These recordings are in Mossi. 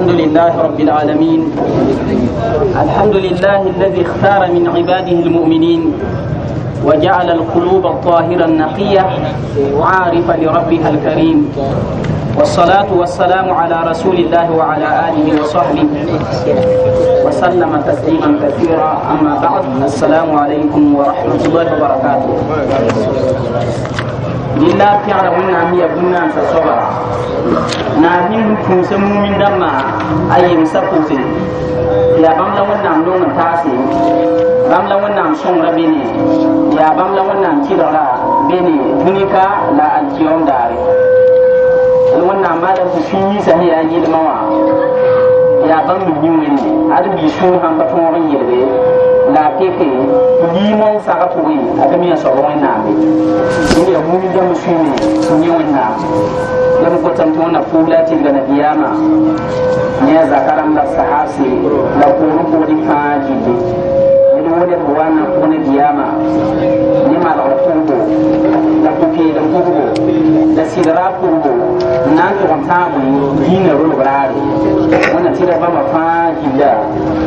الحمد لله رب العالمين الحمد لله الذي اختار من عباده المؤمنين وجعل القلوب الطاهرة النقية عارفة لربها الكريم والصلاة والسلام على رسول الله وعلى آله وصحبه وسلم تسليما كثيرا أما بعد السلام عليكم ورحمة الله وبركاته لله pẽgra wẽnnaam ya bũn-naansa soaba na ning pʋʋsã mumin dãmbã a yemsã pʋgse yaa bãmb la wẽnnaam nong n taase bãmb la wẽnnaam sõngra bene yaa bãmb la wẽnnaam kɩlgra bene dũnika la alkiyom daare wẽnnaam maala tɩ sũ-yiisã sẽn yaa yɩlmã wã yaa bãmb b yĩ wẽnde ad bii sũur sãn pa tõog n yelge la a peke tɩ liimã n sagã pʋgẽ a ka mi a soab wẽnnaame dẽnd yaa mumin dãmb sũurẽ tɩ yẽ wẽnnaam la m gotame tɩ wẽnna pʋʋs la a tɩrga nabiyaamã ne a zaka rãmb la sahabse la poorẽ poorẽ fãa gilli ned wo ned wa na pʋg nabiyaamã ne malgr pʋgbo la pʋ-peelem pʋgbo la sɩdra pʋgbo n na n tʋg n tãag dĩinã rolg raare wẽnna tɩrg bãmba fãa gilla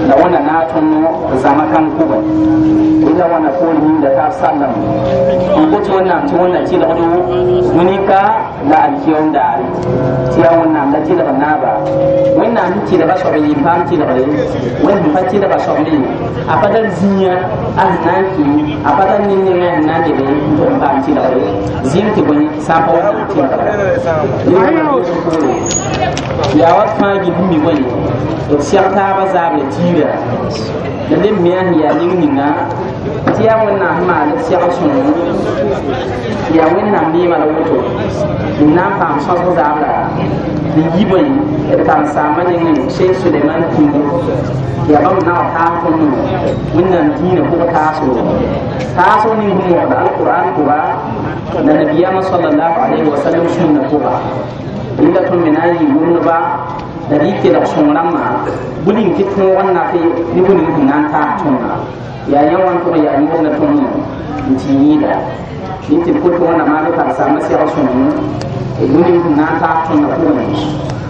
la wẽnna naag tõnd zãma kãng pʋgẽ rẽnda wãna poor yĩnga taab sallam n kot wẽnnaam tɩ wẽnna tɩlgdo dũnika la alkiyom daare tɩ yaa wẽnnaam la tɩlg naaba wẽnnaam sẽn tɩlga soab n yɩ paam tɩlgre wẽnd sẽn pa tɩlga soab ne a pa tar zĩiga a sẽn na n kɩ a pa tar nin-nengã sẽn na n leb n tʋg n paam tɩlgre zĩm tɩ bõe sã n pa wẽnnaam tɩlgra yaa wat fãa gil mi bõe d sɛg taabã zaable tiira la leb me sẽn yaa ning ninga tɩ yaa wẽnnaam sẽn maan d sɛgr sõngo yaa wẽnnaam neemã la woto n na n paam sõsg zaabra n yi bõe d karen-saambã nengẽ Sheikh Suleiman Kumbu yaa bãmb nag taas tõnd wẽnnaam dĩinã pʋg taasgo taasg ning sẽn wõgd alquran pʋga la nabiyaamã sallallahu alayhi wa sallam sũnna pʋga rẽnda tõnd me na n yɩ wʋmdba la rɩ kelg sõng rãmbã bũ-ning tɩ tõog n nate ne bũ-ning sẽn na n taas tõndã yaa yã wã n tʋg yaa yõodna tõnd n tɩ yĩida rẽ tɩ d kot wẽnna maan karen-saambã segl sõngo bũ-ning sẽn na n taas tõndã pʋgẽ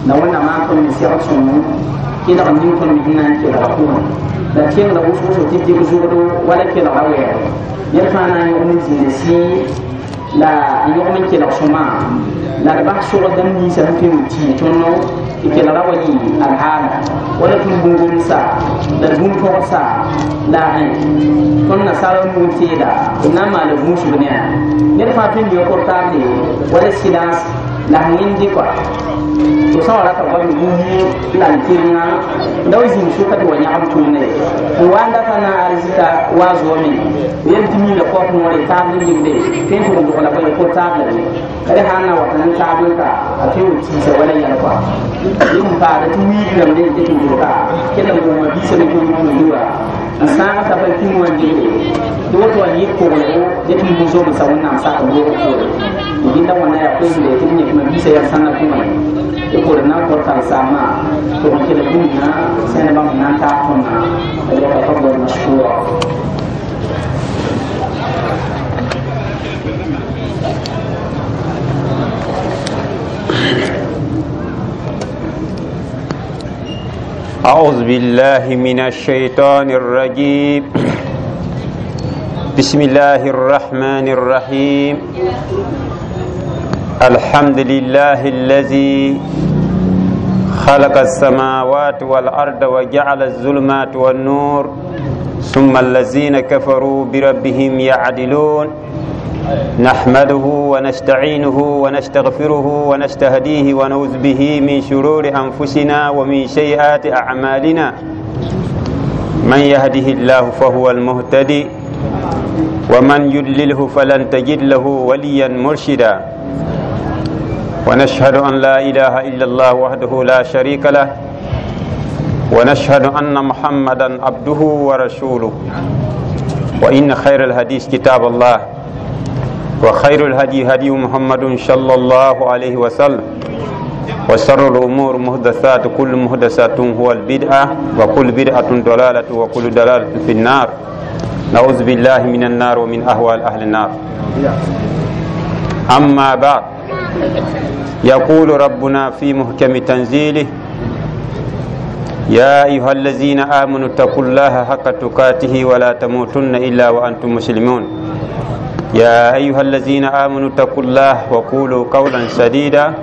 la wẽnna maan tõnd me segl sõngo kelg ning tõnd me sẽn na n kelga pʋgẽ la kẽngda wʋsg-wʋsg tɩ dɩg zʋgdo wala kelgra wɛɛgo ned fãa na n yõg ne zĩnda sɩ la n yõgm n kelg sõma la d bas sogd dãmb ninsã sẽn tõe n tɩ tõnd tɩ kelgra wa yɩ alhaala wala tõnd bũn-gomsa la d bũn-pɔgsa la tõnd nasaara nug n teeda d na n maala vũusg ne a ned fãa tõe n yõ portable wala silence la sẽn wẽnd kɔa to sã wa rata goam buyi la n tɩrengã la wa zĩig sʋka tɩ wa yãgem tʋʋmde n wa n data na arzika wa zoame yel tɩ miinda kɔp noore taab n ligde tõe n tʋg n dogla bõe portable d sã n na wata n taab n ka a tõe n tiisa wala yɛl kɔa yẽ n paada tɩ wiig rãmb n ket n dʋlka kell n goma biisã me tʋʋm tʋʋmdua n sãag t'a pa kĩng wã ligde tɩ woto wa yɩ koglgo dẽ tɩ bu-zomsã wẽnnaam sak loog poore gilla wãnna yaa koeemde tɩ b yẽkma biisã yaa sãngã pʋgẽ tɩ pʋʋr na n kõ karen-saambã tɩ b kelg bũmb sẽn bãmb na n taas tõndã فليتفضل مشكورا. أعوذ بالله من الشيطان الرجيم. بسم الله الرحمن الرحيم. الحمد لله الذي خلق السماوات والأرض وجعل الظلمات والنور ثم الذين كفروا بربهم يعدلون. نحمده ونستعينه ونستغفره ونستهديه ونعوذ به من شرور أنفسنا ومن سيئات أعمالنا. من يهده الله فهو المهتدي ومن يضلله فلن تجد له وليا مرشدا. ونشهد أن لا إله إلا الله وحده لا شريك له ونشهد أن محمدا عبده ورسوله. وإن خير الحديث كتاب الله وخير الهدي هدي محمد صلى الله عليه وسلم وشر الأمور محدثات كل محدثات هو البدعة وكل بدعة ضلالة وكل ضلالة في النار. نعوذ بالله من النار ومن أهوال أهل النار. أما بعد، يقول ربنا في محكم تنزيله: يا أيها الذين آمنوا اتقوا الله حق تقاته ولا تموتن إلا وأنتم مسلمون. يا أيها الذين آمنوا اتقوا الله وقولوا قولا سديدا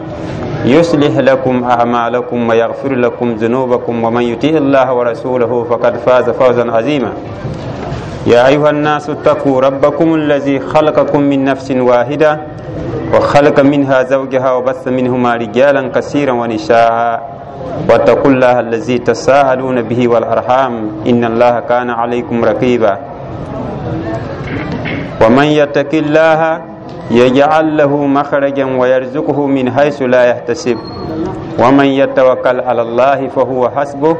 يصلح لكم أعمالكم ويغفر لكم ذنوبكم، ومن يطيع الله ورسوله فقد فاز فوزا عظيما. يا أيها الناس اتقوا ربكم الذي خلقكم من نفس واحدة وخلق منها زوجها وبث منهما رجالا كثيرا ونساء، واتقوا الله الذي تساءلون به والأرحام إن الله كان عليكم رقيبا. ومن يتق الله يجعل له مخرجا ويرزقه من حيث لا يحتسب، ومن يتوكل على الله فهو حسبه،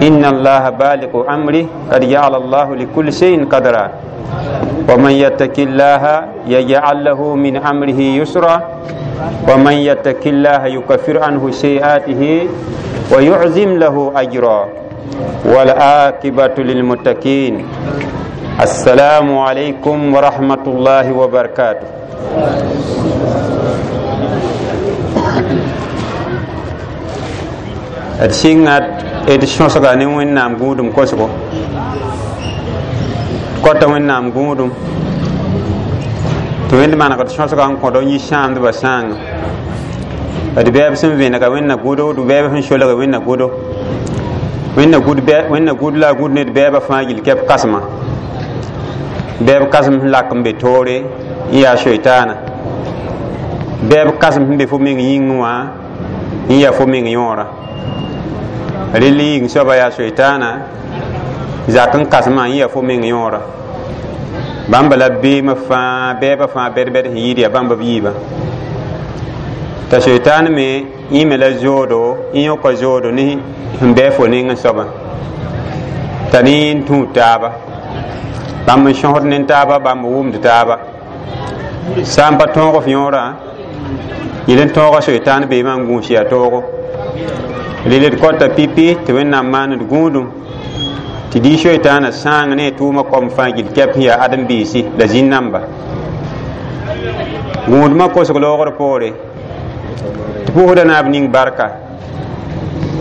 إن الله بالغ أمره قد جعل الله لكل شيء قدرا. ومن يتق الله يجعل له من أمره يسرا، ومن يتق الله يكفر عنه سيئاته ويعظم له أجرا، والعاقبة للمتقين. السلام عليكم ورحمة الله وبركاته. D sɩnga d sõsga ne Wẽnnaam gũudum kosgo, kota Wẽnnaam gũudum tɩ Wẽnd manegd sõsga n kõd n yi sãamdbã sãanga. D bɛɛb sẽn vẽnega Wẽnna gʋdo, d bɛɛb sẽn solge Wẽnna gʋdo, Wẽnna gʋd la a gũd ne d bɛɛbã fãa gill kɛp kasma. Bɛɛb kasem sẽn lak n be toore n yaa soitaana, bɛɛb kasem sẽn be fo meng yĩngẽ wã n yaa fo meng yõora. Rel yĩng soaba yaa soitaana, zak n kasmã n yaa fo meng yõora. Bãmba la beemã fãa, bɛɛbã fãa bɛd-bɛd sẽn yɩɩd yaa bãmba b yiibã. T'a soitaan me yẽ me la zoodo, yẽ yõka zoodo ne sẽn bɩ fo nengẽ soabã, t'a ne yẽ n tũud taaba. Bãmb n sõsd ne taaba, bãmb n wʋmd taaba. Sã n pa tõog f yõorã, yel n tõoga soitaan beemã n gũus yaa toogo. Rel d kota pipi tɩ Wẽnnaam maan d gũudum tɩ dɩ soitaanã sãang ne a tʋʋmã kom fãa gill kɛp sẽn yaa ãdem-biisi la zĩn-namba. Gũudmã kosg loogr poore tɩ pʋʋsda naab ning barka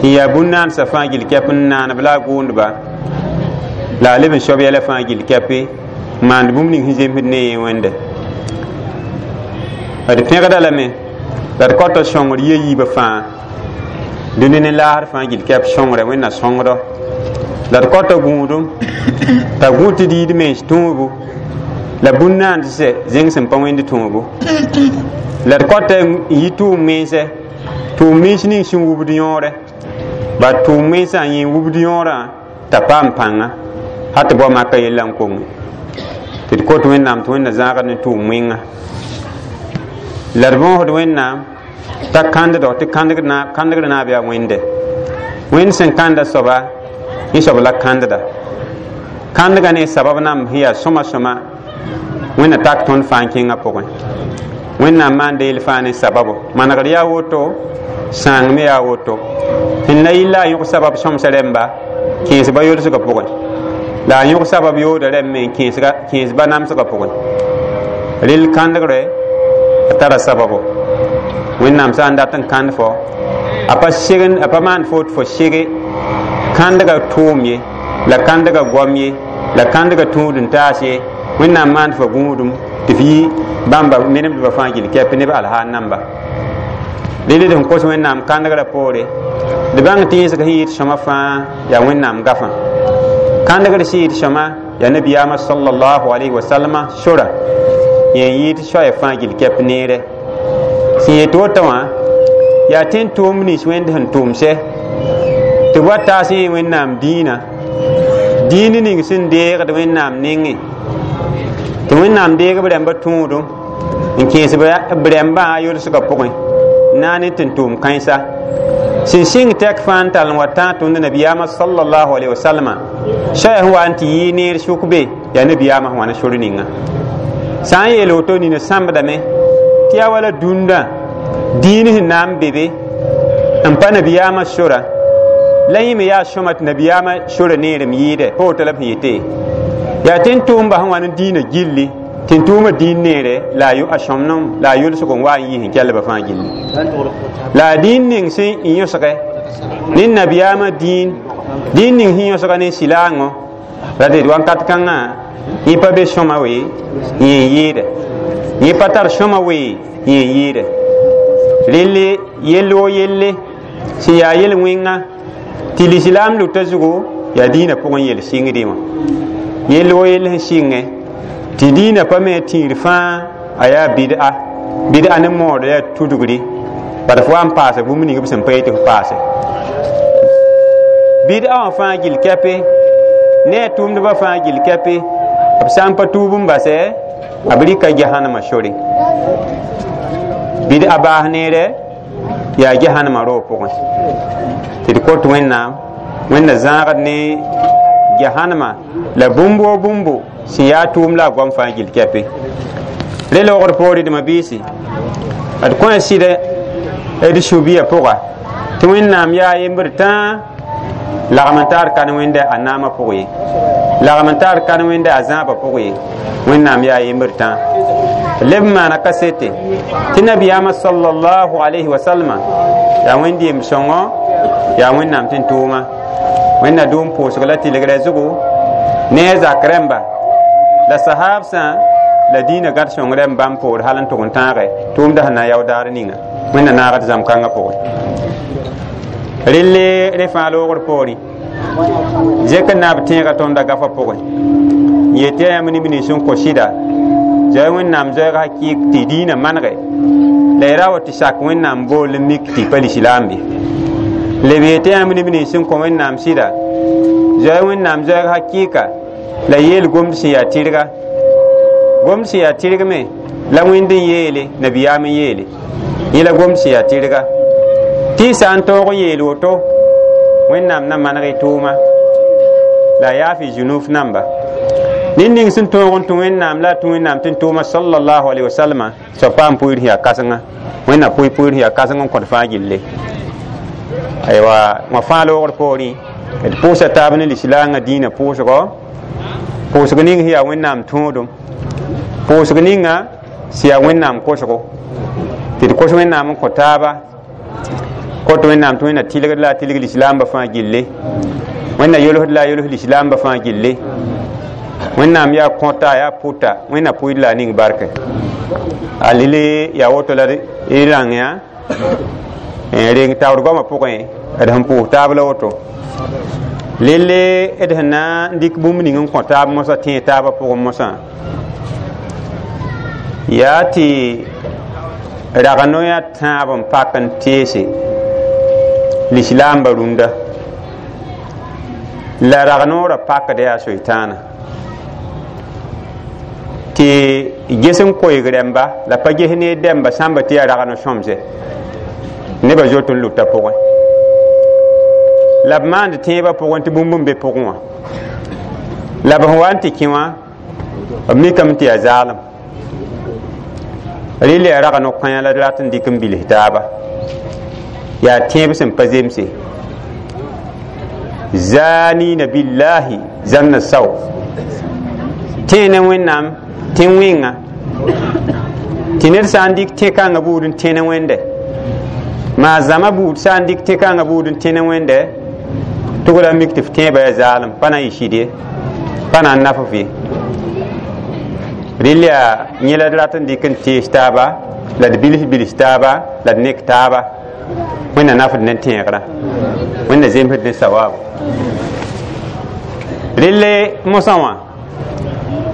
n yaa bũn-naansã fãa gill kɛp n naanb la a gʋʋndba la a leb n soab yɛla fãa gill kɛpe n maand bũmb ning sẽn zemsd ne yẽ Wẽnde. D pẽgda lame la d kota sõngr yia yiibã fãa dũni ne laasr fãa gill kɛp sõngrɛ Wẽnna sõngdɔ. La d kota gũudum t'a gũ tɩ diid mens tũubu la bũn-naandsɛ zẽng sẽn pa wẽnd tũubu. La d kota n yi tʋʋm-mensɛ, tʋʋm-mens ning sẽn wubd yõore, ba tʋʋm-mensã n yẽ wubd yõorã t'a paam pãnga hal tɩ bao maka yella n koŋe. Tɩ d kot Wẽnnaam tɩ Wẽnna zãagd ne tʋʋm-wẽnga. La d võosd Wẽnnaam t'a kãnddo tɩ kãndgr naab yaa Wẽnde. Wẽnd sẽn kãnda soaba, yẽ soab la kãndda. Kãndga ne sabab namb sẽn yaa sõma sõma Wẽnna tak tõnd fãa n kẽngã pʋgẽ. Wẽnnaam maanda yel fãa ne sababo. Manegr yaa woto, sãang me yaa woto. Sẽn la yɩl la a yõg sabab sõmsa rẽmba kẽesba yolsgã pʋgẽ, la a yõg sabab yooda rẽmb me n kẽesba namsgã pʋgẽ. Rel kãndgre a tara sababo. Wẽnnaam sã n dat n kãnd fo, a pa segn, a pa maan fo tɩ fo sege kãndgã tʋʋm ye, la kãndgã goam ye, la kãndgã tũud n taas ye. Wẽnnaam maand fo gũudum tɩ f yi bãmba menemdbã fãa gill kɛp neb alhaal namba. Rel d sẽn kos Wẽnnaam kãndgrã poore, d bãng tɩ yẽsg sẽn yɩɩd sõma fãa yaa Wẽnnaam gafã. Kãndgr sẽn yɩɩd sõma yaa nabiyaamã sallallahu alayhi wa sallama sora, yẽ n yɩɩd soaya fãa gill kɛp neere. Sẽn yet woto wã yaa tẽn tʋʋm nins Wẽnd sẽn tʋʋmsɛ tɩ b wa taas yẽ Wẽnnaam dĩinã, dĩin ning sẽn deegd Wẽnnaam nengẽ, tɩ Wẽnnaam deeg b rãmbã tũudum n kẽes b rãmbã a yolsgã pʋgẽ n na ne tɩ tʋʋm kãensa. Sẽn sɩng tɛk fãa n tall n wa tãag tõnd nabiyaamã sallallahu alayhi wa sallama soaya sẽn wa n tɩ yɩ neer sʋk be yaa nabiyaamã sẽn wa ne sor ninga. Sã n yeel woto nina sãmbdame tɩ yaa wala dũndã dĩin sẽn na n be be n pa nabiyaamã sora, la yẽ me yaa sõma tɩ nabiyaamã sora neerem yɩɩdɛ pa woto la b sẽn yete. Yaa tẽn tʋʋmba sẽn wa ne dĩinã gilli, tɩ tʋʋmã dĩin neere la a sõmnem la a yʋlsg n wa n yɩ sẽn kellbã fãa gilli. La a dĩin ning sẽn yõsgɛ Ne nabiyaamã dĩin dĩin ning sẽn yõsga ne silaangõ la d wakat kãngã yẽ pa be sõma we yẽ n yɩɩdɛ yẽ pa tar sõma we yẽ n yɩɩdɛ relle yell o yelle sẽn yaa yel-wẽnga tɩ lislaam luta zugu yaa dĩinã pʋgẽ yel sɩngdẽ wã yell o yell sẽn sɩngẽ tɩ dĩinã pa me tĩir fãa a yaa bid'a bid'a ne mood yaa tudgri bad fo wa n paasa bũmb ning b sẽn pa yetɩ f paase bid'a wã fãa gill kɛpe ne a tʋʋmdbã fãa gill kɛpe b sã n pa tuub n basɛ b rɩka jahannama sore bid'a baas neerɛ yaa jahannama roog pʋgẽ tɩ d kot Wẽnnaam Wẽnna zãagd ne jahannama la bũmb o bũmbo sẽn yaa tʋʋm la a goam fãa gill kɛpe re loogd poore dma biisi d kõ a sɩdɛ d sũ-biya pʋga tɩ Wẽnnaam yaa yembr tãa lagm n taar kan wẽnda a naamã pʋg ye lagm n taar kan wẽnda a zãabã pʋg ye Wẽnnaam yaa yembr tãa leb n maana kasete tɩ nabiyaamã sallallahu alayhi wa sallama yaa wẽnd yem sõngo yaa Wẽnnaam tɩ n tʋʋma Wẽnna dʋʋm pʋʋsg la tɩlgrã zugu ne a zak rãmba la sahaabsã la dĩinã gãd sõng rãmb bãmb poor hal n tʋg n tãage tʋʋmda sẽn na n yao daar ninga Wẽnna naagd zãmb kãngã pʋgẽ relle re fãa loogr poorẽ zek n naab tẽegã tõndã gafã pʋgẽ n yet tɩ yaa yãmb neb nins sẽn kõ sɩda zoe Wẽnnaam zoɛɛg hakɩɩk tɩ dĩinã manege la y ra wa tɩ sak Wẽnnaam bool n mik tɩ pa lislaam be leb yetɩ yãmb neb nins sẽn kõ Wẽnnaam sɩda zoe Wẽnnaam zoɛɛg hakɩɩka la yeel gomd sẽn yaa tɩrga gomd sẽn yaa tɩrg me la Wẽnd n yeele nabiyaam n yeele yẽ la gomd sẽn yaa tɩrga tɩ y sã n tõog n yeel woto Wẽnnaam na maneg y tʋʋma la a yaaf y zunuf namba ned ning sẽn tõog n tũ Wẽnnaam la a tũ Wẽnnaam tɩ n tʋʋma sallallahu alaihi wasalama soab paam pʋɩɩr sẽn yaa kãsenga Wẽnna pʋɩ pʋɩɩr sẽn yaa kãseng n kõt fãa gilli aywa wã fãa loogr poorẽ d pʋʋsa taab ne lislaangã dĩinã pʋʋsgɔ pʋʋsg ning sẽn yaa Wẽnnaam tõodum pʋʋsg ninga sẽn yaa Wẽnnaam kosgo tɩ d kos Wẽnnaam n kõ taaba kot Wẽnnaam tɩ Wẽnna tɩlgd la a tɩlg lislaambã fãa gilli Wẽnna yolsd la a yols lislaambã fãa gilli Wẽnnaam yaa kõta yaa pʋta Wẽnna pʋɩd la a ning barke a lili yaa woto la y rãng yã reng taoor goamã pʋgẽ d sẽn pʋʋs taab la woto lelle d sẽn na n dɩk bũmb ning n kõ taab mosã tẽeg taabã pʋgẽ mosã yaa tɩ rag noyã tãab n pak n teese lislaambã rũndã la rag noorã pakd yaa soitaana tɩ ges n koeeg rãmba la pa ges ne dɛmba sãmba tɩ yaa rag no-sõmse nebã zoet n luta pʋgẽ la b maand tẽebã pʋgẽ tɩ bũmb n be pʋgẽ wã la b sẽn wa n tɩ kẽ wã b mikame tɩ yaa zaalem rɩl yaa rag no-kãyã la d rat n dɩk n bils taaba yaa tẽeb sẽn pa zemse zanina billahi zanna sao tẽ ne Wẽnnaam tẽ wẽnga tɩ ned sã n dɩk tẽ-kãngã buud n tẽ ne Wẽnde maa zãma buud sã n dɩk tẽ-kãngã buud n tẽ ne Wẽnde tʋg la mik tɩ f tẽebã yaa zaalem pa na n yɩ sɩd ye pa na n naf f ye rɩl yaa yẽ la d rat n dɩk n tees taaba la d bils bils taaba la d nek taaba Wẽnna nafd ne tẽegrã Wẽnna zemsd ne sawaabo relle mosã wã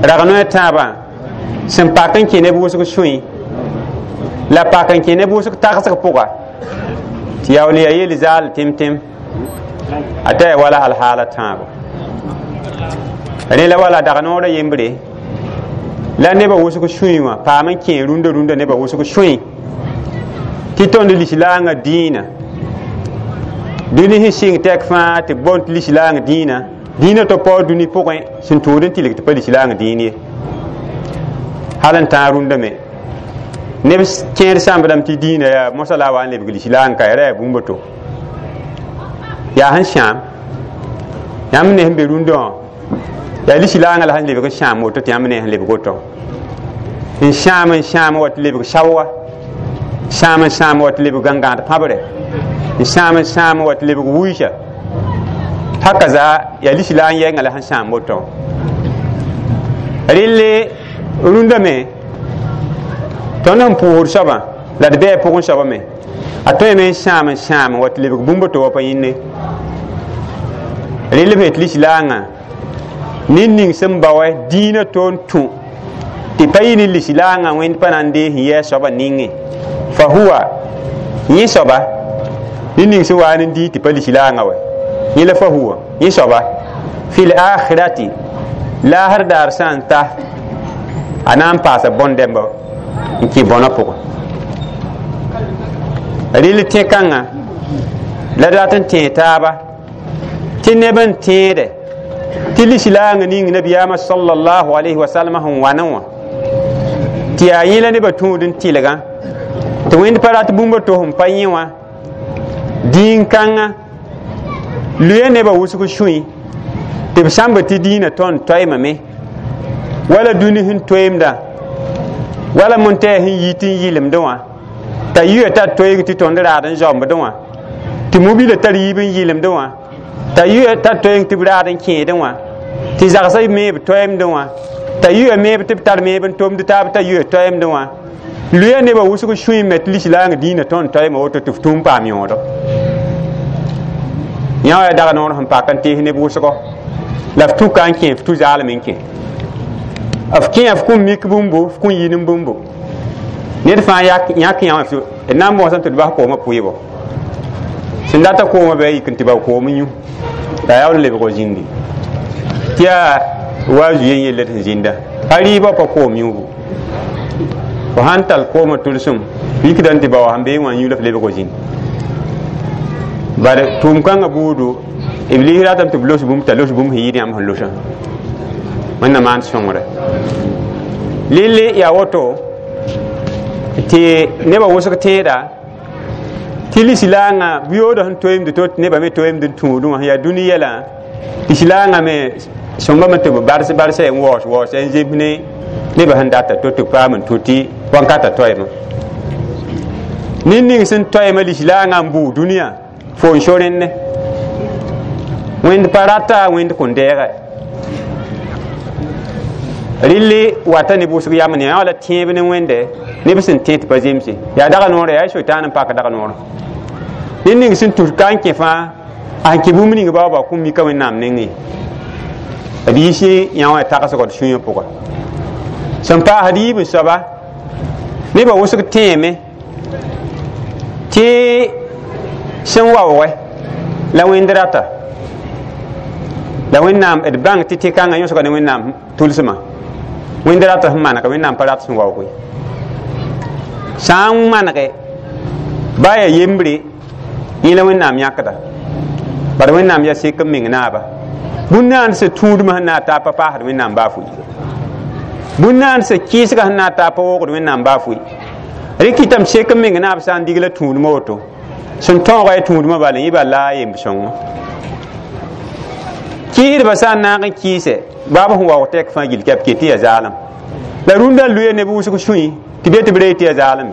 rag noya tãabã sẽn pak n kẽ neb wʋsg sũy la pak n kẽ neb wʋsg tagsg pʋga tɩ yaool yaa yel zaal tẽm-tẽm a ta yaa wala alhaala tãabo rẽ la wala dag noorã yembre la nebã wʋsg sũy wã paam n kẽ rũndã rũndã nebã wʋsg sũy tɩ tõnd lislaangã dĩinã dũni sẽn sɩng tɛk fãa tɩ b boond tɩ lislaang dĩinã dĩinã tɩ paoor dũni pʋgẽ sẽn tũud n tɩlg tɩ pa lislaang dĩin ye hal n tãag rũndã me neb kẽed sãmbdame tɩ dĩinã yaa mosã la a wa n lebg lislaang ka ya ra yaa bũmb to yaa sẽn sãam yãmb ne sẽn be rũndã wã yaa lislaangã la sẽn lebg n sãam woto tɩ yãmb ne sẽn lebg woto n sãam wa tɩ lebg saoa sãam n sãam wa tɩ lebg gãngãad pãbre N sãam wa tɩ lebg wʋɩsa hakaza yaa lisla n yɛnga la sẽn sãam woto relle rũndã me tõnd sẽn pʋʋsd soabã la d bɩ a pʋgẽ soabã me a tõeme n sãam wa tɩ lebg bũmb to wa pa yĩnne relle b het lislaangã ned ning sẽn bao dĩinã toon tũ tɩ pa yɩ ne lislaangã wẽnd pa na n dees n yɛɛ soabã ninge fa huwa yẽ soaba ned ning sẽn waa n dii tɩ pa lislaangã wa yẽ la fa huwa yẽ soaba fil akhirati laasr daar sã n ta a na n paasa bõn-dɛmba n kẽ bõnã pʋgẽ rɩl tẽ-kãngã la dat n tẽe taaba tɩ neb n tẽede tɩ lislaangã ning nabiyaamã sallallahu alayhi wa sallam sẽn wanẽ wã tɩ yaa yẽ la nebã tũud n tɩlgã tɩ wẽnd pa rat bũmb to sẽn pa yẽ wã dĩin-kãngã luya nebã wʋsg sũy tɩ b sãmba tɩ dĩinã tõnd toeemame wala dũni sẽn toeemdã wala montɛɛ sẽn yit n yɩlemdẽ wã t'a yuya tar toeeg tɩ tõnd raad n zaombdẽ wã tɩ mobila tar yiib n yɩlemdẽ wã t'a yuya tar toeeg tɩ b raad n kẽedẽ wã tɩ zagsã meeb toeemdẽ wã t'a yuya meeb tɩ b tar meeb n tomd taab t'a yuya toeemdẽ wã luya nebã wʋsg sũy me tɩ lislaangã dĩinã tõnd toeema woto tɩ f tũum paam yõodo yã wa dag noor sẽn pak n tees neb wʋsgo la f tuka n kẽ f tu zaalem n kẽ f kẽ f kũm mik bũmbu f kũm yɩ bũmbu ned fãa yãk yã d na n bõosame tɩ d bas koomã pʋɩbo sẽn data koomã bɩ a yik n tɩ ba koom n yũ la a yaool n lebg zĩndi tɩ yaa wa zu yen yelle sẽn zĩnda pa rɩɩbã pa koom yũubu fo sãn tall koomã tʋlsem yikda n tɩ ba wa sẽn bee wã n yũ la f lebg zĩnd bare tʋʋm kãngã buudu iblis ratame tɩ b los bũmb t'a los bũmb sẽn yɩɩd yãmb sẽn losã wẽnnaam maan sõngre lille yaa woto tɩ nebã wʋsg tẽeda tɩ lislaangã buyoodã sẽn toeemd to tɩ nebã me toeemd n tũudẽ wã sẽn yaa dũni yɛlã lislaangã me sõmbame tɩ b bars barsa n waoos waoosa n zems ne nebã sẽn data to tɩ b paam n tũ tɩ wãnkata toeemã ned ning sẽn toeemã lislaangã n bʋʋ dũniyã fo n so rẽnne wẽnd pa rata wẽnd kõn deegɛ rɩlli wata ne wʋsg yam ne yã la tẽeb ne wẽnde neb sẽn tẽ tɩ pa zemse yaa dag noorã yaa sotaan n pak dag noorã ned ning sẽn tus ka n kẽ fãa a sẽn kẽ bũmb ning baoobã kũm mika wẽnnaam nengẽ d yiisi yã wã tagsgd sũyã pʋga sẽn paasd yiib n soaba nebã wʋsg tẽeme tɩ sẽn waoogɛ la wẽnd rata la wẽnnaam d bãng tɩ tɩ-kãngã yõsga ne wẽnnaam tʋlsmã wẽnd rata sẽn manega wẽnnaam pa rat sẽn waoog ye sã n manege ba yaa yembre yẽ la wẽnnaam yãkda bala wẽnnaam yaa sek n meng naaba bũn-naand sẽn tũudmã sẽn na n taa pa paasd wẽnnaam baa fʋɩ bũn-naand sẽn kɩɩsgã sẽn na n taa pa woogd wẽnnaam baa fʋɩ rɩ kɩtame sek n meng naab sã n dig la tũudmã woto sẽn tõoga ya tũudmã bala yẽ bala la a yemb sõngo kɩɩsdbã sã n naag n kɩɩsɛ baab sẽn waoog tɛk fãa gill kɛp ket tɩ yaa zaalem la rũndã luya neb wʋsg sũy tɩ be tɩ b ree tɩ yaa zaalem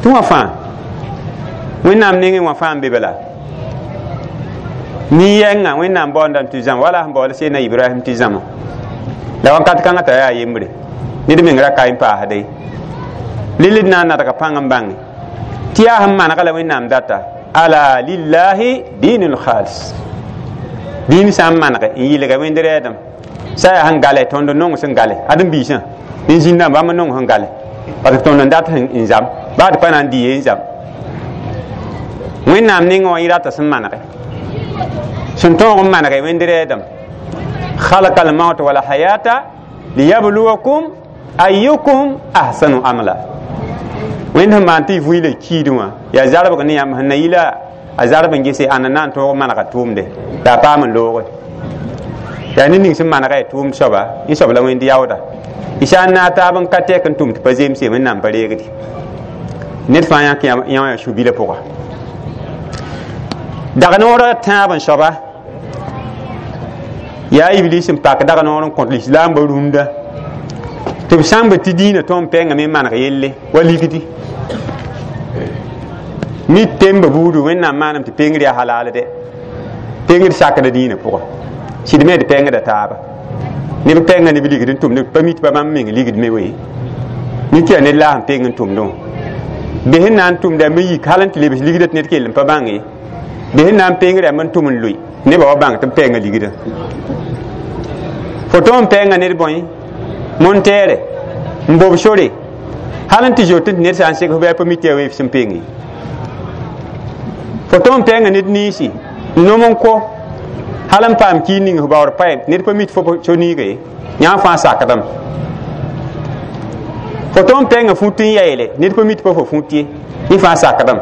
tɩ wã fãa wẽnnaam nengẽ wã fãa n be bala nin-yɛngã wẽnnaam baoondame tɩ zãma wala sẽn baool sena Ibrahim tɩ zãma la wãnkat kãngã t'a yaa yembre ned meng ra ka n paasde lil d na n nadga pãng n bãnge tɩ yaa sẽn manega la wẽnnaam data ala lillahi dinul khalis dĩin sã n manege n yɩlga wẽnd rɛɛdem sã yaa sẽn gale tõnd nong sẽn gale ad n biisã nin zĩndã bãmb nong sẽn gale parce que tõnd n dat n zam baa d pa na n dɩ ye n zam wẽnnaam nengẽ wã yẽ rata sẽn manege sẽn tõog n manege wẽnd rɛɛdem خلق الموت والحياة ليبلوكم أيكم أحسن عملا wẽnd sẽn maan tɩ y vɩɩla kiidẽ wã yaa zarbg ne yãmb sẽn na yɩla a zarb n gese ãnna na n tõog manega tʋʋmde la a paam n looge yaa ned ning sẽn manega ya tʋʋmd soaba yẽ soab la wẽnd yaooda y sã n naag taab n ka tɛk n tʋm tɩ pa zemse wẽnnaam pa reegdi ned fãa yãk yã wã yaa su-bilã pʋga dag noorã tãab n soaba yaa iblis n pak dag noor n kõt lislaambã rũndã tɩ b sãmb tɩ dĩinã tõnd pɛngame n maneg yelle wa ligdi Mi temba buudu wẽnnaam maanam tɩ pengr yaa halaal dɛ pengr sakda dĩinã pʋga sɩd me d pengda taaba neb pɛnga neb ligd n tʋmd pa mi tɩ pa bãmb meng ligd me we mik yaa ned la sẽn peng n tʋmdẽ wã bes n na n tʋmda me yik hal n tɩ lebs ligdã tɩ ned kell n pa bãng ye bes n na n peng rãmb n tʋm n loe nebã wa bãng tɩ b pɛnga ligdã fo tõog n pɛnga ned bõe montɛɛrɛ n bob sore hal n tɩ zoet tɩ ned sã n seg f bɩ a pa mi tɩ yaa weef sẽn peng ye fo tõog n pɛnga ned niisi n nom n ko hal n paam kiir ning f baood paɛ ned pa mi tɩ fo so niiga ye yãa fãa sakdame fo tõog n pɛnga fut n yaeele ned pa mi tɩ pa fo fut ye yẽ fãa sakdame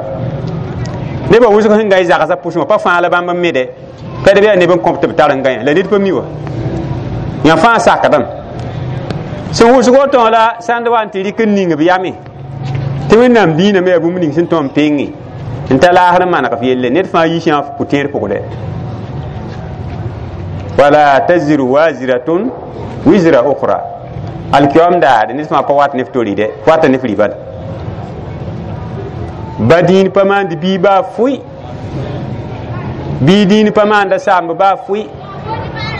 nebã wʋsg sẽn ga y zagsã pʋsẽ wã pa fãa la bãmb n mede pɛd b yaa neb n kõp tɩ b tar n gãyã la ned pa mi wa yã fãa sakdame sẽn wʋsg woto wã la sãnd wa n tɩ rɩk n ning b yame tɩ wẽnnaam dĩinã me yaa bũmb ning sẽn tõe n penge n ta laasr n maneg f yelle ned fãa yiis yã pʋ-tẽed pʋgdɛ wala taziru waziratun wizra ukhra alkiyom daare ned fãa pa wat ne f tori dɛ wata ne f ribad ba dĩin pa maand bii baa fʋɩ bii dĩin pa maanda saamb baa fʋɩ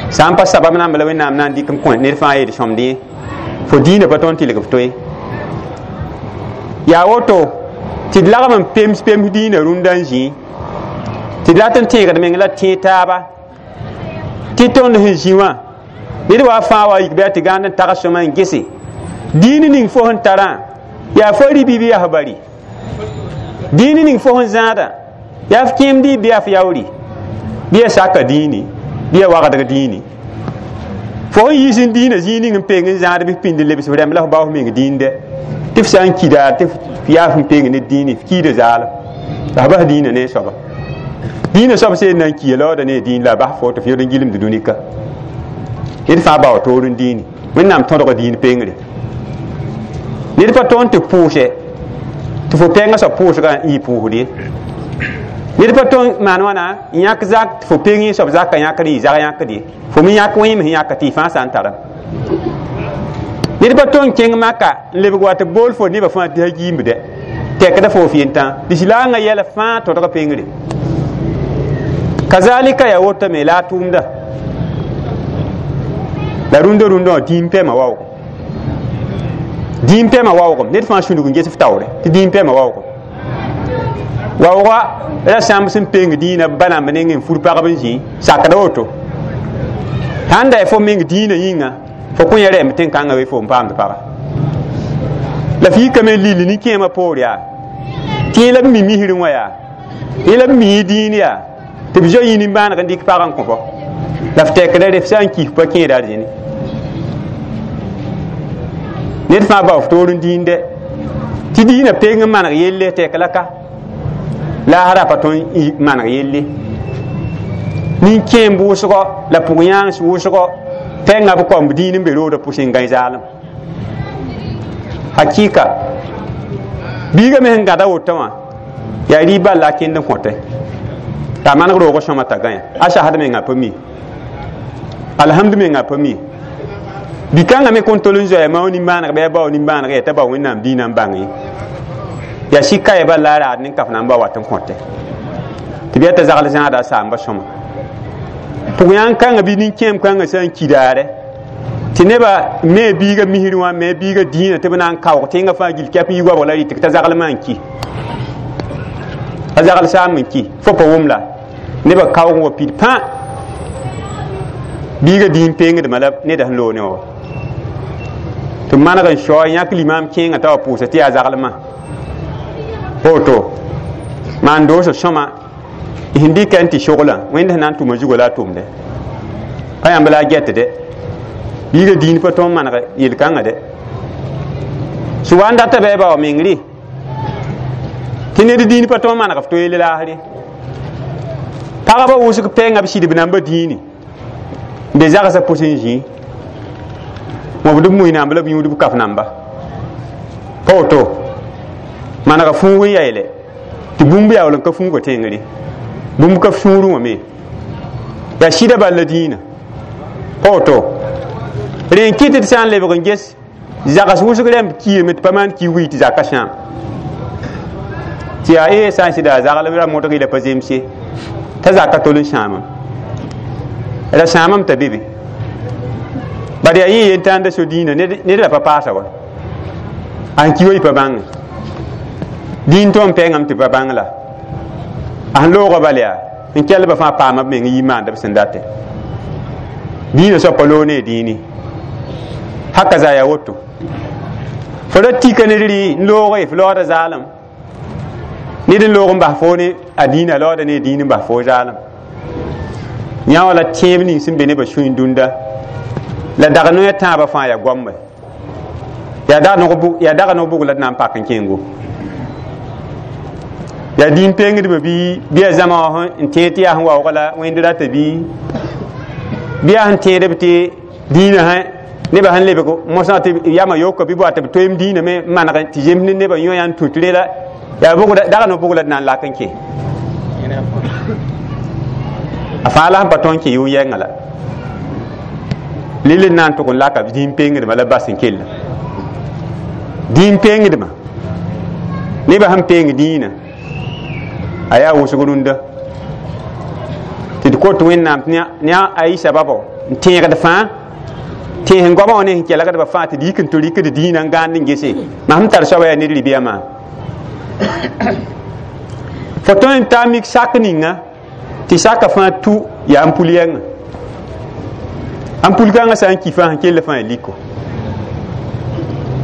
sã n pa sabab namba la wẽnnaam na n dɩk n kõ ned fãa yeel sõmd yẽ fo dĩinã pa tõe n tɩlg f to ye yaa woto tɩ d lagm n pems pems dĩinã rũndã n zĩ tɩ d rat n tẽegd meng la tẽeg taaba tɩ tõnd sẽn zĩ wã ned wa fãa wa yik bɩ a tɩ gãand n tags sõma n gese dĩin ning fo sẽn tarã yaa fo ribi bɩ yaa f bari dĩin ning fo sẽn zãada yaa f kẽemdi bɩ yaa f yaoori bɩ ya saka dĩini bɩ ya wagdg dĩini fo sẽn yiis n dĩinã zĩig ning n peng n zãad bɩ f pĩnd lebs f rãmb la f bao f meng dĩinde tɩ f sã n ki daar tɩ f yaa f n peng ne dĩini f kiida zaalem la f bas dĩinã ne soaba dĩinã soab seen na n kiya laooda ne dĩin la a bas fo tɩ f yod n gilmd dũnika ned fãa bao toor n dĩini wẽnnaam tõdg dĩin pengre ned pa tõnd tɩ pʋʋsɛ tɩ fo pɛngã soab pʋʋsgã n yɩ pʋʋsd ye ned pa tõe n maan wãna n yãk zak tɩ fo peng soab zakã yãkd yɩ zag yãkd ye fo me yãk wẽem sẽn yãka tɩ y fãa sã n tara ned pa tõe n kẽng maka n lebg wa tɩ bool fo nebã fãa tɩ a giimbdɛ tɛkda fo f yentã lislaangã yɛla fãa tõdg pengre kazalika yaa wotame la a tʋʋmda la rũndã rũndã wã dĩim pɛma waoogem dĩim pɛma waoogem ned fãa sũnug n ges f taoore tɩ dĩim pɛma waoogem waooga ra sãmb sẽn peng dĩinã ba namba neng n fur pagb n zĩ sakda woto sãn da fo meng dĩinã yĩnga fo kõ yã rɛmb tẽn-kãngã we fo n paamd paga la f yikame lil nin-kẽemã poor yaa tɩ yẽ la b mi misrẽ wã yaa yẽ la b mi dĩin yaa tɩ b zoe yĩ nimbãaneg n dɩk pag n kõ la f tɛkda re f sã n kis pa kẽeda arzẽne ned fãa bao f toor n dĩinde tɩ dĩinã peng n maneg yelle tɛk la ka laasra pa tõe n maneg yelle nin-kẽem wʋsgɔ la pʋg-yãangs wʋsgɔ pɛngã b kaomb dĩin n be roodã pʋsẽ n gãe zaalem hakika biigã me sẽn gãda woto wã yaa rɩ bal la a kẽnd n kõte t'a maneg roogã sõma t'a gãyã a sasd mengã pa mi alhamdu mengã pa mi bi-kãngã me kõn tol n zoɛɛ mao nimbãaneg bɩ a bao nimbãaneg yaa t'a bao wẽnnaam dĩinã n bãng ye yaa sɩka ya bal la a raad nin-kaf na n ba wat n kõte tɩ bɩ yaa t'a zagl zãada a saamba sõma pʋg-yãng kãngã bɩ nin-kẽem kãngã sã n ki daare tɩ nebã me biigã misrẽ wã me biigã dĩinã tɩ b na n kaoog tẽngã fãa gill kɛp n yi goabg la rɩtg t'a zaglmã n ki a zagl saam n ki fo pa wʋm la nebã kaoog n wa pid pã biigã dĩin pengdmã la neda sẽn loog ne wã tɩ maneg n sao yãk limaam kẽengã t'a wa pʋʋsa tɩ yaa zaglmã woto maan doosã sõma sẽn dɩka n tɩ soglã wẽnd sẽn na n tʋma zugã la a tʋmdɛ pa yãmb la a gɛtdɛ biigã dĩin pa tõe n maneg yel-kãngã dɛ sẽn wa n data bɩ a bao mengre tɩ ned dĩin pa tõe n maneg f to yell laasre pagba wʋsg pɛngã b sɩdb namba dĩini n be zagsã pʋs n zĩ wõbd b mui namba la b yũud b kaf namba pa woto manega fũug n yaeele tɩ bũmb yaool n ka fũuga tẽngre bũmb ka sũurẽ wã me yaa sɩda bal la dĩinã pa woto rẽ n kɩt tɩ sã n lebg n ges zags wʋsg rãmb kiime tɩ pa maan ki wii tɩ zaka sãam Tɩ yaa ee sã n sɩda a zagl ra modg la pa zemse t'a zaka tol n sãamam ra sãamam t'a be be bad yaa yẽ yen-tãanda so dĩinã ned ra pa paasa wa a sẽn ki wa y pa bãnge dĩin tõe n pɛɛngame tɩ pa bãng la a sẽn loogã bal yaa n kɛlbã fãa paama b meng yi maanda b sẽn date dĩinã soab pa loog ne dĩini haka za yaa woto fo ra tika ned rɩ n looge f loogda zaalem ned n loog n bas foo ne a dĩinã loogda ne dĩin n bas foo zaalem yã wala tẽeb ning sẽn be nebã sũy dũnda la dag noya tãabã fãa yaa goambe yaa dag no bug la d na n pak n kẽngo yaa dĩin pengdbã bɩ yaa zãma wã n tẽed tɩ yaa sẽn waoog la wẽnd rata bɩ yaa sẽn tẽedb tɩ dĩinã sã nebã sẽn lebg mosã tɩ yamã yoka bɩ boa tɩ b toeem dĩinã me n maneg tɩ zems ne nebã yõ yaa n tũ tɩ rela yaa dag no bug la d na n lak n kẽ a fãa la sẽn pa tõe n kẽ yʋ-yɛngã la lel n na n tʋg n laka dĩin pengdmã la bas n kella dĩin pengdmã nebã sẽn peng dĩinã a yaa wʋsg rũndã tɩ d kot Wẽnnaam ne a y sababo n tẽegd fãa tẽes n goamã wã ne sẽn kelgdbã fãa tɩ d yik n tɩ rɩkd dĩinã n gãand n gese mam sẽn tar soaba yaa ned ribiyã maa fo tõe n taa mik sak ninga tɩ saka fãa tu yaa n pul yɛngã n pul kãngã sã n ki fãa sẽn kell fãa liko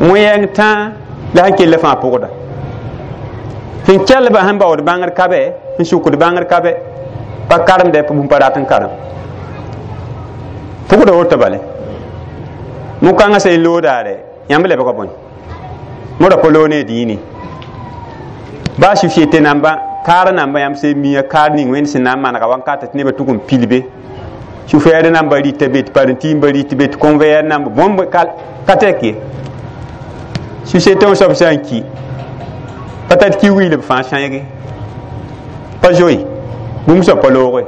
wẽ-yɛng tãa la sẽn kell fãa pʋgda sẽn kelbã sẽn baood bãngr ka bɛ sẽn sukd bãngr ka bɛ pa karemdɛ bũmb pa rat n karem pʋgda woto bale mokãngã sã n loogdaare yãmb lebga bõe modã pa loog ne dĩini baa société namba kaar namba yãmb sẽn mia kaar ning wẽnd sẽn na n manega wankata tɩ nebã tʋg n pilbe sufɛɛd namba rɩta be tɩ parentɩ rɩt be tɩ conveyɛr namba bõmb ka tɛk ye société wã soab sã n ki pa tar ki wiil b fãa sãeege pa zoe bũmb soab pa looge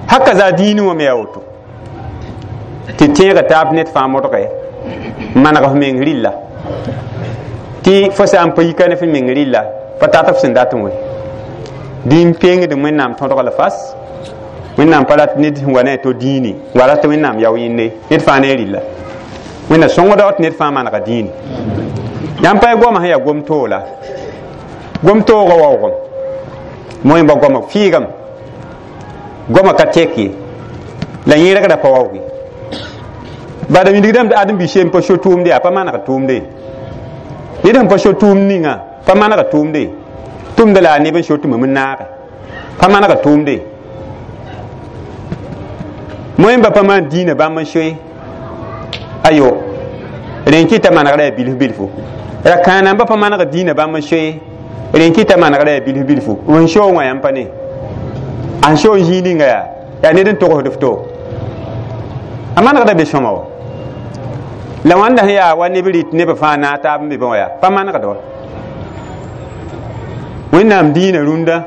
haka zaa dĩinẽ wã me yaa woto tɩ tẽega taab ned fãa modge n maneg f meng rɩlla tɩ fo sã n pa yika ne f meng rɩlla pa tat f sẽn dat n we dĩin pengd Wẽnnaam tõdg la fas Wẽnnaam pa rat ned sẽn wa ne a to dĩini wa rat Wẽnnaam yao yẽnde ned fãa ne rɩlla Wẽnna sõngda tɩ ned fãa manega dĩini yãmb pa goamã sẽn yaa gom-toola gom-toogã waoogem moẽmba goama fɩɩgame goama ka tɛk ye la yẽrgrã pa waooge bada wilgdame ãdem-bi sem pa so tʋʋmde yaa pa maneg tʋʋmde ned sẽn pa so tʋʋmd ninga pa maneg tʋʋmde tʋmda la a neb n so tɩ mam n naage pa maneg tʋʋmde moẽmba pa maan dĩinã bãmb n soe ayo rẽn kɩta manegrã yaa bilf bilfu ra kãanamba pa maneg dĩinã bãmb n soe rẽn kɩta manegrã yaa bilf bilfu n soog wã yãmb pa ne a sẽn soog n zĩig ninga yaa yaa ned n togsd f to a manegda be sõma wa la wãnda sẽn yaa wa neb rɩt nebã fãa naag taab n be bã wã yaa pa manegd wa Wẽnnaam dĩinã rũndã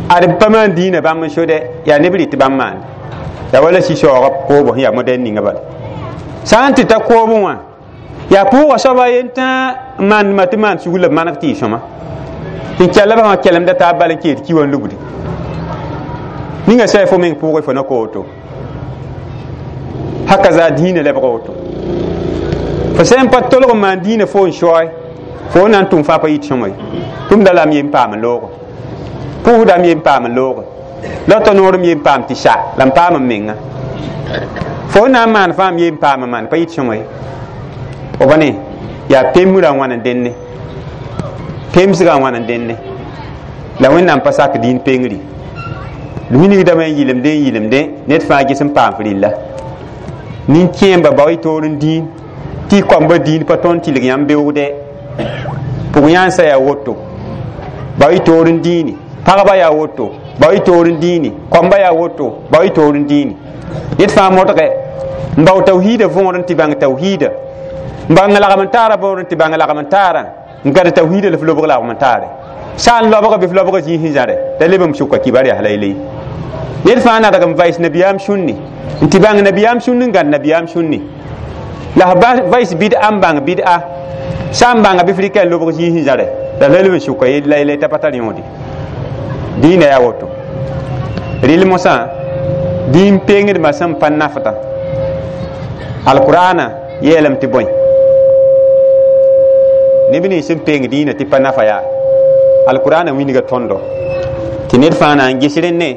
ad pa maan dĩinã bãmb n sodɛ yaa neb rɩt bãmb maande yaa wala sɩ-saoogã koobo sẽn yaa modɛn ninga bala sã n tɩ ta koobẽ wã yaa pʋʋga soaba a yen tãa n maandma tɩ maan sugr la b maneg tɩ yɩ sõma sẽn kɛlbã wã kɛlemda taab bal n keed ki wã n lubdi ninga sã fo meng pʋʋgẽ fo na ka woto haka zaa dĩinã lebg woto fo sã n pa tolg n maan dĩinã fo n soe fo na n tʋm fãa pa yit sõma ye tʋmda la m yen paam n looge pʋʋsda m yen paam n looge la t'a noor m yen paam tɩ sa la m paam n menga fo na n maan fãa m yen paam n maan pa yit sõma ye f ne yaa pembrã n wãn n dẽnne pemsgã n wãn n dẽnne la Wẽnnaam pa sak dĩin pengri d wilgdame n yɩlemde n yɩlemde ned fãa ges n paam f rɩlla nin-kẽemba bao y toor n dĩin tɩ y koamba dĩin pa tõnd tɩlg yãmb beoogdɛ pʋg yãnsã yaa woto bao y toor n dĩini pagba yaa woto bao y toor n dĩini koamba yaa woto bao y toor n dĩini ned fãa modgɛ n bao tawhiida võor n tɩ bãng tawhiida n bãng lagm n taara võor n tɩ bãng lagm n taarã n gad tawhiida la f lobg lagm n taare sã n lobga bɩ f lobga zĩig sẽn zãre da leb m sʋka kibar yaa layley ned fãa nadg n vais nabiyaam sũnni n tɩ bãng nabiyaam sũnn n gãd nabiyaam sũnni la f vais bɩd'a n bãng bɩd'a sã n bãnga bɩ f rɩka n lobg zĩig sẽn zãre La la leb n sʋka yella yella t'a pa tar yõode dĩinã yaa woto rɩl mosã dĩin pengdmã sẽn pa nafda alqur'ana yeelame tɩ bõe neb nins sẽn peng dĩinã tɩ pa nafa yaa alqur'ana wilga tõndo tɩ ned fãa na n ges rẽnne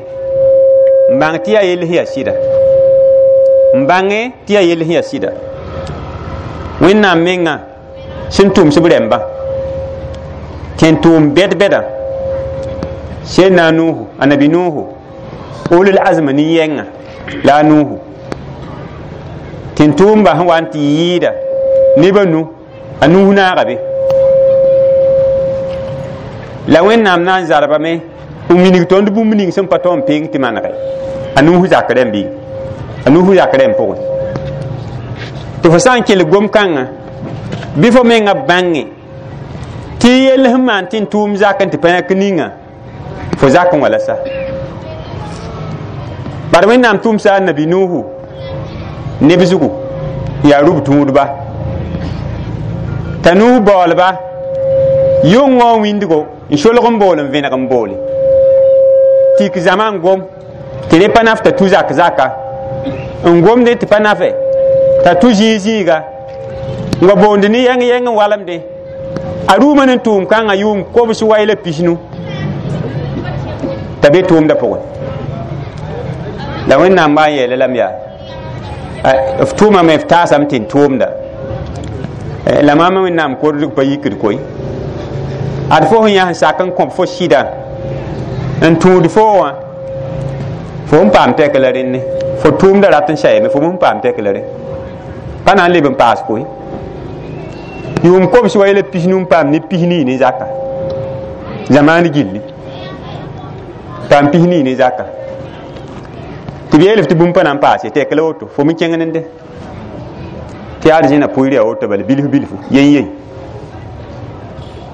n bãng tɩ yaa yell sẽn yaa sɩda n bãnge tɩ yaa yell sẽn yaa sɩda wẽnnaam menga sẽn tʋms b rɛmbã tẽn tʋʋm bɛd-bɛda sẽn nuhu annabi nuhu ulul azma nin-yɛngã la a nuhu tɩ n tʋʋmba sẽn wa n tɩ yɩɩda nebã nu a nuhu naaga be la wẽnnaam na n zarbame n wilg tõnd bũmb ning sẽn pa tõo n peng tɩ manege a nuhu zak rẽmb a nuhu zak rẽmb pʋgẽ tɩ fo sã n kelg gom-kãngã bɩ fo menga bãnge tɩ yell sẽn maan tɩ n tʋʋm zak n tɩ pa yãk ninga fo zak n wala sa bad wẽnnaam tʋmsa a nabi nuhu neb zugu yaa rub tũudba t'a nuhu baoolba yʋngõ wĩndgo n solg n bool n vẽneg n boole tik zãma n gom tɩ rẽ pa naf t'a tu zak zaka n gomdẽ tɩ pa nafe t'a tu zĩig zĩiga n wa boond ne yɛng yɛng n walemdẽ a rʋʋmã ne tʋʋm kãngã yʋʋm kobs wai la pisnu t'a be tʋʋmdã pʋgẽ la wẽnnaam baa n yeela lame yaa f tʋʋmame f taasame tɩ n tʋʋmda la maama wẽnnaam kordg pa yikd koe ad fo sẽn yaa sẽn sak n kõb fo sɩda n tũud fo wã fo n paam tɛk la rẽnne fo tʋʋmda rat n sayame fo n paam tɛk la rẽ pa na n leb n paas koe yʋʋm kobs wa yɛla pisnu n paam ne pisnii ne zaka zamaan gilli paam pisnii ne zaka tɩ b yeel f tɩ bũmb pa na n paase tɛk la woto fo me kẽng nende tɩ yaa zẽna pʋɩr yaa woto bala bilf bilfu yen yen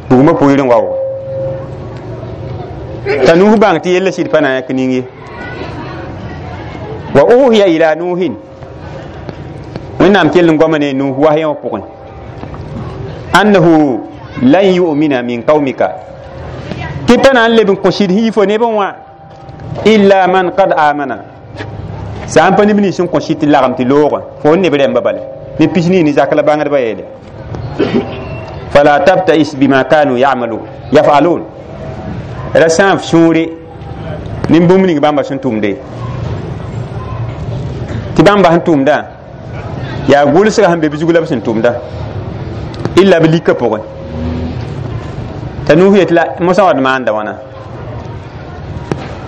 bugmã pʋɩr n wa wa t'a nuh bãng tɩ yella sɩd pa na n yãk ning ye wa uhiya ila nuhin wẽnnaam kell n goama ne nuh wahyã wã pʋgẽ annahu lan yu'mina min qaumika tɩ pa na n leb n kõ sɩd sẽn yi fo nebẽ wã illa man qad amana sã n pa neb nins sẽn kõ sɩd tɩ lagem tɩ loogã fo n neb rẽmba bala ne pisnii ne zak la bãngdbã yeele fala tabtais bima kanu yamalun yafalun ra sã n f sũure nin bũmb ning bãmba sẽn tʋmde tɩ bãmba sẽn tʋmdã yaa gʋlsga sẽn be b zug la b sẽn tʋmda illa b lika pʋgẽ t'a nuus yetɩ la mosã wa d maanda wãna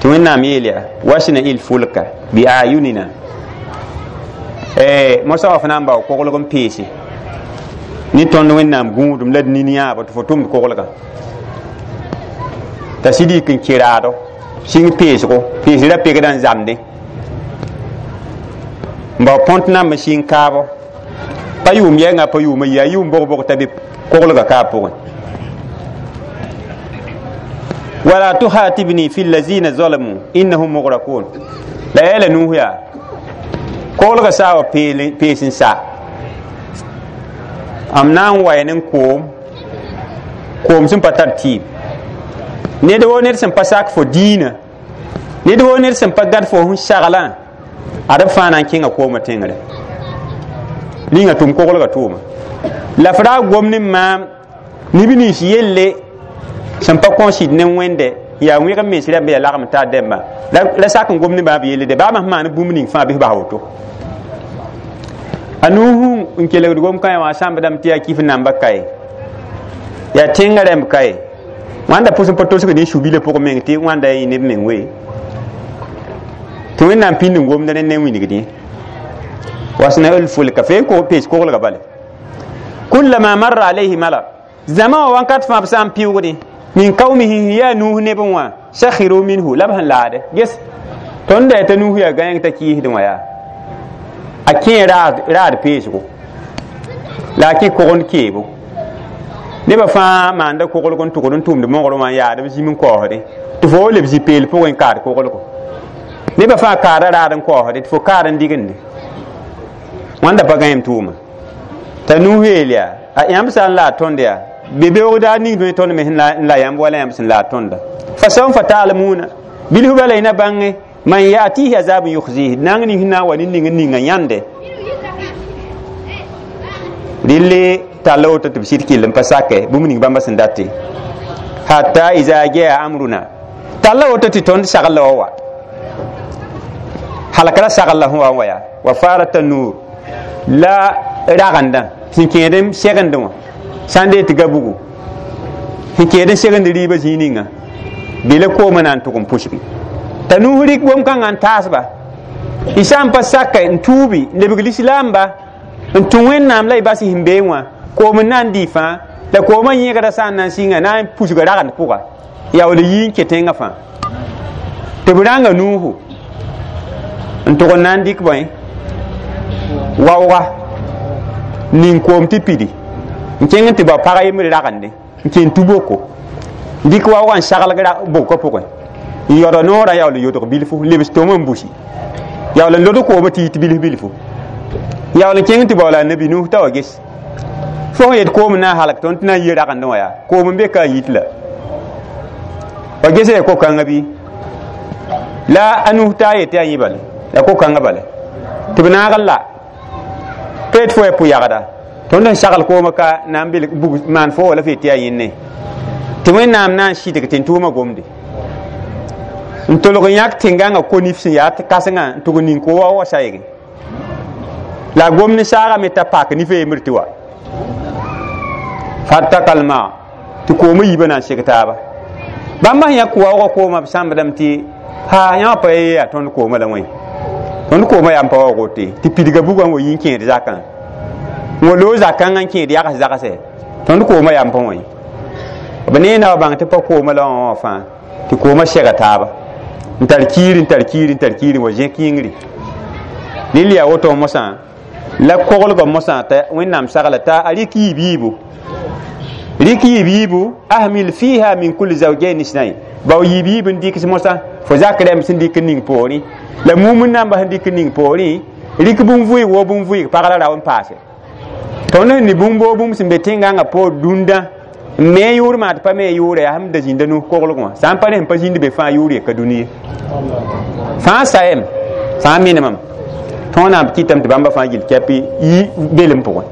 tɩ wẽnnaam yeel yaa wasna il fulka bi ayunina mosã wa fo na n bao koglg n peese ne tõnd wẽnnaam gũudum la d nin yãabo tɩ fo tʋmd koglgã t'a sɩd yik n kẽ raado sɩng peesgo peesrã pegdã n zamdẽ n bao põnt namb n sɩng kaabo pa yʋʋm yɛngã pa yʋʋma yi a yʋʋm bog-bog t'a be koglgã kaab pʋgẽ wala tuhatibni fi allazina zalamu innahum mugrakun la yeela nuus yaa koglgã saa wa pees n sa m na n wa ne koom koom sẽn pa tar tɩɩm ned woo ned sẽn pa sak fo diinã ned woo ned sẽn pa gãd fo sẽn saglã ad b fãa na n kẽnga koomã tẽngre ninga tʋm koglgã tʋʋma la f ra gom ne maam neb nins yelle sẽn pa kõ sɩd ne wẽnde yaa wẽg n mens rãmb yaa lagem taar dẽmbã la sak n gom ne bãmb yelle de baam sẽn maan bũmb ning fãa bɩ bas woto a nuhu n kelgd gom-kãe wã sãmbdame tɩ yaa kif namba kae yaa tẽngã rãmb kae wãnda pʋs n pa tosgd ne su-bilã pʋgẽ meng tɩ wãnda yẽ neb meng we tɩ wẽnnaam pĩnd n gomd rẽnd ne wilgd yẽ wasna el fulka fe ko pees koglga bale kullama marra alayhi mala zãma wã wãnkat fãa b sã n pɩʋgdẽ min qaumihi yaa nuh nebẽ wã sakhiru minhu la b sẽn laade ges tõnd da t'a nuh yaa gãeng t'a kɩɩsdẽ wã yaa a kẽ raad peesgo la a kẽ kogend keebo nebã fãa maanda koglg n tʋgd n tʋmd mogrẽ wã n yaad b zĩm n kaoosdẽ tɩ fo leb zĩ-peel pʋgẽ n kaad koglgo nebã fãa kaada raad n kaoosdẽ tɩ fo kaad n digende wãnda pa gãem tʋʋma t'a nuh yeel yaa a yãmb sã n la a tõnd yaa Be beoog daar ning dõe tõnd me sẽn la yãmb wala yãmb sẽn la a tõnda. Fa sawfa ta'lamuna bilf bala y na bãnge man yatihi azabun yukhzihi nang ning sẽn na n wa ne ning n ninga yãnde. Rɩle talla woto tɩ b sɩd kell n pa sake bũmb ning bãmba sẽn date. Hatta iza jaa amruna talla woto tɩ tõnd sagl la wa wa halakra sagl la sẽn wa n wa yaa wa farata nur la ragenda sẽn kẽed n segendẽ wã sã n dee tɩ ga bugu sẽn kẽed n segend rɩɩbã zĩig ninga bɩ la koomã na n tʋg n pʋsgi t'a nuus rɩk bom-kãngã n taasba y sã n pa saka n tuubi n lebg lislaamba n tũ Wẽnnaam la y bas sẽn bee wã koom n na n dɩ fãa la koomã yẽgda sã n na n sɩnga na n pusga ragend pʋga yaool yi n kẽ tẽngã fãa tɩ b rãnga nuusu n tʋg n na n dɩk bõe waooga ning koom tɩ pidi n kẽng n tɩ bao pag yembr ragende n kẽn tu-boko dɩk waoogã n saglg bʋkã pʋgẽ n yaood noorã yaool n yodg bilfu lebs tom n busi yaool n lod koomã tɩ yit bilf bilfu yaool n kẽng tɩ baoola nabi Nuh t'a wa ges fo sẽn yet koom n na n halg tõnd tɩ na n yi ragendẽ wã yaa koom n be ka a yit la wa gesa ya ko-kãngã bɩ la a Nuh taa yetɩ yaa yẽ bale ya ko-kãngã bale tɩ b naag n la pa yet fo ya pʋ-yagda tõnd sẽn sagl koomã ka na n belg bug maan fo wala f yetɩ yaa yẽnne tɩ Wẽnnaam na n sɩdg tɩ n tʋʋma gomde n tolg n yãk tẽngãngã ko-nif sẽn yaa kãsengã n tʋg n ning ko wa wa sayge la gomd saagame t'a pak nif a yembr tɩ wa fatakal ma tɩ koomã yiibã na n seg taaba bãmba sẽn yãk waoogã koomã b sãmbdame tɩ ha yãmb pa yaa tõnd koomã la wẽ tõnd koomã yaa n pa waoog wote tɩ pidga bugã n wa yi n kẽed zakã n wa loog zakãngã n kẽed yags zagse tõnd koomã yaa n pa wẽ b neena wa bãng tɩ pa koomã la wã wã fãa tɩ koomã sega taaba n tar kiiri n tar kiiri n tar kiiri wa zẽk yĩngri rɩl yaa woto mosã la koglgã mosã t'a Wẽnnaam sagla t'a a rɩk yiib yiibu rɩk yiib yiibu ahmil fiha min kulli zawjayn isnayn bao yiib yiib n dɩks mosã fo zak rɛm sẽn dɩk n ning poorẽ la mum n na n bas n dɩk n ning poorẽ rɩk bũn-vʋɩg woo bũn-vʋɩg pag la rao n paase tõnd sẽn ne bũmb woo bũmb sẽn be tẽngãngã poor dũndã n me yʋʋr maa tɩ pa me yʋʋra yaa sẽn da zĩnda nus koglg wã sã n pa ne sẽn pa zĩnd be fãa yʋʋr yeka dũni ye fãa sayem fãa menemame tõog na n kɩtame tɩ bãmba fãa gill kɛp yi belem pʋgẽ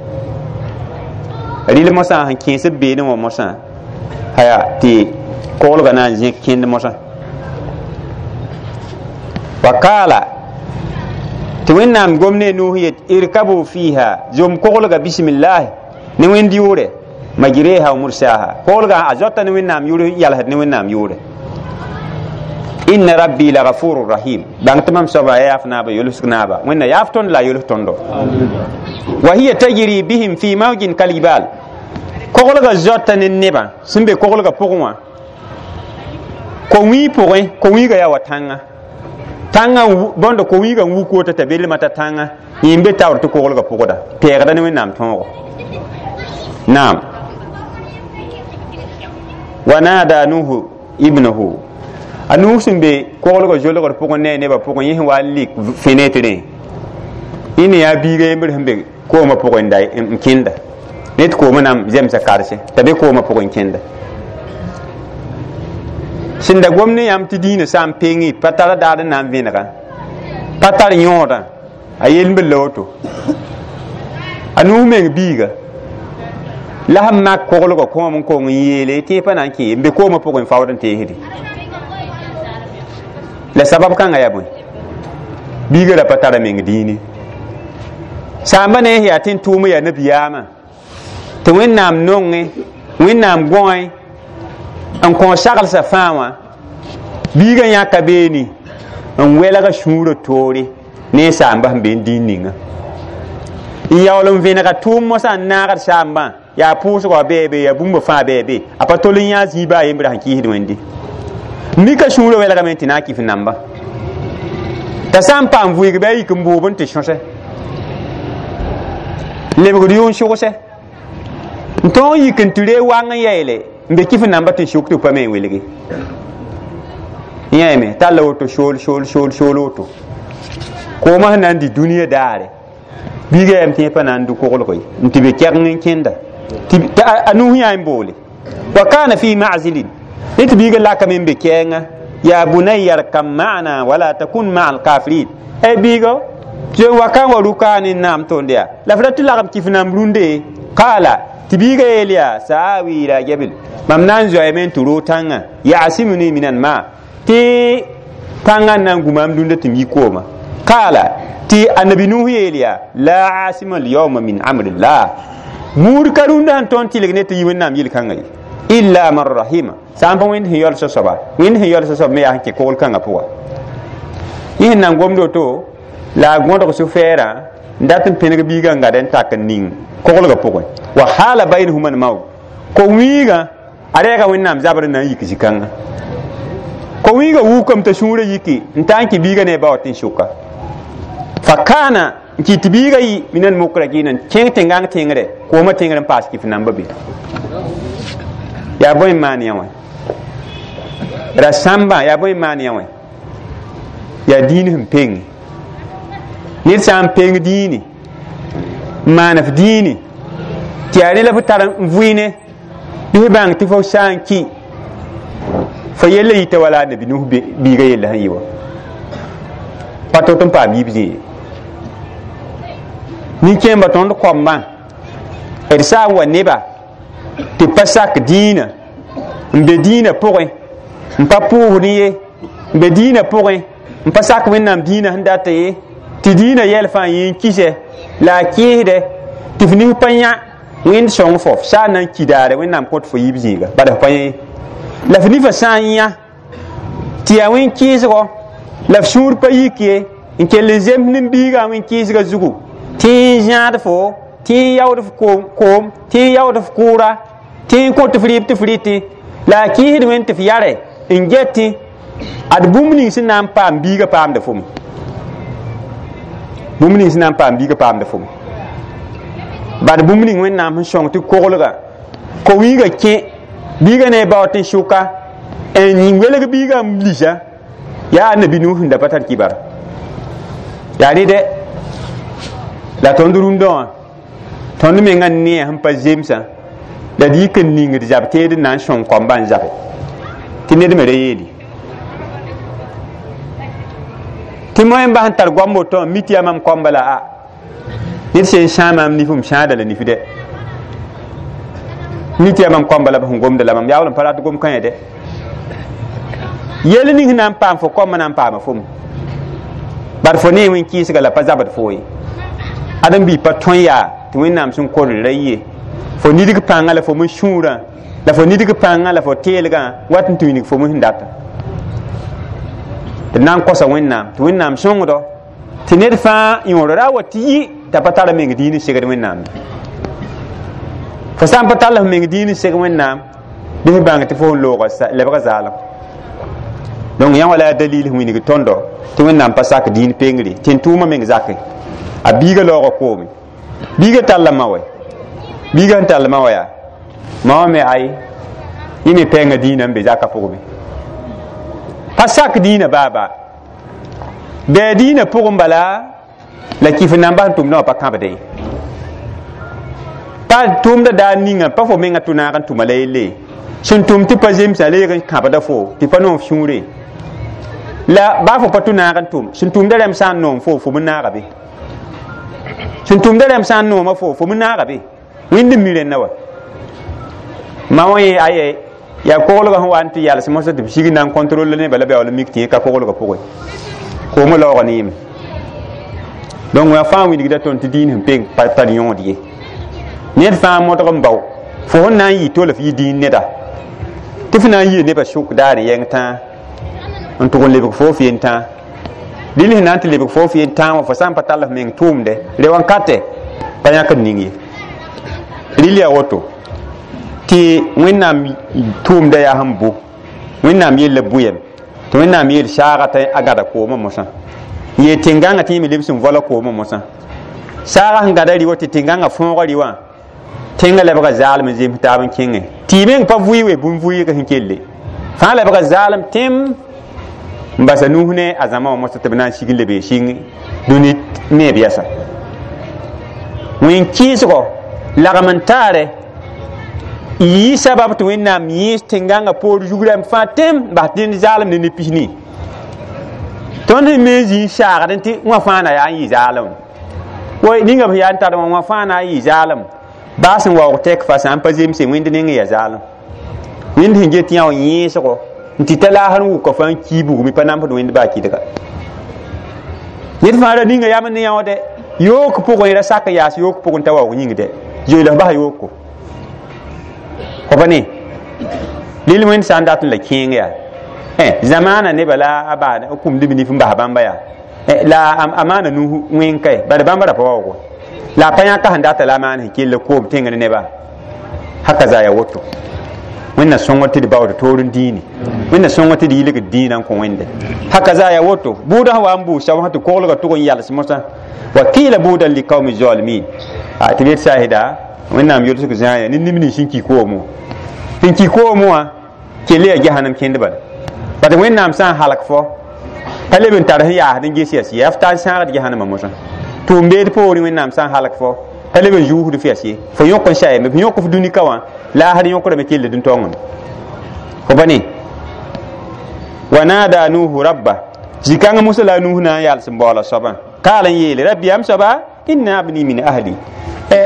rɩl mosã sẽn kẽes b beene wã mosã aya tɩ koglgã na n zẽk kẽnd mosã wa kaala tɩ Wẽnnaam gom ne nuus yet irkabu fiha zom koglga bisimillahi ne wẽnd yʋʋre majreha wa mursaha koglgã a zoata ne Wẽnnaam yʋʋr n yalsd ne Wẽnnaam yʋʋre inna rabbi la ghafurur rahim bãng tɩ mam soaba ya yaaf naaba yolsg naaba Wẽnna yaaf tõnd la a yols tõndo wa hiya tajri bihim fi mawjin kaljibal koglgã zoata ne nebã sẽn be koglgã pʋgẽ wã ko-wĩig pʋgẽ ko-wĩigã yaa wa tãngã tãngã bõnd ko-wĩigã n wuk woto t'a belmã t'a tãngã yẽ n be taoor tɩ koglgã pʋgda pɛɛgda ne Wẽnnaam tõogo naam wa nada Nuhu ibnahu a nuus sẽn be koglgã zolgr pʋgẽ ne a nebã pʋgẽ yẽ sẽn wa n lik fenɛtrẽ yẽ ne yaa biiga yembr sẽn be koomã pʋgẽ n kẽnda ne tɩ koomã na n zemsa karse t'a be koomã pʋgẽ n kẽnda sẽn da gom ne yãmb tɩ dĩinã sã n peng pa tar daar n na n vẽnega pa tar yõodã a yel n be la woto a nuus meng biiga la sẽn mak koglgã kõom n kong n yeele tɩ pa na n kẽ n be koomã pʋgẽ n faood n teesde la sabab kãngã yaa bõe biiga ra pa tara meng dĩine saamba ne yaa tɩ n tʋʋm yaa nabiyaamã tɩ Wẽnnaam nongẽ Wẽnnaam gõe n kõ saglsã fãa wã biigã yãka beene n welga sũurã toore ne saamba sẽn be n dĩin ninga n yaool n vẽnega tʋʋm mosã n naagd saambã yaa pʋʋsgã wa bɩ be yaa bũmba fãa bɩ be a pa tol n yã zĩiba a yembra sẽn kɩɩsd Wẽnde mika sũurã welgame tɩ na n kɩf namba t'a sã n paam vʋɩg bɩ a yik n bʋʋb n tɩ sõsɛ lebgd yʋn sʋgse n tõog n yik n tɩ ree wang n yaeele n be kɩf namba tɩ sʋk tɩ pa me n welge yẽeme talla woto sool sool sool sool woto koomã sẽn na n dɩ dũniyã daare biiga yam tẽ pa na n dʋ koglg ye n tɩ be kɛgeng n kẽnda Tɩ a Nuh yã n boole wa kana fi ma'zilin ne tɩ biiga lakame n be kɛɛngã ya bunayya arkam ma'ana wala takun ma'a alkafirin ay biigo tɩ wa ka n wa rʋka ne naam tõnd yaa la f ra tɩ lagem kɩf namb rũndee qaala tɩ biiga yeel yaa saawi ila jabil mam na n zoeeme n tɩ roog tãngã yasimuni min alma tɩ tãngã n na n gu maam dũnda tɩ m yi kooma qaala tɩ annabi Nuh yeel yaa la asima alyawma min amrillah muud ka rũndã sẽn tõnd tɩlg ne tɩ yi wẽnnaam yel-kãngã ye illa man rahima sã n pa wẽnd sẽn yaool soaba wẽnd sẽn yaool soab me yaa sẽn kẽ kogl kãngã pʋga yẽ sẽn na n gomd woto la a gõdg sũ-fɛɛrã n dat n pẽneg biigã n gad n tak n ning koglgã pʋgẽ wa hala bainahuma almaut ko-wĩigã a rɛɛga wẽnnaam zabr n na n yik zĩ-kãngã ko-wĩigã wukame t'a sũurã yiki n taa n kẽ biigã ne a ba wa tɩ n sʋka fa kaana n kɩ tɩ biigã yɩ min almukrakina n kẽng tẽngãng tẽngre koomã tẽngr n paas kɩf namba be yaa bõe n maan yã wã ra sãmbã yaa bõe n maan yã wã yaa diin sẽn peng ned sã n peng diini n maan f diini tɩ yaa ne la f tar n vʋɩne bɩ f bãng tɩ fo sã n kɩ fo yella yita wala a nabi Nuh biiga yella sẽn yɩ wa pa tot n paam yib zĩig nin-kẽembã tõnd koambã d sã n wa neba tɩ pa sak dĩinã n be dĩinã pʋgẽ n pa pʋʋsd ye n be dĩinã pʋgẽ n pa sak wẽnnaam dĩinã sẽn data ye tɩ dĩinã yɛl fãa yẽ n kɩsɛ la a kɩɩsdɛ tɩ f nis pa yã wẽnd sõng fo f sã n na n ki daare wẽnnaam kõt fo yiib zĩiga bala f pa yẽ la f nifã sã n yã tɩ yaa wẽn kɩɩsgɔ la f sũur pa yik ye n kell n zems nin-biigã wẽn kɩɩsgã zugu tɩ n zãad fo tɩ n yaood f koom tɩ n yaood f kʋʋra tɩ n kõt f rɩɩb tɩ f rɩtẽ la a kɩɩsd wẽnd tɩ f yare n getẽ ad bũmb ning sẽn na n paam biigã paamda fome bũmb ning sẽn na n paam biigã paamda fome bad bũmb ning wẽnnaam sẽn sõng tɩ koglga ko-wĩigã kẽ biigã ne a ba wa tɩ n sʋka n welg biigã n lisa yaa annabi Nuh sẽn da pa tar kibara yaa rɩdɛ la tõnd rũndã wã tõnd mengã neã sẽn pa zemsã la d yik n ningd zab teed n na n sõng koambã n zabe tɩ ned me ra yeeli tɩ moẽmba sẽn tar goam woto wã mi tɩ yaa mam koamba la a ned sẽn sãa maam nif m sãada la nif dɛ mi tɩ yaa mam koamba la b sẽn gomda la mam yaool n pa rat gom kãe dɛ yel ning sẽn na n paam fo koambã na n paama fom bar fo ne wẽn kɩɩsga la pa zabd fo ye ãdem-biig pa tõe yaa tɩ wẽnnaam sẽn kor ra ye fo nidg pãngã la fo me sũurã la fo nidg pãngã la fo teelgã wat n tɩ wilg fo me sẽn data tɩ na n kosa wẽnnaam tɩ wẽnnaam sõngdo tɩ ned fãa yõor ra wa tɩ yi t'a pa tara meng diin n segd wẽnnaam fo sã n pa tall f meng diin n seg wẽnnaam bɩ f bãng tɩ fo n looga lebga zaalem donc yã wala yaa dalil sẽn wilg tõndo tɩ wẽnnaam pa sak diin pengre tɩ n tʋʋmã meng zakẽ a biiga laoogã koome biiga talla ma wɛ biiga sẽn tall ma wa yaa ma wã me ay yẽ me pɛɛngã dĩinã n be zakã pʋgẽ pa sak dĩinã baa-baa bɩ dĩinã pʋgẽ bala la kɩf namba sẽn tʋmdã wã pa kãbde ye pa tʋʋmda daar ninga pa fo menga tʋ naag n tʋma la yelle sẽn tʋm tɩ pa zemsã leeg n kãbda fo tɩ pa noom sũure la baa fo pa tʋ naag n tʋm sẽn tʋmda rãmb sã n noom fo fo me naaga be sẽn tʋmda rãmb sã n nooma fo fo me naaga be wẽnd n mi rẽnna wa ma wã yẽ aye yaa koglgã sẽn wa n tɩ yals mosã tɩ b sig n na n contrôle nebã la baool n mik tɩ yẽ ka koglgã pʋgẽ koomã laoogã ne yẽme donc wã fãa wilgda tõnd tɩ diin sẽn peng pa tar yõod ye ned fãa modg n bao fo sẽn na n yɩ tol f yɩ diin neda tɩ f na n yɩ nebã sʋk daar n yɛng tãa n tʋg n lebg fo f yen tãa dĩn sẽn na n tɩ lebg fo f yen tãa wã fo sã n pa tall f meng tʋʋmdɛ re wãnkatɛ pa yãk n ning ye rɩl yaa woto tɩ wẽnnaam tʋʋmda yaa sẽn bʋ wẽnnaam yella bʋyem tɩ wẽnnaam yeel saaga t'a a gãda koomã mosã n yeel tẽn-gãngã tɩ yẽ me lebs n vola koomã mosã saaga sẽn gãda rɩ wa tɩ tẽn-gãngã fõoga rɩ wã tẽngã lebga zaalem n zems taab n kẽngẽ tɩ y meng pa vʋɩ we bũmb vʋɩɩg sẽn kelle fãa lebga zaalem tẽm n basa nus ne a zãma wã mosã tɩ b na n sig n lebe sɩng dũni neeb yɛsa wẽn kɩɩsgɔ lagm n taare Yi sabab tɩ Wẽnnaam yẽes tẽn-gãngã poor zugrãmb fãa tẽm bas dẽnd zaalem ne ne-pisni. Tõnd sẽn me zĩ n saagdẽ tɩ wã fãa na yaa n yɩ zaalem. Woy ninga b yaa n tar wã fãa na n yɩ zaalem. Baa sẽn waoog tɛk fa sã n pa zemse wẽnd neng n yaa zaalem. Wẽnd sẽn get yã yẽesgo n tɩ ta laasr n wʋka fãa n kii bugmi pa namsd wẽnd baa kɩdga. Ned fãa ra ninga yam ne yãoode yook pʋgẽ ra sak yaas yook pʋgẽ t'a waoog yĩng dɛ zoeelg bas yooko. Fo pa ne lil wẽnd sã n dat n la kẽeng yaa zamaana nebã la a baa kũmd b nif n bas bãmba yaa la a maana nu wẽng kae bala bãmba ra pa waoogo la a pa yãka sẽn data la a maan sẽn kell koom tẽngr neba haka za ya woto. Wẽnna sõngr tɩ d baood toor n dĩini wẽnna sõngr tɩ d yilgd dĩinã n kõ wẽnde haka za ya woto. Buudã sẽn wa n buus soab sã tɩ koglgã tʋg n yals mosã wa qila buudan liqaumi zalimin tɩ b yet saasda Wẽnnaam yolsg zãaya ne neb nins sẽn ki koomẽ sẽn ki koomẽ wã kell yaa jahanam kẽnd bala bat Wẽnnaam sã n halg fo pa leb n tar sẽn yaasd n ges yas ye f tar sãagd jahanamã mosã tʋʋm-beed poorẽ Wẽnnaam sã n halg fo pa leb n zuusd f yas ye fo yõk n sayame f yõk f dũni ka wã laasd yõkrame kell dũn taongame fo pa ne wa nada Nuhu rabba zikãngã mosã la a Nuh na n yals n baoola soabã kaal n yeele rabbi yam soaba inna abni min ahli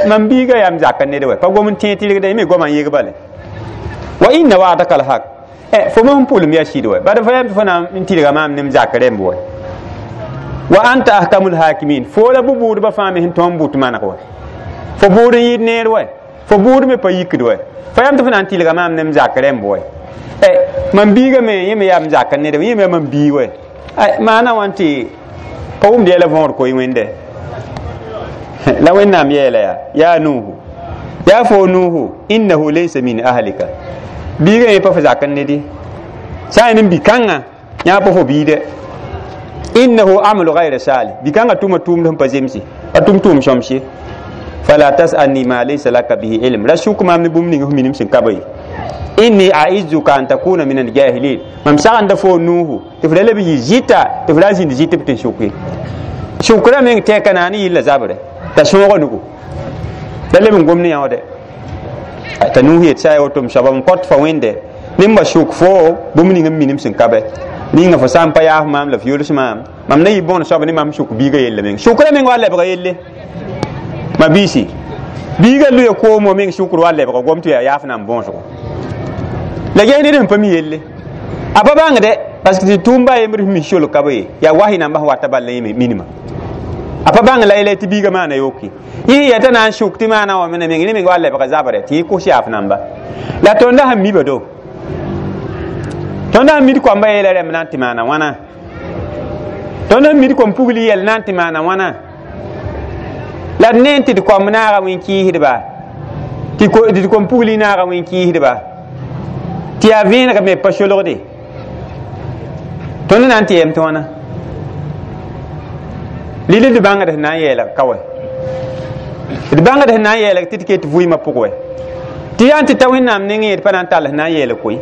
mam biiga yam zaka ned wɛ pa gom n tẽ tɩrgda me goama n yeg bale wa inna wa'daka alhaq fo mosẽn pʋlem yaa sɩd wɛ bad fo yam tɩ fo na n tɩrga maam nem zak rẽmb wɛ wa anta ahkamul hakimin fo la bʋ-bʋʋdbã fãa me sẽn tõnd n bʋt maneg wɛ fo bʋʋd n yɩɩd neer wɛ fo bʋʋd me pa yikd wɛ fo yam tɩ fo na n tɩlga maam nem zak rẽmb wɛ mam biiga me yẽ me yaa m zak ned wɛ yẽ me yaa mam bii wɛ maana wã tɩ pa wʋmd yɛla võor koe wẽnde la Wẽnnaam yeela yaa yaa Nuhu yaa fo Nuhu innahu laysa min ahlika biiga yẽ pa fo zak n nedi sã n bi-kãngã yã pa fo biide innahu amalu gayra salih bi-kãngã tʋma tʋʋmd sẽn pa zemse a tʋm tʋʋm sõmse fala tasalni ma laysa laka bihi ilm ra sʋk maam ne bũmb ning f minim sẽn ka ba ye inni aizuka an takuna min aljahilin mam sagenda fo Nuhu tɩ f ra leb yɩ zɩta tɩ f ra zĩnd zɩtb tɩ n sʋk ye sʋkrã meng tɛka na ne yɩlla zabrɛ t'a sõoga nugu la leb n gom ne yãoode t'a Nuhu yet sã ya woto m soaba m kõt fa wẽnde nembã sʋk fo bũmb ning n minim sẽn ka bɛ ninga fo sã n pa yaaf maam la f yols maam mam na yɩ bõon soab ne mam sʋk biiga yella meng sʋkrã meng wa lebga yelle ma biisi biiga luya koom meng sʋkr wa lebga gom tɩ yaa yaaf na n bõosgo la ges ned sẽn pa mi yelle a pa bãngde parce que tɩ tʋʋm ba yembr sẽn mi solg ka ba ye yaa wahi nambã sẽn wata bal la yẽ minima a pa bãng la yɛla tɩ biiga maana yoke yẽ yɛta na n sʋk tɩ maana wã mena meng ne meng wa lebga zabrɛ tɩ yẽ kos yaaf namba la tõnda sẽn mi ba do tõnda sẽn mid koamba yeela rẽmb na n tɩ maana wãna tõnd sẽn mid kom pugl yɛl na n tɩ maana wãna la d ne n tɩ d koamb naaga wẽn kɩɩsdba tɩ d kom pugli naaga wẽn kɩɩsdba tɩ yaa vẽeneg me pa solgde tõnd na n tɩ yɛm tɩ wãna lili d bãngd sẽn na n yɛɛlg ka wɛ d bãngd sẽn na n yɛɛlg tɩ d ket vʋɩɩmã pʋg wɛ tɩ yaa n tɩ ta Wẽnnaam nengẽ d pa na n tall sẽn na n yɛɛlg koe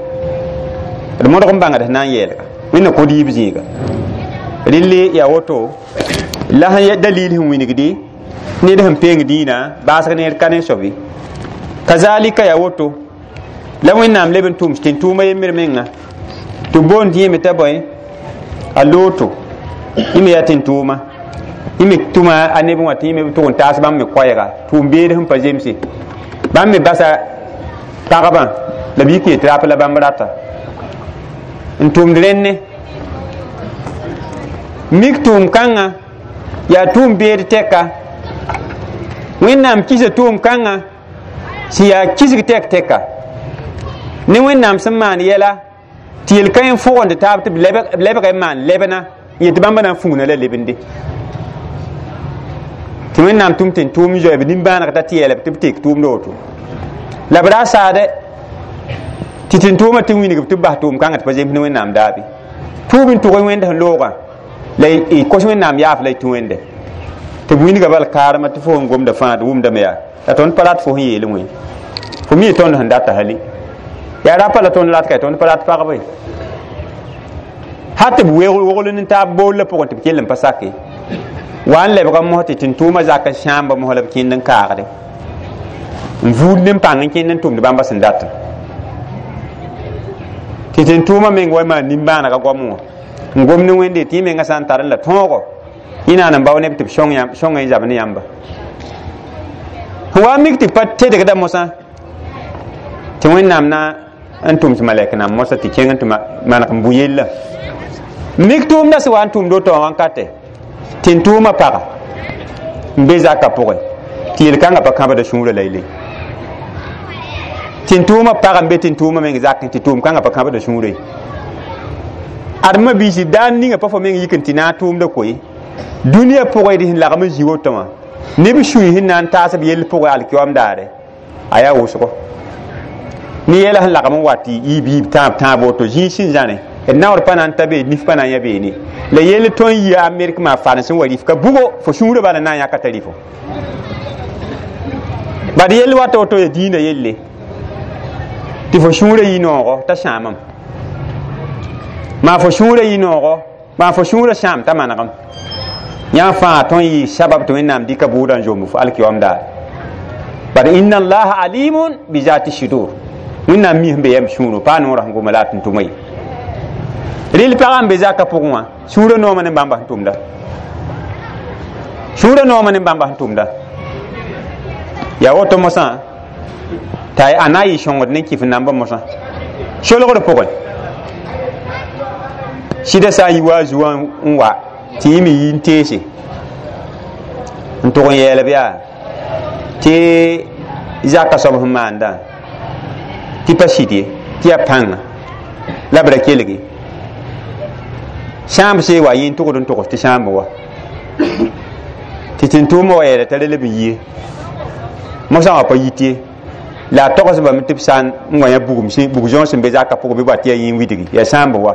d modg n bãngd sẽn na n yɛɛlga Wẽnna kõ d yiib zĩiga rɩlli yaa woto la sẽn dalil sẽn wingdi ned sẽn peng dĩinã baasg neer ka ne soabe kazalika yaa woto la Wẽnnaam leb n tʋms tɩ n tʋʋma yembr menga tɩ boond yẽme t'a bõe a looto yẽ me yaa tɩ n tʋʋma yẽ me tʋma a neb wã tɩ yẽ me tʋg n taas bãmb me koɛɛga tʋʋm-beed sẽn pa zemse bãmb me basa pagba la b yik yet rap la bãmb rata n tʋmd rẽnne mik tʋʋm kãngã yaa tʋʋm beed tɛka Wẽnnaam kisa tʋʋm kãngã sẽn yaa kisg tɛk tɛka ne Wẽnnaam sẽn maan yɛla tɩ yel-kã n fʋgend taab tɩ b lebg n maan lebna n yet bãmba na n fũuna la lebende tɩ Wẽnnaam tʋm tɩ n tʋʋm zoɛb nimbãaneg t'a tɩ yɛlb tɩ b tek tʋʋmd woto la b ra saade tɩ tɩ n tʋʋma tɩ wingb tɩ b bas tʋʋm kãngã tɩ pa zems ne Wẽnnaam daabe tʋʋb n tʋg wẽnd sẽn loogã la y kos Wẽnnaam yaaf la y tũ wẽnde tɩ b wingã bal kaarmã tɩ fo sẽn gomda fãa d wʋmdame yaa la tõnd pa rat fo sẽn yeel wẽ fo mi tõnd sẽn data hali yaa rapa la tõnd rat ka tõnd pa rat pagba ye hat tɩ b wogl n taab bool la pʋgẽ tɩ b kell n pa sake wa n lebga mos tɩ tɩ n tʋʋma zak n sãamba mos la b kẽnd n kaagde N vuud ne n pãng n kẽnd n tʋmd bãmba sẽn datã tɩ tɩ n tʋʋmã meng wa maan nimbãanega goam wã n gom ne Wẽnde tɩ yẽ mengã sã n tar n la tõogo yẽ naan n bao neb tɩ b sõng n zab ne yãmba sẽn wa n mik tɩ pa tedgda mosã tɩ Wẽnnaam na n tʋms malɛk nan mosã tɩ kẽng n tɩ maneg n bʋ yella mik tʋʋmda sẽn wa n tʋmd woto wã wãnkate tɩ n tʋʋmã paga n be zakã pʋgẽ tɩ yel-kãngã pa kãbda sũurã la yele tɩ n tʋʋmã pag n be tɩ n tʋʋmã meng zakẽ tɩ tʋʋm-kãngã pa kãbda sũurã ye adma biisi daan ninga pa fo meng yik n tɩ na n tʋʋmda koe dũniyã pʋgẽ d sẽn lagm n zĩ woto wã neb sũy sẽn na n taas b yell pʋgẽ alkiyoam daare a yaa wʋsgo ne yɛla sẽn lagm n wa tɩ yiib yiib tãab tãab woto zĩig sẽn zãne d naoor pa na n ta be nif pa na n yã beene la yell tõe n yia Amerik maa farens n wa rif ka bugo fo sũurã bala na n yãka t'a rifo bad yell wata woto ya dĩinã yelle tɩ fo sũurã yɩ noogo t'a sãamam maa fo sũurã yɩ noogo maa fo sũurã sãam t'a manegem yã fãa tõe n yɩ sabab tɩ Wẽnnaam dɩka bʋʋdã n zomb fo alkiyoam daare bad inna allaha alimun bi zati sudur Wẽnnaam mi sẽn be yam sũurẽ paa noorã sẽn goma la a tʋm-tʋma ye rɩl pagã n be zakã pʋgẽ wã sũurã noomã ne bãmba sẽn tʋmda sũurã noomã ne bãmba sẽn tʋmda yaa woto mosã t'a a na n yɩ sõngd ne kɩf nambã mosã solgr pʋgẽ sɩda sã n yi wa a zu wã n wa tɩ yẽ me yi n teese n tʋg n yɛɛlb yaa tɩ zakã soab sẽn maandã tɩ pa sɩd ye tɩ yaa pãnga la b ra kelge sãamb see wa yẽ n tʋgd n togs tɩ sãamb wa tɩ tɩ-tʋʋmã wa yɛɛla t'a ra leb n yie mosã wã pa yit ye la a togsbame tɩ b sã n wa yã bugum bug zõog sẽn be zakã pʋgẽ bɩ wa tɩ yaa yẽ n widgi yaa sãamb wa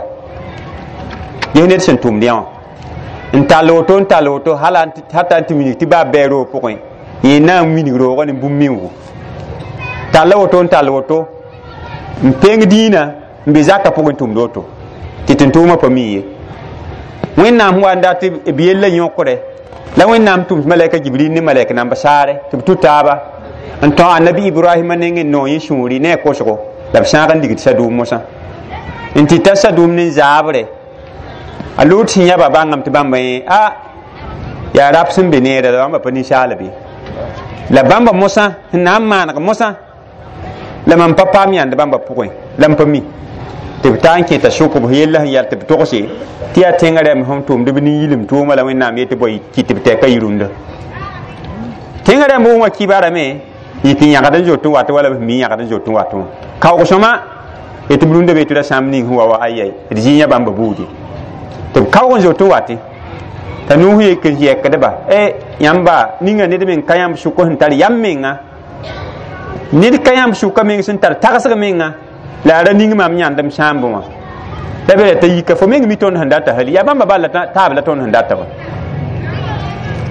ges ned sẽn tʋmd yã wã n tall woto n tall woto hata n tɩ wilg tɩ baa bɛɛ roog pʋgẽ yẽ na n wilg roogã ne bũmb mingo talla woto n tall woto n peng dĩinã n be zakã pʋgẽ tʋmd woto tɩ tɩ-tʋʋmã pa mi ye Wẽnnaam sẽn wa n dat b yella yõkre la Wẽnnaam tʋms malɛka Jibril ne malɛk namba saare tɩ b tũ taaba n tão annabi Ibrahima neng n noog yẽ sũuri ne a kosgo la b sãag n ligd sadʋʋm mosã n tɩ ta sadʋʋm ne zaabre a Loot sẽn yãba bãngame tɩ bãmba yẽ a yaa rap sẽn be neera la bãmba pa ninsaal be la bãmba mosã sẽn na n maaneg mosã la mam pa paam yãnd bãmba pʋgẽ la m pa mi tɩ b taa n kẽta sʋk b yella sẽn yɛl tɩ b togse tɩ yaa tẽngã rɛm sẽn tʋmd b nin-yilem tʋʋma la Wẽnnaam yetɩ bõe kɩ tɩ b tɛka yirũnda tẽngã rãmb wã kibarame yɩ tɩ yãgd n zoet n wat wala b mi yãgd n zoet n wat wã kaoog sõma tɩ b rũndã be tɩ ra sãmb ning sẽn wa wa ayai d zĩ yã bãmba buudi tɩ b kaoog n zoet n watẽ t'a nuus yek n yɛkdba e yãmba ninga ned meng ka yãmb sʋk sẽn tar yam menga ned ka yãmb sʋka meng sẽn tar tagsg menga la a ra ning mam yãndem sãambẽ wã la be t'a yika fo meng mi tõnd sẽn data hali yaa bãmba bal la taab la tõnd sẽn data wa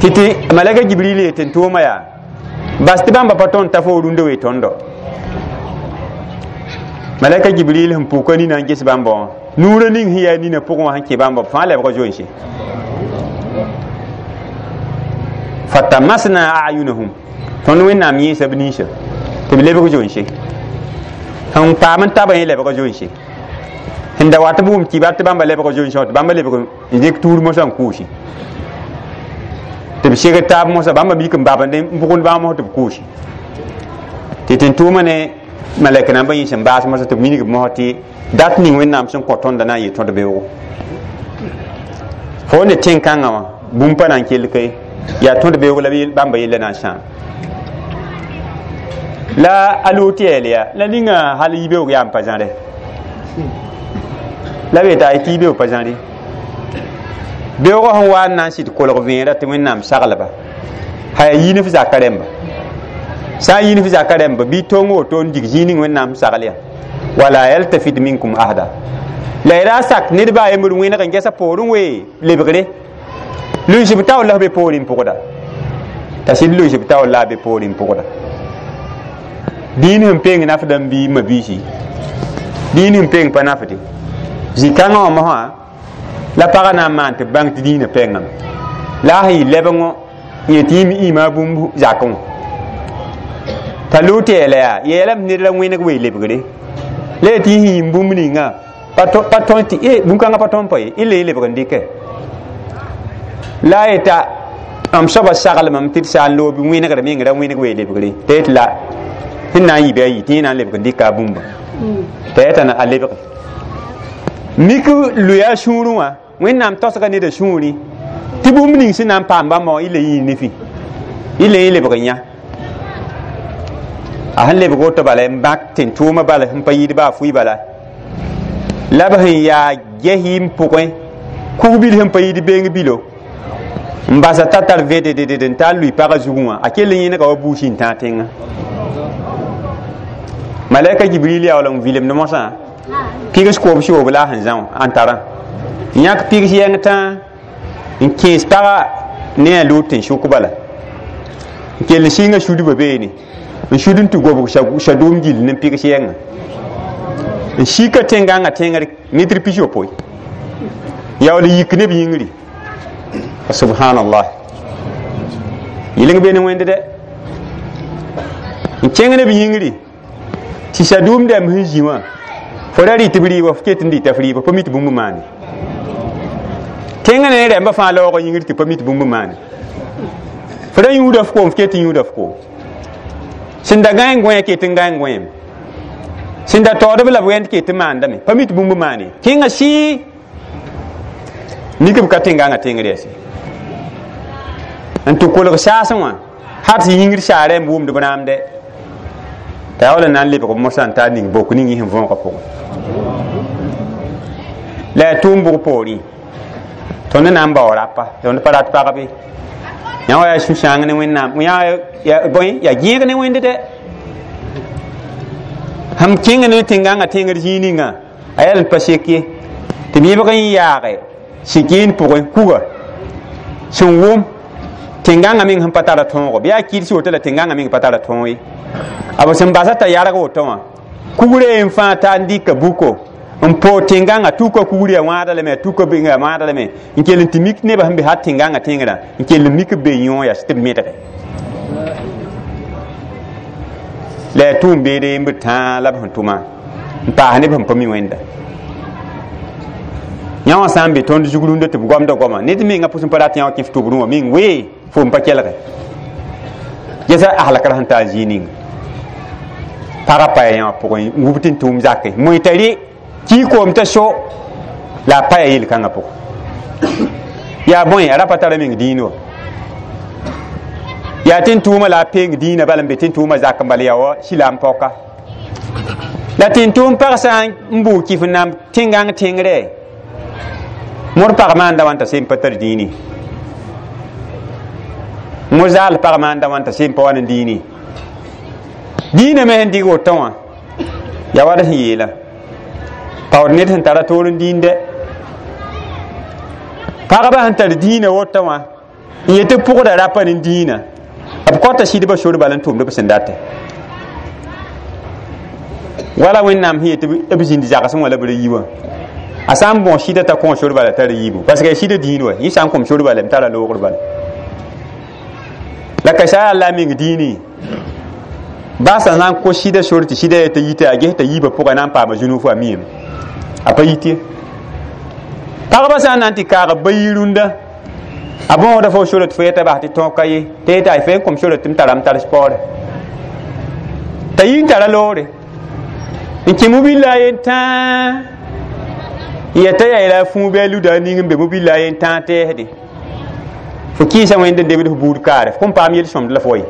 tɩ tɩ malɛka Jibril yetɩ n tʋʋma yaa bas tɩ bãmba pa tõnd t'a fo rũndã wee tõndo malɛka Jibril sẽn pʋka nina n ges bãmba wã nuurã ning sẽn yaa nina pʋgẽ wã sẽn kẽ bãmba b fãa lebga zoense fatamasna ayunahum tõnd Wẽnnaam yẽesa b ninsã tɩ b lebg zoense sẽn paam n tabã yẽ lebg zoense sẽn da wat b wʋm kibar tɩ bãmba lebg zoense wã tɩ bãmba lebg n dɩk tuur mosã n kʋʋse tɩ b seg taab mosã bãmba mik n babend n bʋgend bãmb mos tɩ b kʋʋse tɩ tɩ-tʋʋmã ne malɛk nambã yẽ sẽn baas mosã tɩ b wilg mosã tɩ dat ning Wẽnnaam sẽn kõ tõnda na n yɩ tõd beoogo fo ne tẽn-kãngã wã bũmb pa na n kell ka ye yaa tõd beoog la bãmba yella na n sãam la a Loot yɛɛl yaa la ninga hal yibeoog yaa n pa zãre la be t'a tɩ yibeoog pa zãre beoogã sẽn wa n na n sɩd kolg vẽera tɩ Wẽnnaam saglba ha yaa yiinf zaka rẽmba sã n yiinf zaka rẽmba bɩ tong woto n dig zĩig ning Wẽnnaam sagl yaa wala yaltafit minkum ahada la y ra sak ned baa yembr wẽneg n gɛsa poorẽ wee lebgre luis b taoor la b be poorẽ n pʋgda t'a sɩd luis b taoor la a be poorẽ n pʋgda dĩin sẽn peng nafdã n bii ma biisi dĩin sẽn peng pa nafde zĩ-kãngã wã mosã la pagã na n maan tɩ b bãng tɩ dĩinã pengame la a sẽn yɩ lebengõ yẽ tɩ yẽ me ĩma bũmb zakẽ wã T'a loot yeela yaa yeelame ned la wẽneg wee lebgre la yaa tɩ yẽ yĩm bũmb ninga pa tõe tɩ e bũn-kãngã pa tõnd pa ye y le y lebg n dɩke la a yeta m soaba saglmame tɩ d sã n loog wẽnegr meng ra wẽneg wee lebgre t'a yet la sẽn na n yɩ bɩ a yɩ tɩ yẽ na n lebg n dɩka a bũmba t'a yeta a lebge mik lʋya a sũurẽ wã Wẽnnaam taosga neda sũurẽ tɩ bũmb ning sẽn na n paam bãmba wã y le yẽ nefi y le yẽ lebg n yã a sẽn lebg woto bala n bãk tẽn-tʋʋmã bala sẽn pa yɩɩd baa fʋɩ bala la b sẽn yaa ges-yɩm pʋgẽ kug-bil sẽn pa yɩɩd beeng bilo n basa t'a tar vɛdɛdɛdɛd n taa lʋɩ pagã zugẽ wã a kell n yẽnega wa buus n tãag tẽngã malaika Jibril yaa wala n vilemd mosã pigs koob soob la a sẽn zã wã n tarã yãk pigs yɛng tãa n kẽes pagã ne a loot n sʋk bala n kell n sɩnga sudbã beene n sud n tɩ gobg sadʋʋm gill ne pigs yɛngã n sika tẽngãngã tẽngr mitr 60 yaool yik ne b yĩngri subhanallah yɩleng be ne wẽnd dɛ n kẽng ne b yĩngri tɩ sadʋʋm dãmb sẽn zĩ wã fo ra rɩt b rɩɩbã f ket n dɩta f rɩɩbã pa mi tɩ bũmb maane tẽngã ne rɛmbã fãa laoogã yĩngr tɩ pa mi tɩ bũmb maane fo ra yũuda f koom f ket n yũuda f koom sẽn da gãe n gõe ket n gãe n gõeem sẽn da taoodb la b wẽnd ket n maandame pa mi tɩ bũmb maane kẽngã sɩɩ mik b ka tẽngãngã tẽngr yɛse n tɩ kolg saasẽ wã har tɩ yĩngr saara n wʋmd b rãamdɛ t'a yaa wala na n lebg b mosã n taa ning bok ning yẽ sẽn võogã pʋgẽ la yaa tʋʋm bʋg poorẽ tõnd na n bao rapa tõnd pa rat pagbe yã wa yaa sũ-sãang ne Wẽnnaam yã bõe yaa gẽeg ne wẽnd dɛ sẽm kẽng ne tẽngãngã tẽngr zĩig ninga a yaa n pa sek ye tɩ b yẽbg n yaage sɩkeen pʋgẽ kuga sẽn wʋm tẽngãngã meng sẽn pa tara tõogo bɩ yaa kɩds woto la tẽngãngã meng pa tara tõog ye a b sẽn basa t'a yarg woto wã kugre n fãa t'a n dɩka buko n poog tẽngãngã tuka kugr yaa wãada lame tuka yaa wãada lame n kell n tɩ mik nebã sẽn be har tẽngãngã tẽngrã n kell n mik b be yõ yaa tɩ b medge la yaa tʋʋm beede n b tãa la b sẽn tʋma n paas neb sẽn pa mi wẽnda yã wã sã n be tõnd zug rũndã tɩ b goamda goama ned mengã pʋs n pa rat yã wã kẽ f tʋbrẽ wã meng wee fo n pa kelge gesa a halkra sẽn taa zĩig ninga pagã paya yã wã pʋgẽ n wub tɩ n tʋʋm zake moe t'a rɩ kii koom t'a so la a paya yel-kãngã pʋgẽ yaa bõe a ra pa tara meng dĩin wã yaa tɩ n tʋʋma la a peeng dĩinã bala n be tɩ n tʋʋma zak n bala yaa wa silaam paoka la tɩ n tʋʋm pag sã n buug kɩf n namb tẽngãng tẽngrɛ mor pag maanda wãn t'a sem pa tar dĩini mor zaal pag maanda wãn t'a sem pa wa ne dĩini dĩinã me sẽn dɩg woto wã yaa wa d sẽn yeela paood ned sẽn tara toor n dĩinde pagba sẽn tar dĩinã woto wã n yetɩ pʋgda rapa ne dĩinã b kõta sɩdbã sor bala n tʋmd b sẽn datɛ wala Wẽnnaam sẽn yetɩ b zĩnd zagsẽ wã la b ra yi wã a sã n bõos sɩda t'a kõ sor bala tara yiibu parce que sɩda dĩin wa yẽ sã n kõm sor bala m tara loogr bala la ka sã yaa la a meng dĩini baasã na n kos sɩda sor tɩ sɩda yaa t'a yita a ges t'a yiibã pʋgã na n paama zũnug fo a miame a pa yit ye pagba sã n na n tɩ kaag ba yi rũndã a bõosda fo sora tɩ fo yeta bas tɩ tõog ka ye tɩ yeta f n kõm sora tɩ m tara m tar paoore t'a yi n tara loore n kẽ mobila a yen tãa yeta yaa la a fũu bɩ a luda a ning n be mobila a yen tãa tɛɛsde fo kɩɩsa wẽnd n debd f buud kaare f kõn paam yel-sõmd la fo wa ye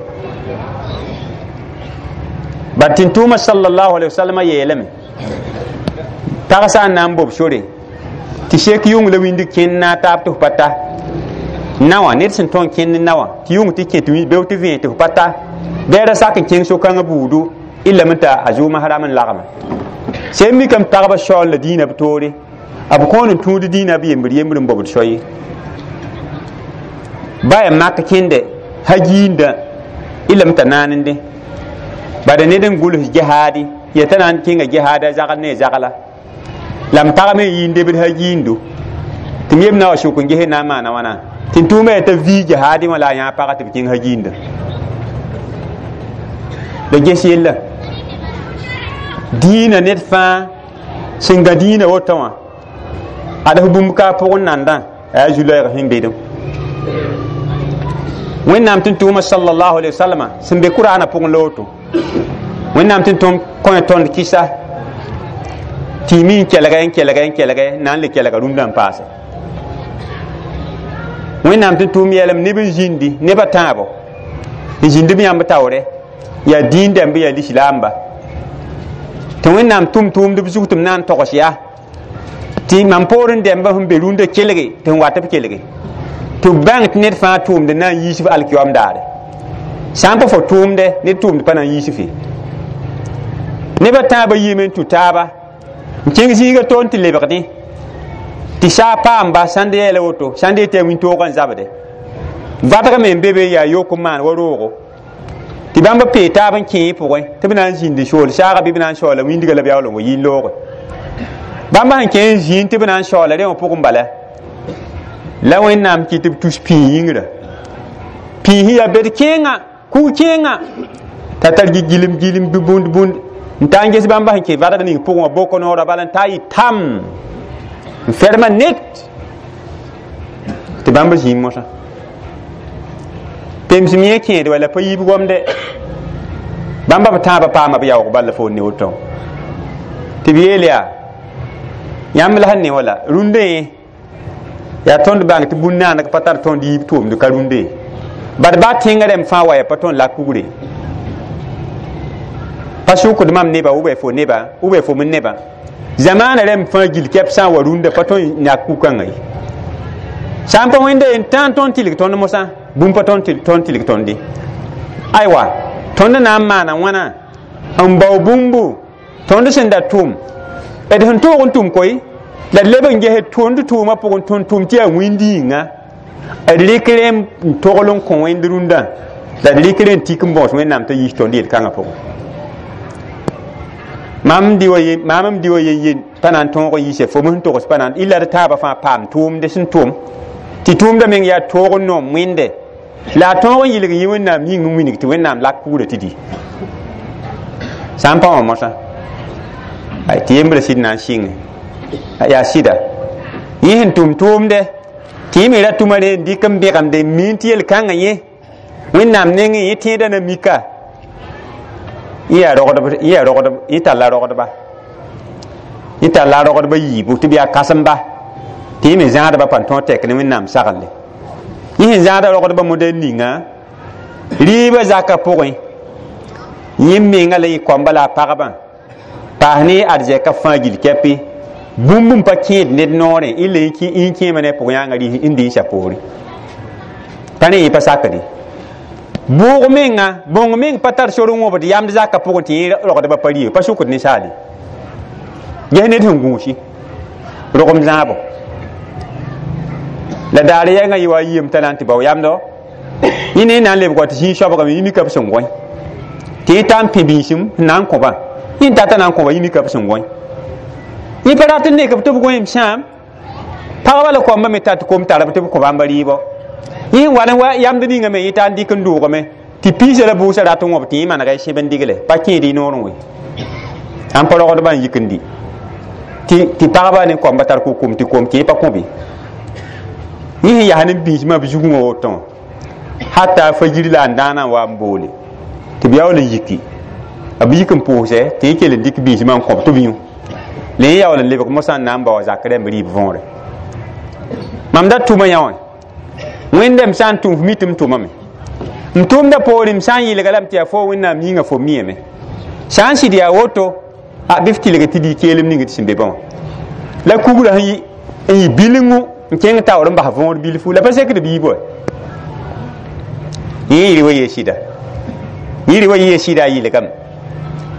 bad tɩ n tʋʋma sallallahu alaihi wasallam yeelame pag sã n na n bob sore tɩ sek yʋng la wĩnd kẽnd na taab tɩ f pa ta naowã ned sẽn tõe n kẽnd naowã tɩ yʋng tɩ kẽ tɩ beo tɩ vẽe tɩ f pa ta bɩ ra sak n kẽng so-kãngã buudu y lame t'a a zʋʋmã ram n lagma sẽn mikame pagba shaool la dĩinã b toore b kõon n tũud dĩinã b yembr yembr n bobd so ye ba yaa mak kẽnde ha giinda y lame t'a naanende bada ned n gʋls jihaadi ya t'a na n kẽnga jihaada zagl ne zagla la m pag me n yɩ n debd ha giindo tɩ m yem na wa sʋk n ges na n maana wãna tɩ n tʋʋma yaa t'a vii jihaadi wã la a yãag paga tɩ b kẽng ha giinda La ges yella dĩinã ned fãa sẽn gã dĩinã woto wã ad f bũmb ka a pʋgẽ nandã a yaa zu-loɛɛg sẽn bedẽ wẽnnaam tɩ tʋʋma sallallahu alaihi wasallam sẽn be kuraanã pʋgẽ la woto wẽnnaam tɩ tõm kõ tõnd kɩsa tɩ y mi n kelg n kelg n kelg na n le kelga rũndã n paase wẽnnaam tɩ tʋʋm yeelame neb n zĩndi nebã tãabo n zĩnd b yãmb taoore yaa dĩin dãmb yaa lislaamba tɩ wẽnnaam tʋm tʋʋmd b zug tɩ m na n togs yaa tɩ mam poorẽ dɛmba sẽn be rũndã kelge tɩ n wat b kelge tɩ b bãng tɩ ned fãa tʋʋmd na n yiis f alkiyoam daare sã n pa fo tʋʋmdɛ ned tʋʋmd pa na n yiis fe nebã tãabã yiime n tũ taaba n kẽng zĩiga toon tɩ lebgdẽ tɩ saa paamba sãnd yeela woto sãnd yetɩ yaa wĩntoogã n zabde vadgame n be be yaa yok n maan wa roogo tɩ bãmb pee taab n kẽe pʋgẽ tɩ b na n zĩndi sool saaga bɩ b na n shaoola wĩndga la b yaool n wa yɩ looge bãmb sẽn kẽ n zĩnd tɩ b na n shaoola rẽ wã pʋgẽ bala la wẽnnaam kɩ tɩ b tus pĩig yĩngrã pĩig yaa bed kẽenga kug kẽenga t'a tar gilem gilem bɩ bũnd bũnd n ta n ges bãmba sẽn kẽ vadg ning pʋgẽ wã boko noorã bala n ta yɩ tam n ferma net tɩ bãmb zĩig mosã pemsem yẽ kẽed wala pa yiib gomde bãmba b tãabã paama b yaoog bala fo ne woto tɩ b yeel yaa yãmb la sẽn ne wala rũndã yẽ yaa tõnd bãng tɩ bũn naaneg pa tar tõnd yiib tʋʋmd ka rũndã bad baa tẽngã rẽmb fãa wa yaa pa tõnd la kugre pa sʋkd mam neba ʋ fo neba ʋ fo m neba zamaana rẽmb fãa gil kɛp sã n wa rũndã pa tõnd yãk ku-kãngã ye sã n pa wẽnda yen tãn tõnd tɩlg tõnd mosã bũmb pa tõnd tɩlg tõnde aywa tõnd na n maana wãna n bao bũmbu tõnd sẽn da tʋm d sẽn toog n tʋm koe la d leb n ges tõnd tʋʋmã pʋgẽ tõnd tʋm tɩ yaa wĩnd yĩnga d rɩk rẽ n togl n kõ wẽnd rũndã la d rɩk rẽ n tik n bõos wẽnnaam t'a yiis tõnd yel-kãngã pʋgẽ mam di wa yen yen pa na n tõog n yiise fo sẽn togs pa na n illa d taabã fãa paam tʋʋmde sẽn tʋm tɩ tʋʋmdã meng yaa toog n noom wẽnde la a tõog n yɩlg yẽ wẽnnaam yĩng n wilg tɩ wẽnnaam lak kugrã tɩ di sã n pa wã mosã tɩ yembrã sɩd na n sɩnge yaa sɩda yẽ sẽn tʋm tʋʋmdɛ tɩ yẽ me ra tʋma re n dɩk n bẽgemde n miin tɩ yel-kãngã yẽ wẽnnaam nengẽ yẽ tẽedã na mika yẽ talla rogdba yẽ talla rogdba yiibu tɩ b yaa kãsemba tɩ yẽ me zãadba pa tõog tɛk ne wẽnnaam sagle yẽ sẽn zãada rogdba modɛl ninga rɩɩbã zakã pʋgẽ yẽ menga la yɩ koamba la a pagba paas ne arzɛka fãa gil kɛpɩ bũmb n pa kẽed ned noorẽ illa yẽ kẽema ne a pʋg yãanga n dɩ n sa poore pa ne yẽ pa sakde bʋʋg menga bõng meng pa tar sor n wõbd yamd zakã pʋgẽ tɩ yẽ rogdbã pa rɩɩb pa sʋkd ninsaale ges ned sẽn gũusi rogem zãabo la daar yɛngã yɩ wa yɩɩm t'a na n tɩ bao yamdo yẽ ne na n lebg wa tɩ zĩig soabgame yẽ mika b sẽn gõe tɩ yẽ ta n pẽ biisem n na n kõba yẽ n tata na n kõba yẽ mika b sẽn gõe yẽ pa rat n nek b tɩ b gõeem sãam pagba la koamba me tat kom tara b tɩ b kõ bãmba rɩɩbɔ yẽ sẽn wa n wa yamd ninga me yẽ ta n dɩk n doogame tɩ piisã la bʋʋsã rat n wõb tɩ yẽ manega y sẽb n digle pa kẽed y noorẽ we sã n pa rogdbã n yik n di tɩ pagba ne koamba tar ko-kom tɩ kom tɩ yẽ pa kõbe yẽ sẽn yaa ne biismã b zugẽ wã woto wã hata fajir la n dãanã n wa n boole tɩ b yaool n yiki b yik n pʋʋsɛ tɩ yẽ kell n dɩk biismã n kõb tɩ b yũ la yẽ yaool n lebg mosã n na n bao zak rẽmb rɩɩb võore mam da tʋma yã wã wẽndame sã n tʋm f mi tɩ m tʋmame m tʋʋmda poore m sã n yɩlga lame tɩ yaa fo wẽnnaam yĩnga fo miyame sã n sɩd yaa woto a bɩ f tɩlg tɩ dɩ keelem ning tɩ sẽn be bã wã la kugrã sẽn yɩ bilengu n kẽng taoor n bas võor bilfu la pa sekd b yiib wa yẽ yɩr wa yee sɩda yɩr wa yee sɩda a yɩlgame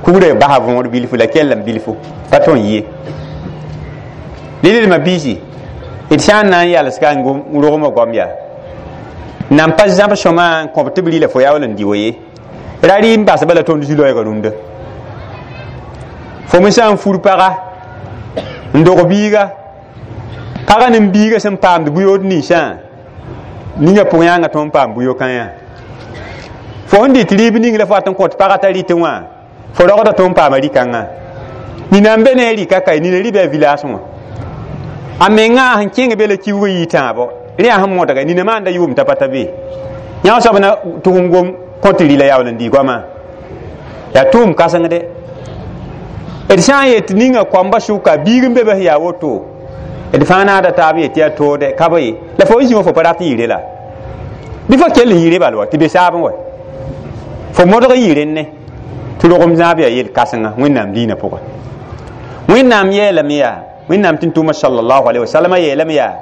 kugrã basa võor bilfu la kellame bilfu pa tõe n yɩ lelma biisi d sã n na n yalsga n rogmã goam yaa nan pa zãb sõma n kõb tɩ b rɩla fo yaool n dɩ wa ye ra rɩ n basba la tõnd zu-loɛɛgã rũndã fo me sã n fur paga n dog biiga pagã ne biiga sẽn paamd bʋ-yood ninsã ninga pʋg yãanga tõnd paam bʋ-yo-kãyã Fo sẽn dɩt rɩɩb ning la fo wat n kõt pagã t'a rɩtẽ wã fo rogda tɩ n paama rɩ-kãngã nina n be ne a rɩka ka nina rɩ bɩ a village wã a mengã sẽn kẽng be la kiuugã yɩ tãabo rẽ yaa sẽn modga nina maanda yʋʋm t'a pa ta be yã soab na tʋg n gom kõt rɩ la yaool n dɩ goamã yaa tʋʋm kãsengde d sã n yet ninga koamba sʋka biig n be be yaa woto d fãa naada taab yet yaa toode ka ba ye la fo n zĩ wã fo pa rat n yɩ la bɩ fo kell n yɩ bal wa tɩ be saab n wa fo modg n yɩ rẽnne tɩ rogem zãab yaa yel-kãsenga wẽnnaam diinã pʋga wẽnnaam yeelame yaa wẽnnaam tɩ n tʋʋma sallallahu alaihi wasallam yeelame yaa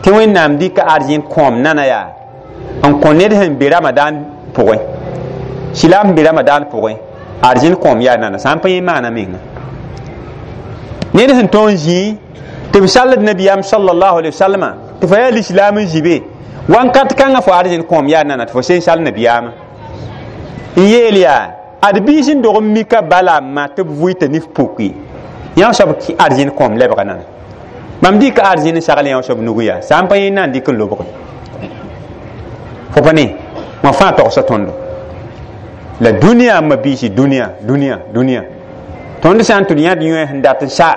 tɩ wẽnnaam dɩka arzẽn kõom nana yaa n kõ ned sẽn be ramadan pʋgẽ silaam sẽn be ramadan pʋgẽ arzẽn kõom yaa nana sã n pa yẽ maana menga ned sẽn tõog n zĩi tɩ b salld nabiyaam sallallahu alaihi wasallama tɩ fa yaa lislaam n zĩ be wãnkat kãngã fo arzẽn kõom yaa nana tɩ fo sen sall nabiyaamã n yeel yaa ad biis n dog n mika bala n ma tɩ b vʋɩta nif puki yã soab arzẽn kõom lebga nana mam dɩka arzẽn n sagl yã soab nug yaa sã n pa yẽ na n dɩk n lobge fo pa ne wã fãa togsa tõndo la dũniyã ma biisi dũniyã dũniyã dũniyã tõnd sã n tʋd yãd yõe sẽn dat n sa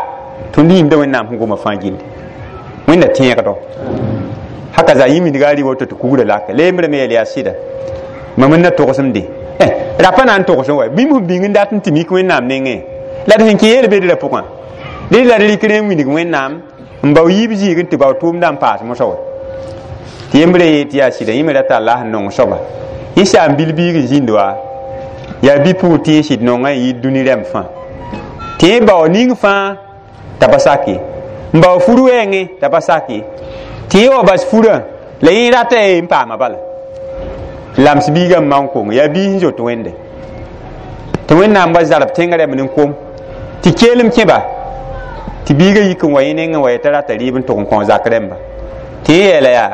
tõnd yĩmda wẽnnaam sẽn goma fãa gilli wẽnda tẽegdo haka za yĩmidga a rɩ woto tɩ kugrã laka leembrame yeel yaa sɩda mam n na togsem-de rapa na n togsẽ wa bĩmb sẽn bĩng n dat n tɩ mik wẽnnaam nengẽ la d sẽn kẽ yeel bedrã pʋgã ded la d rɩk rẽ n wilg wẽnnaam n bao yiib zĩig n tɩ bao tʋʋmdã n paas mosã wa tɩ yembrã yee tɩ yaa sɩda yẽ me rata Allah n nong soaba yẽ saam bil-biig n zĩnd wa yaa bi-pʋgr tɩ yẽ sɩd nongã n yɩɩd dũni rɛm fãa tɩ yẽ bao ning fãa t'a pa sak ye n bao fur wɛɛngẽ t'a pa sak ye tɩ yẽ wa bas furã la yẽ rata ye n paama bala lams biigã n maan kong yaa biis n zoet wẽnde tɩ wẽnnaam wa zarb tẽngã rɛm n kom tɩ keelem kẽba tɩ biigã yik n wa yẽ nengẽ wa t'a rata rɩɩb n tʋg n kõ zak rẽmba tɩ yẽ yeela yaa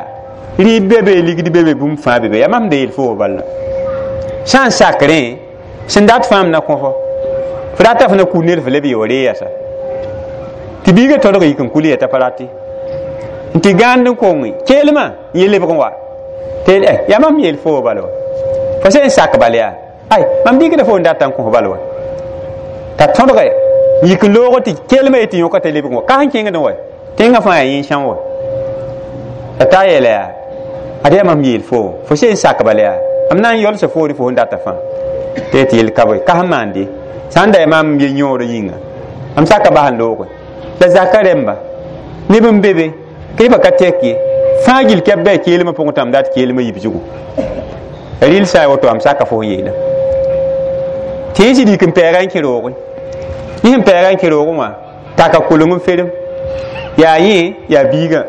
rɩɩb be be ligd be be bũmb fãa be be yaa mam da yeel fo bala sã n sak rẽ sẽn dat fãam na kõ fo fo rata fo na ku ned fo leb yeo ree yasa tɩ biigã tõdg yik n kul yeta pa rate n tɩ gãand n konge keelmã n ye lebg n wa tɩ yaa mam yeel fo bala wa fo sẽn sak bal yaa ay mam dɩkda fo n data n kõ bal wa t'a tõdge yik n loog tɩ keelmã yetɩ yõka t'a lebg wa ka sẽn kẽngd wa tẽngã fãa yaa yẽ sãn wa t'a ta yeela yaa ad yaa mam yeel fo fo sẽn sak bal yaa m na n yolsa foore fo sẽn data fãa tɩ tɩ yel ka bõe ka sẽn maande sã n da yaa maam ye yõod yĩnga m saka bas n looge la zaka rẽmba neb n be be kɩ pa ka tɛk ye fãa gill kɛp bɩ a keelmã pʋgẽ tãmb dat keelmã yib zugu rɩl sã n woto am saka fo sẽn yeela tɩ yẽ sɩd yik n pɛɛga n kẽ roogẽ yẽ sẽn pɛɛga n kẽ roogẽ wã taka koleng n ferem yaa yẽ yaa biigã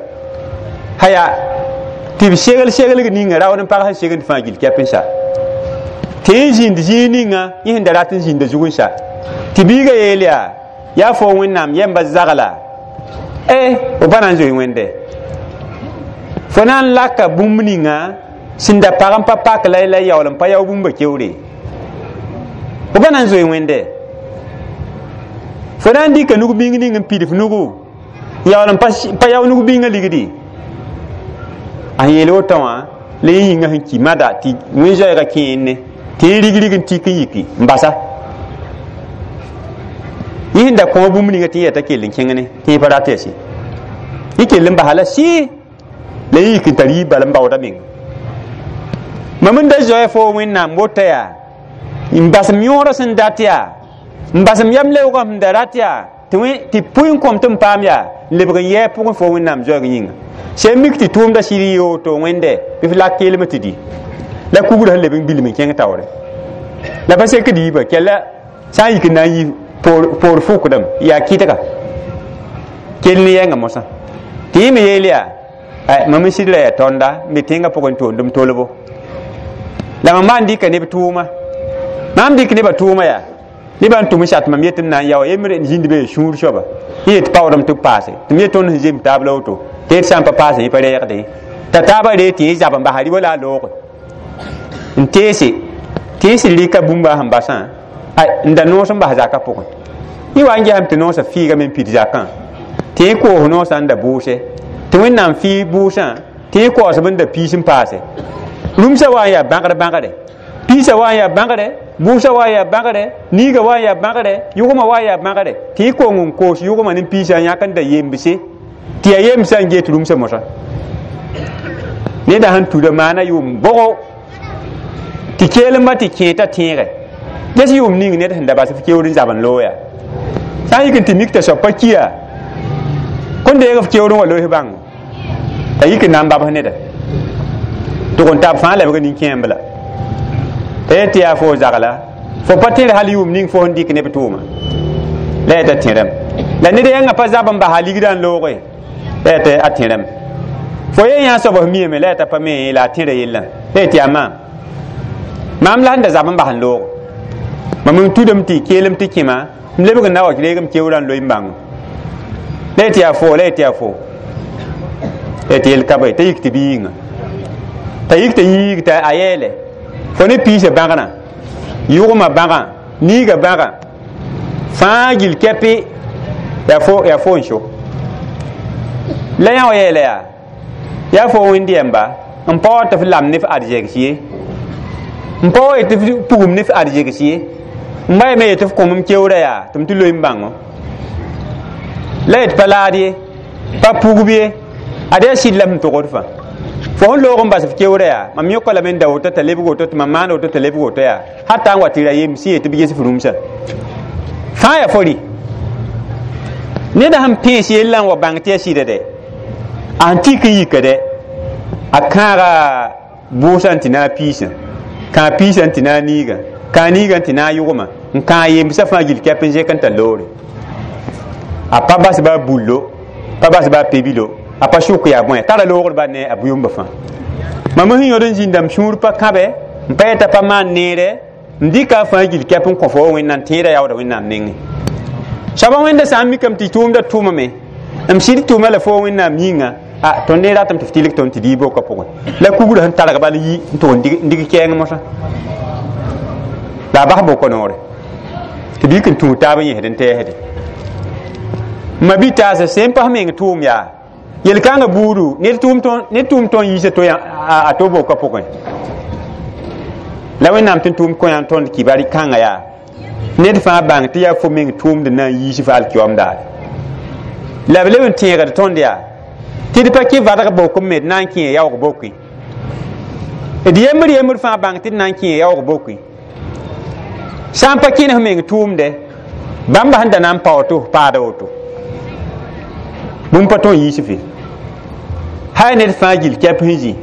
haya tɩ b segl seglg ninga raood n pag sẽn segend fãa gill kɛp n sa tɩ yẽ zĩnd zĩig ninga yẽ sẽn da rat n zĩnda zug n sa tɩ biigã yeel yaa yaa fo wẽnnaam yɛmba zagla f pa na n zoe wẽnde fo na n laka bũmb ninga sẽn da pag n pa pak la la yaool n pa yao bũmba keoore fo pa na n zoe wẽnde fo na n dɩka nug bĩng ning n pid f nugu yaool n pa yao nug bĩngã ligdi a yeel wotã wã la yẽ yĩngã sẽn ki mada tɩ wẽn-zoɛɛgã kẽenne tɩ yẽ rigrig n tik n yiki n basa yẽ sẽn da kõ bũmb ninga tɩ yẽ t'a kell n kẽng ne tɩ yẽ pa rat yɛsɩ yẽ kell n basa la sɩ la yẽ yik n tar yiib bal n baooda menga mam n da zoɛ fo wẽnnaam wota yaa n basem yõodã sẽn dat yaa n basem yam leoogã sẽn da rat yaa tɩ pʋɩ n kõm tɩ n paam yaa n lebg n yɛɛ pʋgẽ fo wẽnnaam zoɛɛg yĩnga sẽn mik tɩ tʋʋmda sɩd n yee woto wẽnde bɩ f lak keelmã tɩ di la kugrã sẽn leb n bilm n kẽng taoore la pa sekd yiibã kɛla sã n yik n na n yi poor fʋkdame yaa kɩtga kell ne yɛngã mosã tɩ yẽ me yeel yaa mam n sɩdra yaa tõnda n be tẽngã pʋgẽ toondem tolbo la mam maan dɩka neb tʋʋma maam dɩk nebã tʋʋma yaa nebã n tʋm n sat mam yet n na n yao yembr n zĩnd be sũur soaba yẽ yet paoodem tɩ b paase tɩ m yet tõnd sẽn zem taab la woto tɩ d sã n pa paase yẽ pa reegde t'a taabã ree tɩ yẽ zab n basa rɩ la a looge n teese tɩ yẽ sɩd rɩka bũmba sẽn basã n da noos n bas zakã pʋgẽ yẽ wa n gesame tɩ noosã fiigame n pid zakã tɩ yẽ koos noosã n da bʋʋse tɩ wẽnnaam fɩ bʋʋsã tɩ yẽ kaoosb n da piis n paase rũmsã wa n yaa bãgr bãgre piis Piisã wa n yaa bãgre, bʋʋsã wa n yaa bãgre, niigã wa n yaa bãgre, yʋgmã wa n yaa bãgre, tɩ y kong n koos yʋgmã ne piisã n yãk n da yembse, tɩ yaa yemsã n get rũmsã mosã. Neda sẽn tuda maana yʋʋm bʋgo tɩ keelembã tɩ kẽeta tẽegɛ ges yʋʋm ning ned sẽn da bas f keoor n zab n looya. Sã n yik n tɩ mik t'a soab pa kiya kõn deeg f keoor n wa loes bãngo t'a yik n na n babs neda tʋg n tab fãa lebg nin-kẽemb la t'a yet tɩ yaa fo zagla fo pa tẽr hal yʋʋm ning fo sẽn dɩk neb tʋʋma la yaa t'a tẽrame la ned yãngã pa zab n basa ligdã n looge la yaa t'a tẽrame fo ye yã soab f miame la yaa t'a pa me la a tẽra yellã la yaa tɩ yaa maam maam la sẽn da zab n bas n loogo mam n tudame tɩ keelem tɩ kẽma m lebg n na wa reegem keoorã n loe n bãngo la yaa tɩ yaa fo la yaa tɩ yaa fo la yaa tɩ yel ka be t'a yik tɩ bɩ yĩnga t'a yik t'a yiig t'a a yeele fo ne piisã bãgrã yʋgmã bãgã niigã bãgã fãa gil kɛpɩ yaa fo n so la yã wa yeela yaa yaa fo wẽnd yɛmba n pa wa tɩ f lam ne f arzegs ye n pa wa tɩ f pugum ne f arzegs ye n ba yame yetɩ f kõ m keoorã yaa tɩ m tɩ loe n bãngo la yet pa laad ye pa pugb ye ad yaa sɩd la m togd fãa fo sẽn loog n bas f keoorã yaa mam yõka lame n da woto t'a lebg woto tɩ mam maan woto t'a lebg woto yaa hatta n wa tɩ ra yems yee tɩ b ges f rũmsã fãa yaa fo rɩ neda sẽn pẽes yellã n wa bãng tɩ yaa sɩda dɛ a sẽn tik n yika dɛ a kãaga bʋʋsã n tɩ na a piisã kãa piisã n tɩ na a niigã kãa niigã n tɩ na a yʋgmã n kãa yemsã fãa gil kɛp n zẽk n tar loore a pa bas ba bullo pa bas ba pebilo a pa sʋk yaa bõe tara loogr ba ne a bʋ-yomba fãa mam sẽn yõd n zĩnda m sũur pa kãbɛ n pa yeta pa maan neere n dɩka a fãa gil kɛp n kõ fo wa wẽnnaam tẽeda yaooda wẽnnaam nengẽ soaba wẽnda sã n mikame tɩ tʋʋmda tʋʋmame m sɩd tʋʋma la fo wẽnnaam yĩnga a tõnd ne ratame tɩ f tɩlg tõnd tɩ dii boka pʋgẽ la kugrã sẽn targ bal yi n tʋg n dig kɛɛng mosã la a bas boko noore tɩ b yik n tũud taab n yẽsd n tɛɛsde ma bi taasa sẽn pas meng tʋʋm yaa yel-kãngã buudu ned tʋʋm tõnd yiisa to a to boka pʋgẽ la wẽnnaam tɩ tʋʋm kõ yã tõnd kibar kãngã yaa ned fãa bãng tɩ yaa fo meng tʋʋmd na n yiis f alkiyoom daare la b leb n tẽegd tõnd yaa tɩ d pa kẽ vadg bok n me d na n kẽ yaoog bokoẽ d yembr yembr fãa bãng tɩ d na n kẽ yaoog bokoẽ sã n pa kẽnes meng tʋʋmdɛ bãmba sẽn da na n pa woto paada woto bũmb pa tõe n yiis fe hay ned fãa gil kɛp sẽn zĩ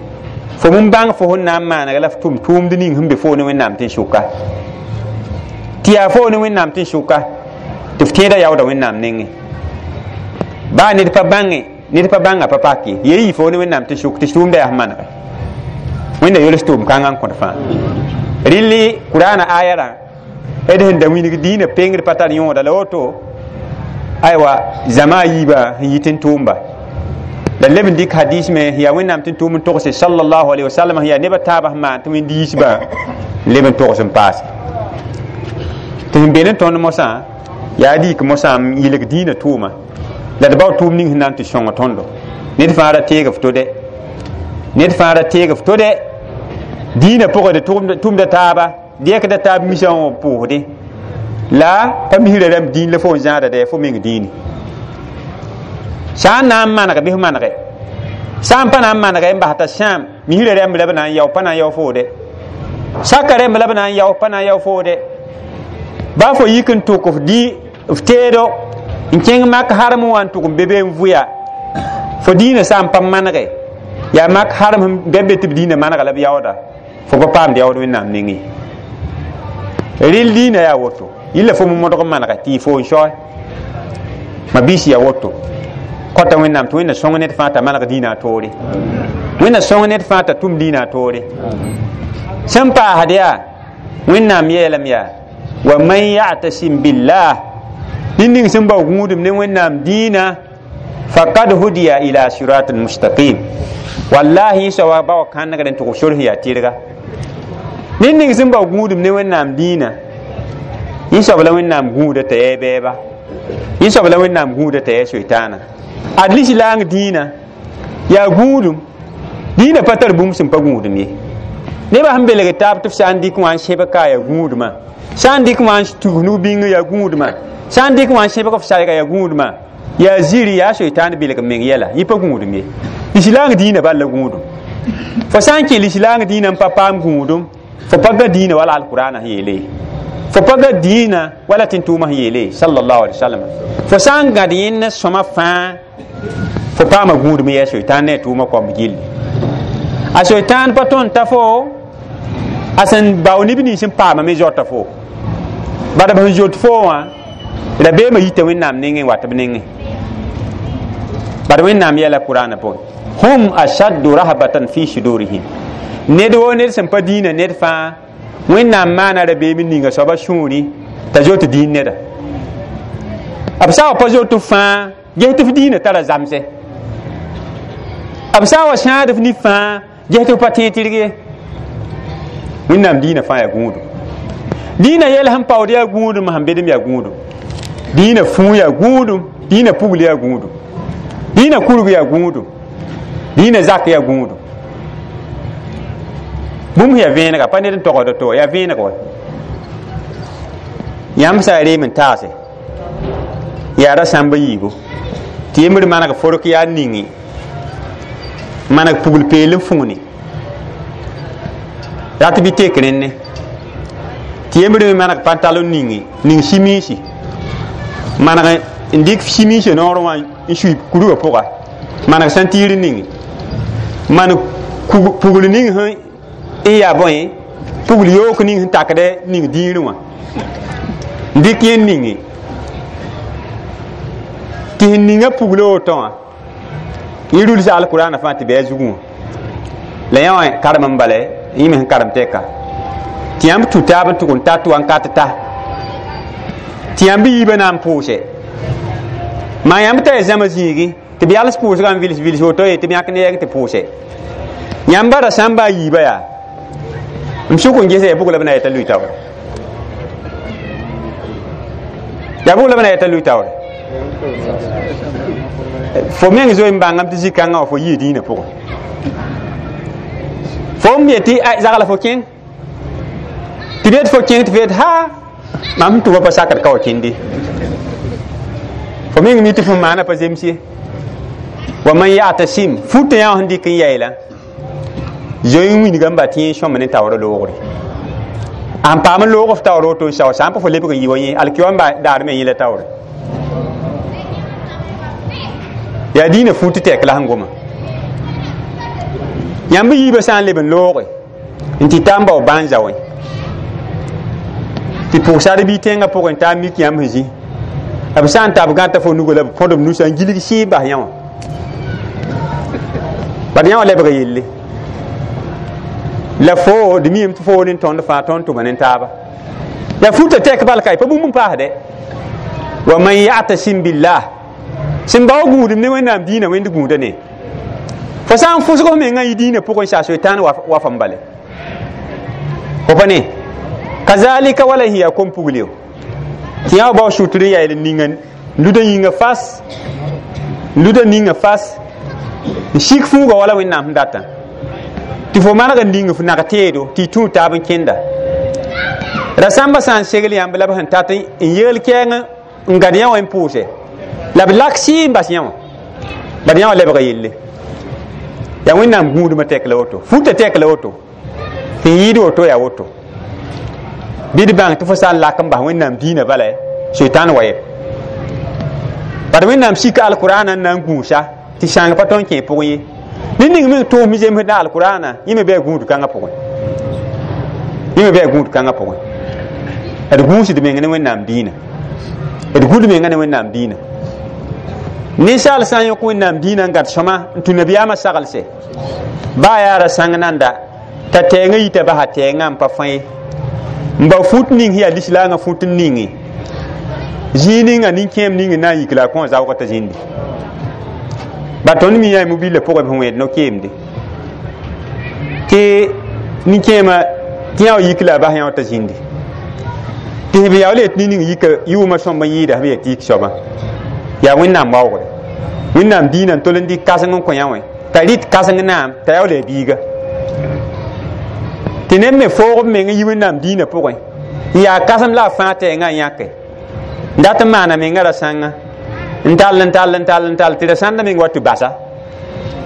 fo m bãng fo sẽn na n maanega la f tʋm tʋʋmd ning sẽn be foo ne wẽnnaam tɩ n sʋka tɩ yaa foo ne wẽnnaam tɩ n sʋka tɩ f tẽeda yaooda wẽnnaam nengẽ baa ned pa bãnge ned pa bãnga pa pak ye ye yɩ foo ne wẽnnaam tɩ sʋk tɩ tʋʋmda yaa sẽn manege wẽnda yols tʋʋm kãngã n kõt fãa rɩlli kuraana ayarã d sẽn da wilg dĩinã pengd pa tar yõoda la woto aywa zãma a yiibã sẽn yit n tʋʋmba la leb n dɩk hadis me sẽn yaa wẽnnaam tɩ n tʋʋm n togse sallallahu alaihi wasallam sẽn yaa nebã taabã sẽn maan tɩ wẽnd yiisbã n leb n togs n paase tɩ sẽn be ne tõnd mosã yaa d yik mosã n yɩlg dĩinã tʋʋma la d bao tʋʋm ning sẽn na n tɩ sõng tõndo ned fãa ra teeg f to dɛ ned fãa ra teeg f to dɛ dĩinã pʋgẽ d tʋmda taaba d yɛkda taab misã wã pʋʋsdẽ la pa misrã rãmb dĩin la fo n zãada dɛ fo meng dĩini sã n na n maneg bɩ f manege sã n pa na n manege n bas t'a sãam misrã rãmb la b na n yao pa na n yao foo dɛ saka rãmb la b na n yao pa na n yao foo dɛ baa fo yik n tʋk f dĩ f teedo n kẽng mak harem wã n tʋg n be be n vʋya fo dĩinã sã n pa manege yaa mak harem sẽn bɛ be tɩ b dĩinã manega la b yaooda fo pa paamd yaood wẽnnaam nengẽ rɩl dĩinã yaa woto yilla fo modg n manege tɩ y fo n saoe ma biis yaa woto kõta wẽnnaam tɩ wẽnna sõng ned fãa t'a maneg dĩinã a toore wẽnna sõng ned fãa t'a tʋm dĩinã a toore sẽn paasd yaa wẽnnaam yeelame yaa wa man ya'tasim billah ned ning sẽn bao gũudum ne wẽnnaam dĩinã faqad hudiya ila siratin mustaqim wallahi soaba ba wa kãnegd n tʋg sor sẽn yaa tɩrga ned ning sẽn bao gũudum ne wẽnnaam dĩinã yẽ soab la wẽnnaam gũuda t'a yaa bɛɛba yẽ soab la wẽnnaam gũuda t'a yaa soitaana ad lislaang dĩinã yaa gũudum dĩinã pa tar bũmb sẽn pa gũudum ye Nebã sẽn belg taab tɩ f sã n dɩk wã n sẽbg ka yaa gũudmã, sã n dɩk wã n tug nug-bĩngã yaa gũudmã, sã n dɩk wã n sẽbg f sayga yaa gũudmã, yaa ziri yaa soitaan bilg meng yɛla yẽ pa gũudum ye. Lislaang dĩinã bal la gũudum. Fo sã n kẽ lislaang dĩinã n pa paam gũudum, fo pa ga dĩinã wala alkurana sẽn yeele, fo pa ga dĩinã wala tẽn-tʋʋmã sẽn yeele sallallahu alaihi wasallam. Fo sã n gãd yẽnd ne sõma fãa, fo paama gũudum yɛ soitaan ne a tʋʋmã koamb gilli. A soitaan pa tõnd t'a fo a sẽn bao neb nins n paama me zoata fo, bala b sẽn zot fo wã rabeemã yita Wẽnnaam nengẽ n wat b nengẽ. Bad Wẽnnaam yɛla Kurana pʋgẽ, hum ashaddu rahbatan fi sudurihim. Ned woo ned sẽn pa dĩinã ned fãa, Wẽnnaam maana rabeem n ninga soaba sũuri t'a zot dĩin neda. B sã wa pa zot fãa ges tɩ f dĩinã tara zamsɛ, b sã n wa sãad f nif fãa ges tɩ f pa tẽeg tɩrg ye. Wẽnnaam dĩinã fãa yaa gũudum. Dĩinã yɛl sẽn paood yaa gũudum, sẽn bedem yaa gũudum, dĩinã fũu yaa gũudum, dĩinã pugl yaa gũudum, dĩinã kurg yaa gũudum, dĩinã zak yaa gũudum. Bũmb yaa vẽenega, pa ned n togsd to, yaa vẽeneg wa. Yãmb sã n reem n taase yaa ra sãmb yiibu tɩ yembr maneg fork yaa ningi, maneg pugl peel n fũuni rat bɩ tek rẽnne, tɩ yembr me maneg pantalon ningi, ning simiisi, maneg n dɩk simiisã noorẽ wã n sui kurgã pʋga, maneg sãntiir ningi, maneg pugl ning sẽn n yaa bõe pugl yook ning sẽn takd ning dĩirẽ wã n dɩk yẽnd ningi, tɩ sẽn ninga pugla woto wã yẽ rulsa alkurana fãa tɩ bɩ a zugẽ wã. La yã wã karem n bala yẽ me sẽn karem tɛka tɩ yãmb tũ taab n tʋg n ta tɩ wa n kat ta tɩ yãmb yiibã na n pʋʋse. Maa yãmb t'a ya zãma zĩigi tɩ b yals pʋʋsgã n vils vils woto ye tɩ b yãk ne yɛg tɩ pʋʋse. Yãmba ra sãmba a yiibã yaa m sʋk n gesa ya bʋg la b na yɛta lui taoore, yaa bʋg la b na yɛta lui taoore. Fo meng zoe n bãngame tɩ zĩ-kãngã wã fo yii dĩinã pʋgẽ, fo m yetɩ zagla fo kẽng tɩ b yet fo kẽng tɩ fo yet ha mam sẽn tʋma pa sakd ka wa kẽnde. Fo meng mi tɩ fo maana pa zems ye. Wa man ya'tasim futã yã wã sẽn dɩk n yaeela zoe n wilga n ba tɩ yẽ sõmb ne taoorã loogre. A sẽn paam n loog f taoor woto n sao sã n pa fo lebg n yɩ wa yẽ alkiwa n daar me yẽ la taoore. Yaa dĩinã fut tɛk la sẽn goma. Yãmb yiibã sã n leb n looge n tɩ ta n bao bãn-zao wẽ tɩ pʋgsar bɩ tẽngã pʋgẽ n taa mik yãmb sẽn zĩ, b sã n tab gãta fo nugã la b kõd b nusã n gilg sɩɩb bas yã wã, bad yã wã lebga yelle. La fo d miime tɩ fo ne tõnd fãa tõnd tʋma ne taaba. Yaa futã tɛk bal ka pa bũmb n paasdɛ. Wa man ya'tasim billah sẽn bao gũudum ne Wẽnnaam dĩinã wẽnd gũuda ne. Fo sã n fʋsg f mengã yɩ dĩinã pʋgẽ saa soitaan wa fam bale. Fo pa ne kazalika wala sẽn yaa kom-pugl yo tɩ yã wa bao sʋtr n yael n ninga luda yĩnga fas, luda ninga fas n sik fũuga wala Wẽnnaam sẽn datã tɩ fo maneg n ning f nag teedo tɩ y tũu taab n kẽnda. Ra sãmbã sã n segl yãmb la b sẽn tat n yeel kɛɛng n gãd yã wã n pʋʋse la b lak sɩ n bas yã wã, bad yã wã lebga yelle. Yaa Wẽnnaam gũudmã tɛk la woto, futã tɛk la woto, sẽn yɩɩd woto yaa woto. Bɩ d bãng tɩ fo sã n lak n bas Wẽnnaam dĩinã bala soitaan wa yɛ. Bad Wẽnnaam sika alkurana n na n gũusa tɩ sãng pa tõnd kẽ pʋgẽ ye. Ned ning meng tʋʋsem zemsd na alkurana yẽ me bɩ a gũud kãngã pʋgẽ, yẽ me bɩ a gũud kãngã pʋgẽ. D gũusd meng ne Wẽnnaam dĩinã, d gũud menga ne Wẽnnaam dĩinã. Ninsaal sã n yõk Wẽnnaam dĩinã n gãd sõma n tũ nabiyaamã saglse baa yaa ra sãng nanda t'a tɛɛngã yita basa tɛɛngã n pa fãe n ba fut ning sẽn yaa lislaangã fut n ninge zĩig ninga nin-kẽem ning n na n yik la a kõ zaoogã t'a zĩndi. Ba tõnd mi yaa mobillã pʋgẽ b sẽn wẽed no-keemde tɩ nin-kẽemã tɩ yã wa yik la a bas yã wã t'a zĩndi tɩ b yaool yet nin-ning yika yʋʋmã sõmb n yɩɩda b yaa tɩ yik soabã. Yaa Wẽnnaam waoogre, Wẽnnaam dĩinã n tol n dɩk kãseng n kõ yã wẽ t'a rɩt kãseng naam t'a yaool yaa biiga tɩ Tɩ neb me foog b meng n yi Wẽnnaam diinã pʋgẽ n yaa kãsem la a fãa tɛɛngã n yãke n dat n maana menga ra-sãnga n tall n tall n tall n tall tɩ ra-sãndã meng wa tɩ basa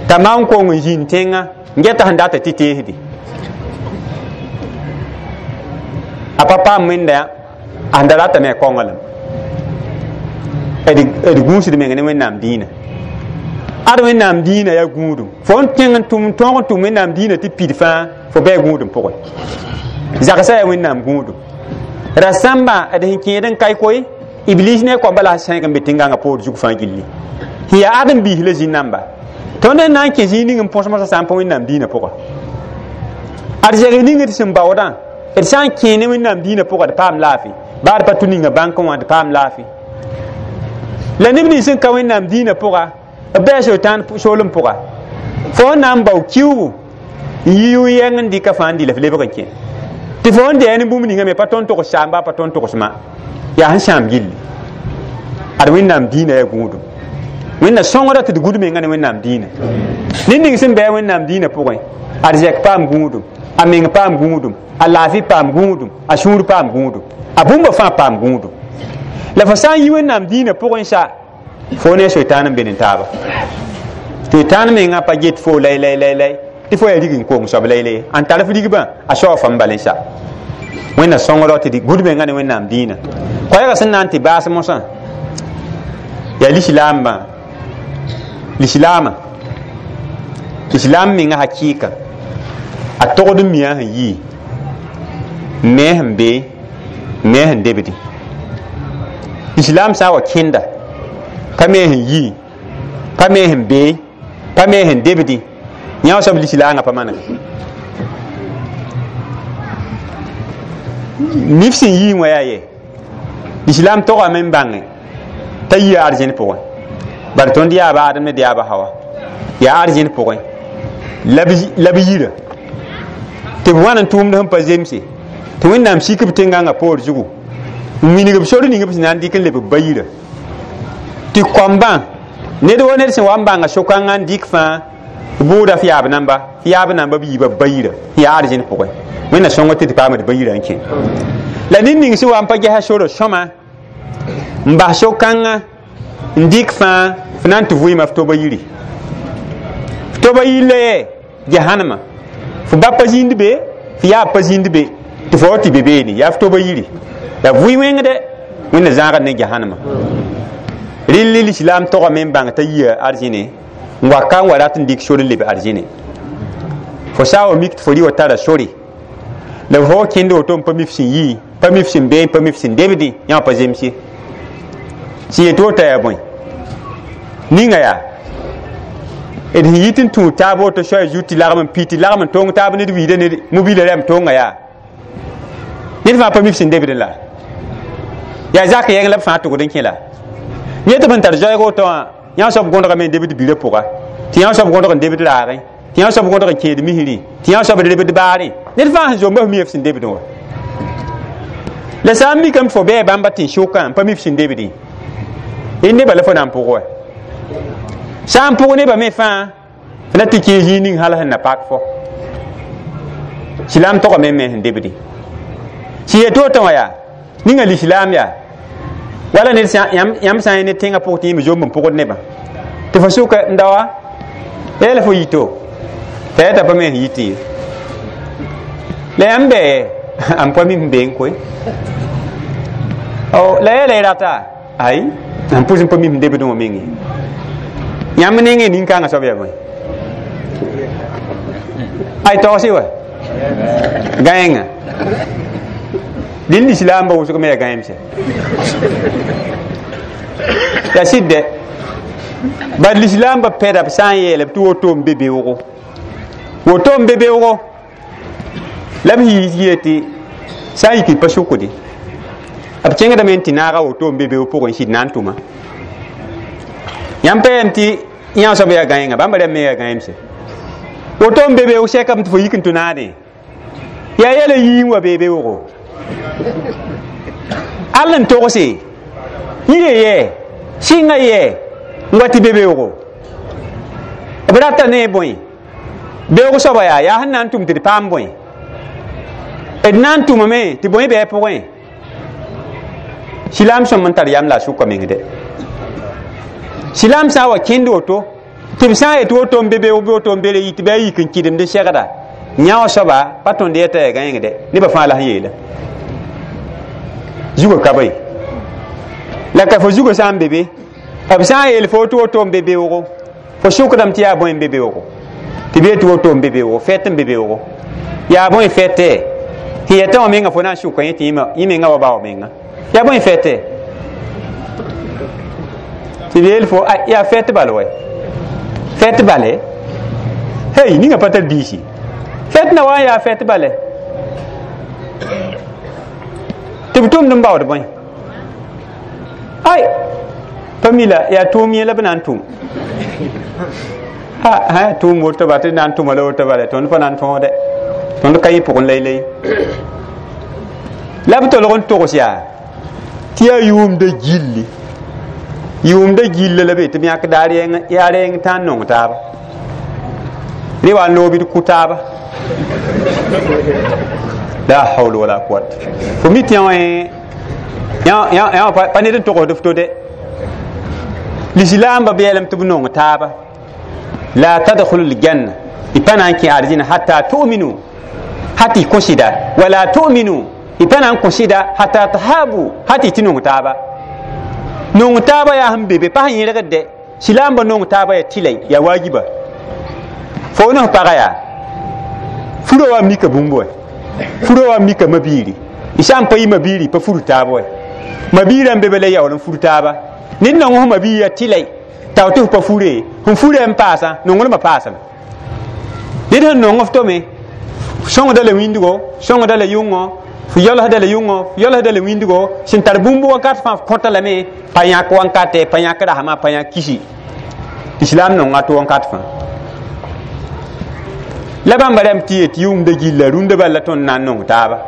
t'a maan kong n zĩnd tẽngã n geta sẽn data tɩ teesdi a pa paam wẽnda a sẽn da ratame a kaonglem d gũusd meng ne Wẽnnaam diinã ad Wẽnnaam diinã yaa gũudum fo n tẽng n tʋm tõog n tʋm Wẽnnaam diinã tɩ pid fãa fo bɩ gũudum pʋgẽ zagsã yaa Wẽnnaam gũudum ra-sãmbã d sẽn kẽed n kae koe iblis ne a koamba la sẽn sẽeg n be tẽn-gãngã poor zug fãa gilli sẽn yaa ãdem-biis la zĩ-namba tõnd sẽn na n kẽ zĩig ning n põs mosã sã n pa Wẽnnaam diinã pʋga ad zɛgs ning d sẽn baoodã d sã n kẽ ne Wẽnnaam diinã pʋga d paam laafɩ baa d pa tʋ ninga bãnkẽ wã d paam laafɩ la neb nins sẽn ka Wẽnnaam diinã pʋga b bɩa sotan soolem pʋga fo n na n bao kiuugu n yi yʋ-yɛng n dɩka fãa n dɩ la f lebg n kẽ tɩ fo n dɛɛ ne bũmb ninga me pa tõnd togs saamba pa tõnd togsma yaa sẽn sãam gilli ad Wẽnnaam diinã yaa gũudum Wẽnna sõngda tɩ d gũd menga ne Wẽnnaam diinã ned ning sẽn bɩa Wẽnnaam diinã pʋgẽ ad zɛk paam gũudum a meng paam gũudum a laafɩ paam gũudum a sũur paam gũudum a bũmba fãa paam gũudum la fo sã n yi Wẽnnaam diinã pʋgẽ sa fo ne soitan n be ne taaba soitan menga pa get fo lay lay lay lay tɩ fo yaa rig n kong soab lay lay n tar f rigbã a saoog fãm bal n sa Wẽnna sõngdo tɩ d gũd menga ne Wẽnnaam diinã koɛɛgã sẽn na n tɩ baas mosã yaa lislaambã lislaamã lislaam menga hakɩɩka a togd n mia sẽn yii me sẽn be me sẽn debdi lislaam sã n wa kẽnda pa me sẽn yii pa me sẽn bee pa me sẽn debdi yã soab lislaangã pa manega nif sẽn yii wã yaa ye lislaam togame n bãnge t'a yia arzẽn pʋgẽ bari tõnd yaaba Adem ne d yaaba Hawa yaa arzẽn pʋgẽ la b yira tɩ b wãn n tʋʋmd sẽn pa zemse tɩ Wẽnnaam sik b tẽn-gãngã poor zugu n wilg b sor ning b sẽn na n dɩk n leb b ba yira tɩ koambã ned wa ned sẽn wa n bãnga so-kãngã n dɩk fãa bʋʋda f yaab namba f yaab namba b yiiba b ba yira sẽn yaa arzẽn pʋgẽ Wẽnna sõngo tɩ d paama d ba yira n kẽ la ned ning sẽn wa n pa gesa sora sõma n bas so-kãngã n dɩk fãa f na n tɩ vʋɩɩma f toba yiri f toba yir la yɛ jahanama f ba pa zĩnd be f yaab pa zĩnd be tɩ fo wa tɩ be beene yaa f toba yiri la vʋɩ wẽngdɛ Wẽnna zãagd ne jahanama rɩl lislaam togame n bãng t'a yia arzẽne n wa ka n wa rat n dɩk sor n leb arzẽne fo sã n wa mik tɩ fo rɩ wa tara sore la fo wa kẽnd woto n pa mi f sẽn yii pa mi f sẽn bee pa mi f sẽn debdẽ yã wã pa zems ye sẽn yet woto yaa bõe ninga yaa d sẽn yit n tũud taab woto soaya zugu tɩ lagm n pi tɩ lagm n tong taab ned wiida ned mobila rãmb tonga yaa ned fãa pa mi f sẽn debdẽ la yaa zak yɛng la b fãa tʋgd n kẽ la yẽ tɩ b sẽn tar zoɛɛg woto wã yã soab gõdgame n debd birã pʋga tɩ yã soab gõdg n debd raagẽ tɩ yã soab gõdg n kẽed misrẽ tɩ yã soab lebd baarẽ ned fãa sẽn zomba f mi f sẽn debdẽ wa la sã n mikame tɩ fo bɩa bãmba tẽn-sʋkã n pa mi f sẽn debdẽ y nebã la fo na n pʋg wa sã n pʋg nebã me fãa f na tɩ kẽ zĩig ning hal sẽn na pak fo silaam togame me sẽn debdẽ sẽn yet woto wã yaa ninga lislaam yaa wala ned yãmb sã n ne tẽngã pʋg tɩ yẽ me zomb n pʋgd nebã tɩ fo sʋka n daoa yaa la fo yito t'a yaa t'a pa me sẽn yitẽ ye la yãmb bɛ n pa mi sẽn bee n koe la yaa la y rata ay n pʋs n pa mi sẽn debdẽ wã meng ye yãmb nengẽ nin-kãngã soab yaa bõe ay tagsɩ wa gãenga dĩn lislaambã wʋsg me yaa gãemsɛ yaa sɩd dɛ bad lislaambã pɛda b sã n yeela b tɩ woto n be beoogo woto n be beoogo la b yɩ tɩ sã n yik d pa sʋkde b kẽngdame n tɩ naaga woto n be beoog pʋgẽ sɩd na n tʋma yãmb pa yam tɩ yã soab yaa gãenga bãmba rãmb me yaa gãemsɛ woto n be beoog sɛkame tɩ fo yik n tʋ naadẽ yaa yɛla yii n wa bee beoogo all n togse yie yɛ sɩnga yɛ n wa tɩ be beoogo b rata ne bõe beoog soaba yaa yaa sẽn na n tʋm tɩ d paam bõe D na n tʋmame tɩ bõe bɩ a pʋgẽ silaam sõm n tar yam la a sʋka meng de silaam sã n wa kẽnd woto tɩ b sã n yet woto n be beoog bɩ woto n be re yɩ tɩ bɩ a yik n kɩdemd segda yã wã soaba pa tõnd yɛta yaa gãengde nebã fãa la sẽn yeela zugã ka ba ye la ka fo zugã sã n be be b sã n yeel fo tɩ woto n be beoogo fo sʋkdame tɩ yaa bõe n be beoogo tɩ b yet tɩ woto n be beoogo fɛt n be beoogo yaa bõe fɛtɛ tɩ yɛta wã menga fo na n sʋka yẽ tɩ yẽ menga wa ba wa menga yaa bõe fɛtɛ tɩ b yeel fo yaa fɛt bal wɛ fɛt bale hey ninga pa tar biisi fɛt na wa n yaa fɛt bale tɩ b tʋmd n baood bõe ay pa mi la yaa tʋʋm yẽ la b na n tʋm a tʋʋm woto ba tɩ na n tʋma la woto bale tõnd pa na n tõode tõnd ka yẽ pʋgẽ laylay la b tolg n togs yaa tɩ yaa yʋʋmda gilli yʋʋmda gilla la be tɩ b yãk daar yaa reng tã n nong taaba re wa n loog d kʋ taaba la hawla wala quwat fo mi tɩ yã wã pa ned n togsd f to de lislaambã beelem tɩ b nong taaba la tadkhulu ljanna y pa na n kẽ arzĩna hatta tu'minu hata y kõ-sɩda wala tu'minu y pa na n kõ-sɩda hatta tahabu hata y tɩ nong taaba nong taaba yaa sẽn be be pa sẽn yẽlgd de silaambã nong taaba yaa tɩla yaa waajiba fo ne f pagã yaa furã wa mika bũmb wɛ furã wa mika mabiiri y sã n pa yɩ mabiiri pa fur taab wɛ mabiirã n be be la yaool n fur taaba ned nong f mabiir yaa tɩla tao tɩ f pa fure sẽn furã n paasã nonglmã paasame ned sẽn nong f tome sõngda la wĩndgo sõngda la yʋngõ f yalsda la yʋngõ f yalsda la wĩndgo sẽn tar bũmb wakat fãa f kõta lame pa yãk wankate pa yãk rasma pa yãk kisi islam nonga tɩ wakat fãa la bãmba rãmb tɩ yet yʋʋmda gilla rũndã bal la tõnd na n nong taaba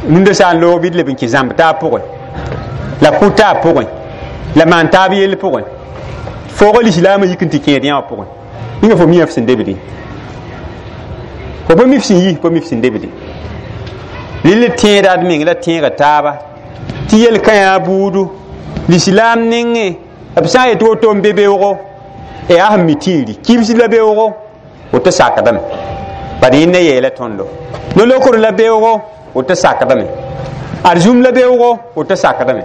rũndã sã n loog bɩ d leb n kẽ zãmb taab pʋgẽ la kʋ taab pʋgẽ la maan taab yell pʋgẽ foog lislaamã yik n tɩ kẽed yã wã pʋgẽ ninga fo mi f sẽn debde fo pa mi f sẽn yi pa mi f sẽn debde rɩl tẽeda d meng la tẽega taaba tɩ yel-kã yaa buudu lislaam nengẽ b sã n yet woto n be beoogo yaa sẽn mi tĩiri kibs la beoogo woto sakdame bad yẽnda yeela tõndo no-lokr la beoogo woto sakdame arzũm la beoogo woto sakdame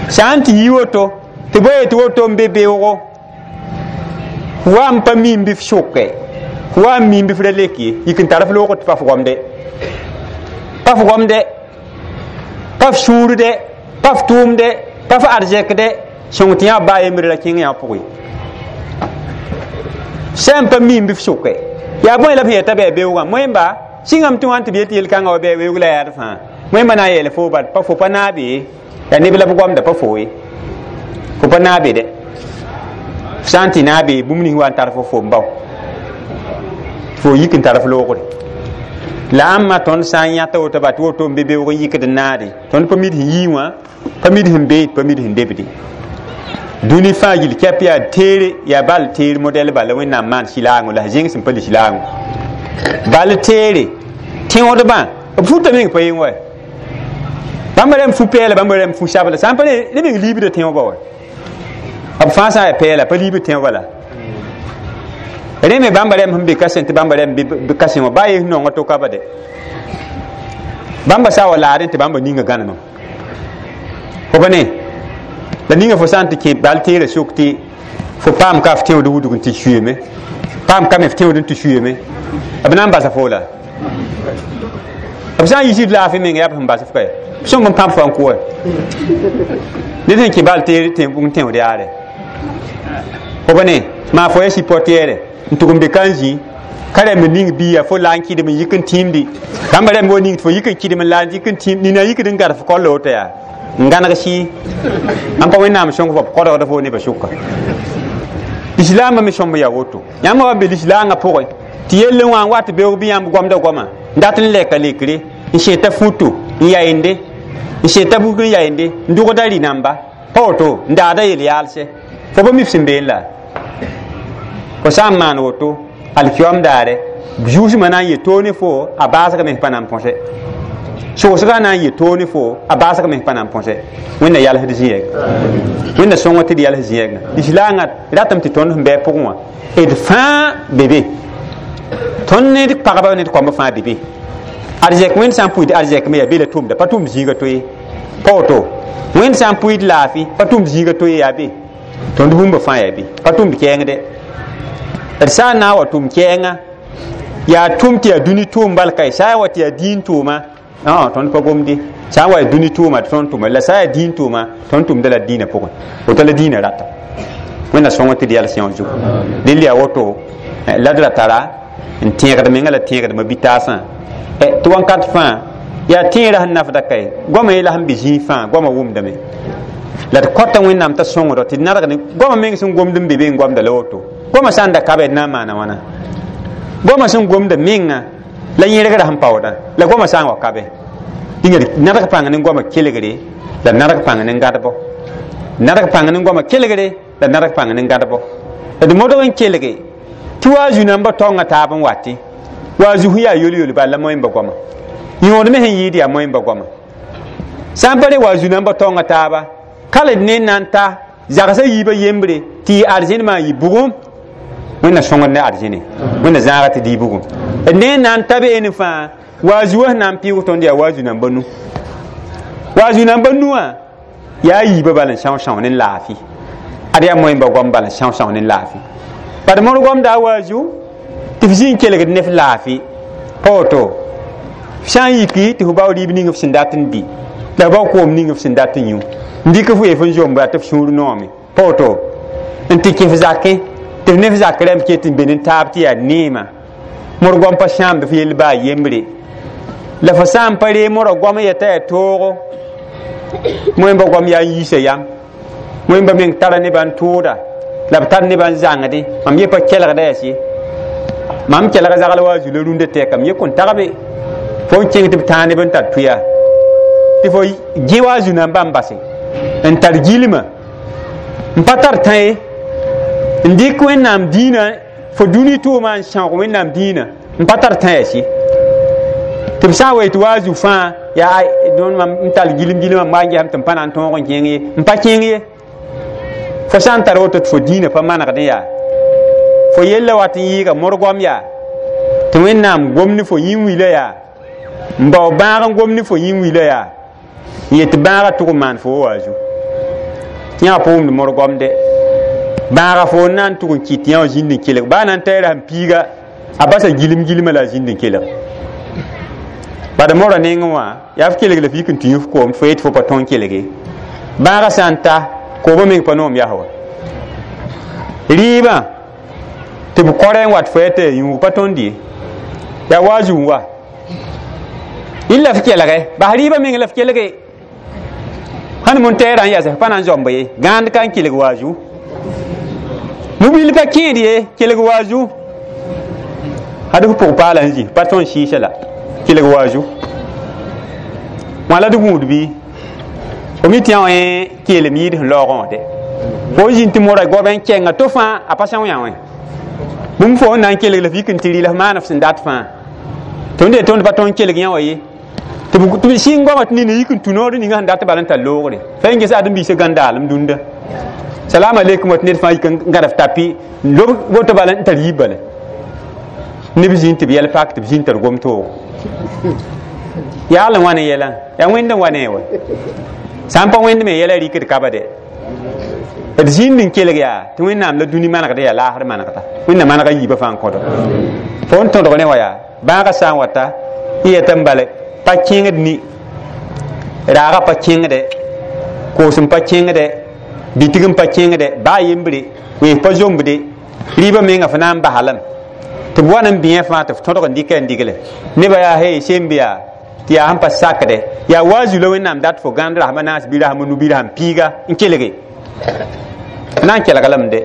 sã n tɩ yi woto tɩ bõe yetɩ woto n be beoogo wa n pa mim bɩ f sʋke wa n mim bɩ f ra lek ye yik n tar f loogd tɩ pa f gomde pa f gomde pa f sũurde pa f tʋʋmde pa f arzɛkde sõng tɩ yã baa yembre ra kẽng yã pʋgẽ sã n pa mim bɩ f sʋke yaa bõe la b sẽn yeta bɩ a beoogã moẽmba sɩngame tɩ wã n tɩ b yet yel-kãngã wa bɩ a weoog la yaad fãa moẽmba na n yeel fo bal pa fo pa naabe ye yaa neb la b gomda pa fo ye fo pa naabe dɛ f sã n tɩ naabe bũmb nins wa n tar fo fo n bao fo yik n tar f loogre la ãmba tõnd sã n yãta woto ba tɩ woto n be beoog n yikd n naade tõnd pa mid sẽn yii wã pa mid sẽn beed pa mid sẽn debde dũni fãa gill kɛp yaa teere yaa bal teer modɛl bala wẽnnaam maan sɩlaango la zẽng sẽn pa lislaango bal teere tẽodbã b futa meng pa yeng wa bãmba rãmb fu pɛɛla bãmba rãmb fu sabla sã n pa ne meng liibda tẽobã wa b fãa sã n yaa pɛɛla pa liibd tẽobã la rẽ me bãmba rãmb sẽn be ka sẽn tɩ bãmba rãmb be ka sẽn wã baa yes nonga to ka ba de bãmba sã wa laadẽ tɩ bãmba ninga gãnemam fo pa ne la ninga fo sã n tɩ kẽ bal teerã sʋk tɩ fo paam ka f tẽod wudg n tɩ suyeme paam ka me f tẽod n tɩ suyeme b na n basa fo la b sã n yisid laafɩ meng yaa b sẽn bas f ka b sõmb n pãb fo n kʋ wɛ ned sẽn kẽ bal teer n tẽod yaare fo pa ne maa fo ya sipɔtɛɛrɛ n tʋg n be ka n zĩ ka rãmb ning biiga fo la n kɩdem n yik n tĩimdi bãmba rãmb wa ning tɩ fo yik n kɩdem n la n yik n tĩim nina yikd n gad f kolla woto yaa n gãneg sɩɩ ãn pa wẽnnaam sõng fo b kodgda fo nebã sʋka lislaambã me sõmb yaa woto yãmb wa be lislaangã pʋgẽ tɩ yell n wã n wat beoog bɩ yãmb goamda goama n dat n lɛka lekre n seta futo n yayende n seta bug n yayende n dʋgda rɩ-namba pa woto n daada yel-yaalsɛ fo pa mi f sẽn been la fo sã n maan woto alkiyom daare zuusmã na n yet toog ne fo a baasgame pa na n põse Soosga na n yɩ toog ne fo a baasg mens pa na n põse wẽnna yalsd zĩ-yɛg wẽnna sõng tɩ d yals zĩ-yɛgã lislaangã ratame tɩ tõnd sẽn bɩ a pʋgẽ wã d fãa be be tõnd ne d pagba ne d koamba fãa be be arzɛk wẽnd sã n pʋɩd arzɛk me yaa be la tʋmda pa tʋmd zĩiga to ye pa woto wẽnd sã n pʋɩd laafɩ pa tʋmd zĩiga to ye yaa be tõnd bũmba fãa yaa be pa tʋmd kɛɛngdɛ d sã n na n wa tʋm kɛɛngã yaa tʋm tɩ yaa dũni tʋʋm bal ka sã n wa tɩ yaa dĩin tʋʋma tõnd pa gomde sã n wa yaa dũni tʋʋma tõnd tʋma la sã n yaa dĩin tʋʋma tõnd tʋmda la dĩinã pʋgẽ woto la dĩinã rata wẽnna sõng tɩ d yals yõ zugu dẽnd yaa woto la d ra tara n tẽegd menga la tẽegdmã bi-taasã tɩ wãnkat fãa yaa tẽerã sẽn nafda kae goamã yela sẽn be zĩig fãa goamã wʋmdame la d kõta wẽnnaam t'a sõngdo tɩ d nadg ne goamã meng sẽn gomd n be be n goamda la woto goamã sã n da ka be d na n maana wãna goamã sẽn gomda menga la yẽrgrã sẽn paoodã la goamã sã n wa ka be dĩnga nadg pãng ne goamã kelgre la nadg pãng ne gãdbo nadg pãng ne goamã kelgre la nadg pãng ne gãdbo d modg n kelge tɩ wa a zu-nambã taongã taab n watɩ wa a zu sẽn yaa yol-yol bala la moẽmba goama yõod me sẽn yɩɩd yaa moẽmba goama sã n pa re wa a zu-nambã taongã taaba ka la d ne n na n ta zagsã yiibã yembre tɩ yɩ arzẽnemã n yɩ bugum wẽnna sõngd ne arzẽne wẽnna zãaga tɩ d yɩ bugum d ne n na n ta beene fãa wa a zu wã sẽn na n pɩʋg tõnd yaa wa a zu-nambã nu wa a zu-nambã nu wã yaa yiibã bal n são-são ne laafɩ ad yaa moẽmba goam bal n são-são ne laafɩ bad mõr goamda a waazu tɩ f zĩ n kelgd ne f laafɩ pa woto f sã n yiki tɩ f bao rɩɩb ning f sẽn dat n dɩ la f bao koom ning f sẽn dat n yũ n dɩk f weef n zomba tɩ f sũur noome pa woto n tɩ kẽ f zakẽ tɩ f ne f zak rãmb ket n be ne taab tɩ yaa neema mõr goam pa sãamd f yell baa yembre la fo sã n pa ree mõra goam n yeta yaa toogo moẽmba goam yaa n yiisa yam wẽmba meng tara nebã n tʋʋda la b tar nebã n zãngde mam ye pa kelgda yaa sɩ mam kelga zagl wa a zu la rũndã tɛka m ye kõn tagbe fo n kẽng tɩ b tãag neb n tar tʋya tɩ fo gẽ wa a zu-nambã n base n tar gilma n pa tar tã ye n dɩk wẽnnaam dĩinã fo dũni tʋʋma n sãoog wẽnnaam dĩinã n pa tar tã yaa sɩ tɩ b sã n wa tɩ wa a zu fãa yaa mam n tall gilem gilmã m wa n gesame tɩ m pa na n tõog n kẽng ye n pa kẽng ye fo sã n tar woto tɩ fo dĩinã pa manegdẽ yaa fo yella wat n yɩɩga mõr goam yaa tɩ wẽnnaam gom ne fo yĩn-wila yaa n bao bãag n gom ne fo yĩn-wila yaa n yet bãagã tʋg n maan fo wa zu yã pa wʋmd mõr goamde bãaga fo n na n tʋg n kɩt yã wã zĩnd n kelg baa na n taɩra sẽn piiga a basa gilem gilmã la a zĩnd n kelg bad mõra nengẽ wã yaa f kelg la f yik n tɩ yũ f koom fo yet fo pa tõe n kelge bãagã sã n ta koobã meng pa noom yas wa rɩɩbã tɩ b kɔrɛ n wat fo ya t'a yaa yũug pa tõnd ye yaa wa a zu n wa illa f kelge bas rɩɩbã meng la f kelge sãn mun tɛɛrã n yas f pa na n zoamb ye gãand ka n kelg wa a zu mobil pa kẽed ye kelg wa a zu ad f pʋg paala n zĩ pa tõe n sɩɩsa la kelg wa a zu wã la d gũud bɩ fo mi tɩ yã wã keelem yɩɩd sẽn laoogẽ wã de fo n zĩnd tɩ mora goabã n kɛnga to fãa a pa são yã wã bũmb fo n na n kelg la f yik n tɩ rɩ la f maan f sẽn dat fãa tõnd ye tõnd pa tõe n kelg yã wã ye tɩ b sɩng goamã tɩ nina yik n tũ noor ninga sẽn dat bala n tar loogre fa n ges ãdem-biisã gãndaalem dũnda salam aleykum wa tɩ ned fãa yik n gãd f tapi lob woto bala n tar yiib bala neb zĩnd tɩ b yɛl pak tɩ b zĩnd tar gom toogo yaagl n wa ne yɛlã yaa wẽnd n wa ne wa sã n pa wẽnd me yɛla rɩkd ka ba de d zĩnd n kelg yaa tɩ wẽnnaam la dũni manegd yaa laasr manegda wẽnna manega yiibã fãa n kõdo fo n tõdg ne wa yaa bãagã sã n wata y yeta n bale pa kẽngd ni raaga pa kẽngde koos n pa kẽngde bitig n pa kẽngde baa yembre wees pa zombde rɩɩbã menga fo na n basalame tɩ b wa n bɩẽ fãa tɩ f tõdg n dɩka n digle nebã yaa hey semb yaa tɩ yaa sẽn pa sakde yaa wa zu la wẽnnaam dat fo gãnd rasma naas bɩ rasma nu bɩ rasm piiga n kelge na n kelg lame de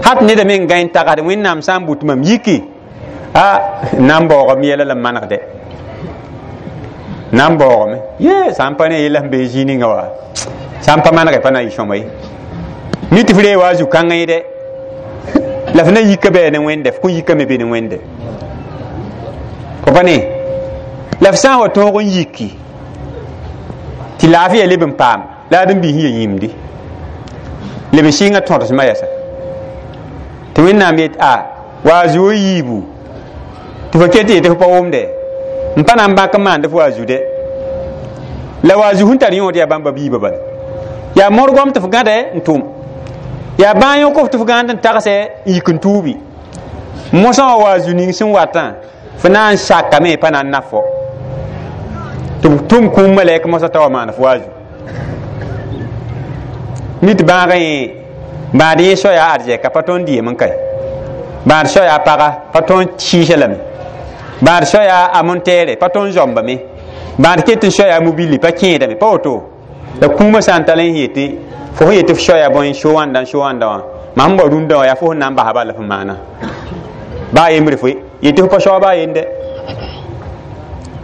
hat neda meng gãe n tagsd wẽnnaam sã n but mam yiki a na n baoogame yɛla la n manegde na n baoogame ye sã n pa ne yella sẽn bee zĩig ninga wa sã n pa manege pa na n yɩ sõma ye mi tɩ f ree wa a zu-kãngã ye dɛ la f na yika bɩ ne wẽnde f kõn yikame be ne wẽnde fo pa ne la f sã n wa tõog n yiki Tɩ laafɩya leb n paam la ad n biis ya yĩmdi leb n sɩnga tõdsmã yɛsa tɩ Wẽnnaam yet a wa a zuo yiibu tɩ fo ket tɩ yetɩ fo pa wʋmde n pa na n bãk n maand fo wa a zu-dɛ la wa a zu sẽn tar yõod yaa bãmba biibã bala yaa modgom tɩ f gãdɛ n tʋm yaa bãag yõk f tɩ f gãand n tagsɛ n yik n tuubi mosã wã wa a zu ning sẽn watã fo na n sakame pa na n naf fo tɩ b tʋm kũum malɛk mosã t'a wa maan fo wa a zu nit bãagã yẽ bãad yẽ soa yaa arzɛka pa tõnd dɩɩm n kae bãad soa yaa paga pa tõnd sɩɩsa lame bãad soa yaa a montɛɛre pa tõnd zɔmbame bãad ket n soa yaa mobili pa kẽedame pa woto la kũumã sã n tall n yetɩ fo sẽn yetɩ f soa yaa bõe so wãnda n so wãnda wã mam sẽn bao rũndã wã yaa fo sẽn na n basa bala f maana baa yembre fo yetɩ fo pa soa baa yende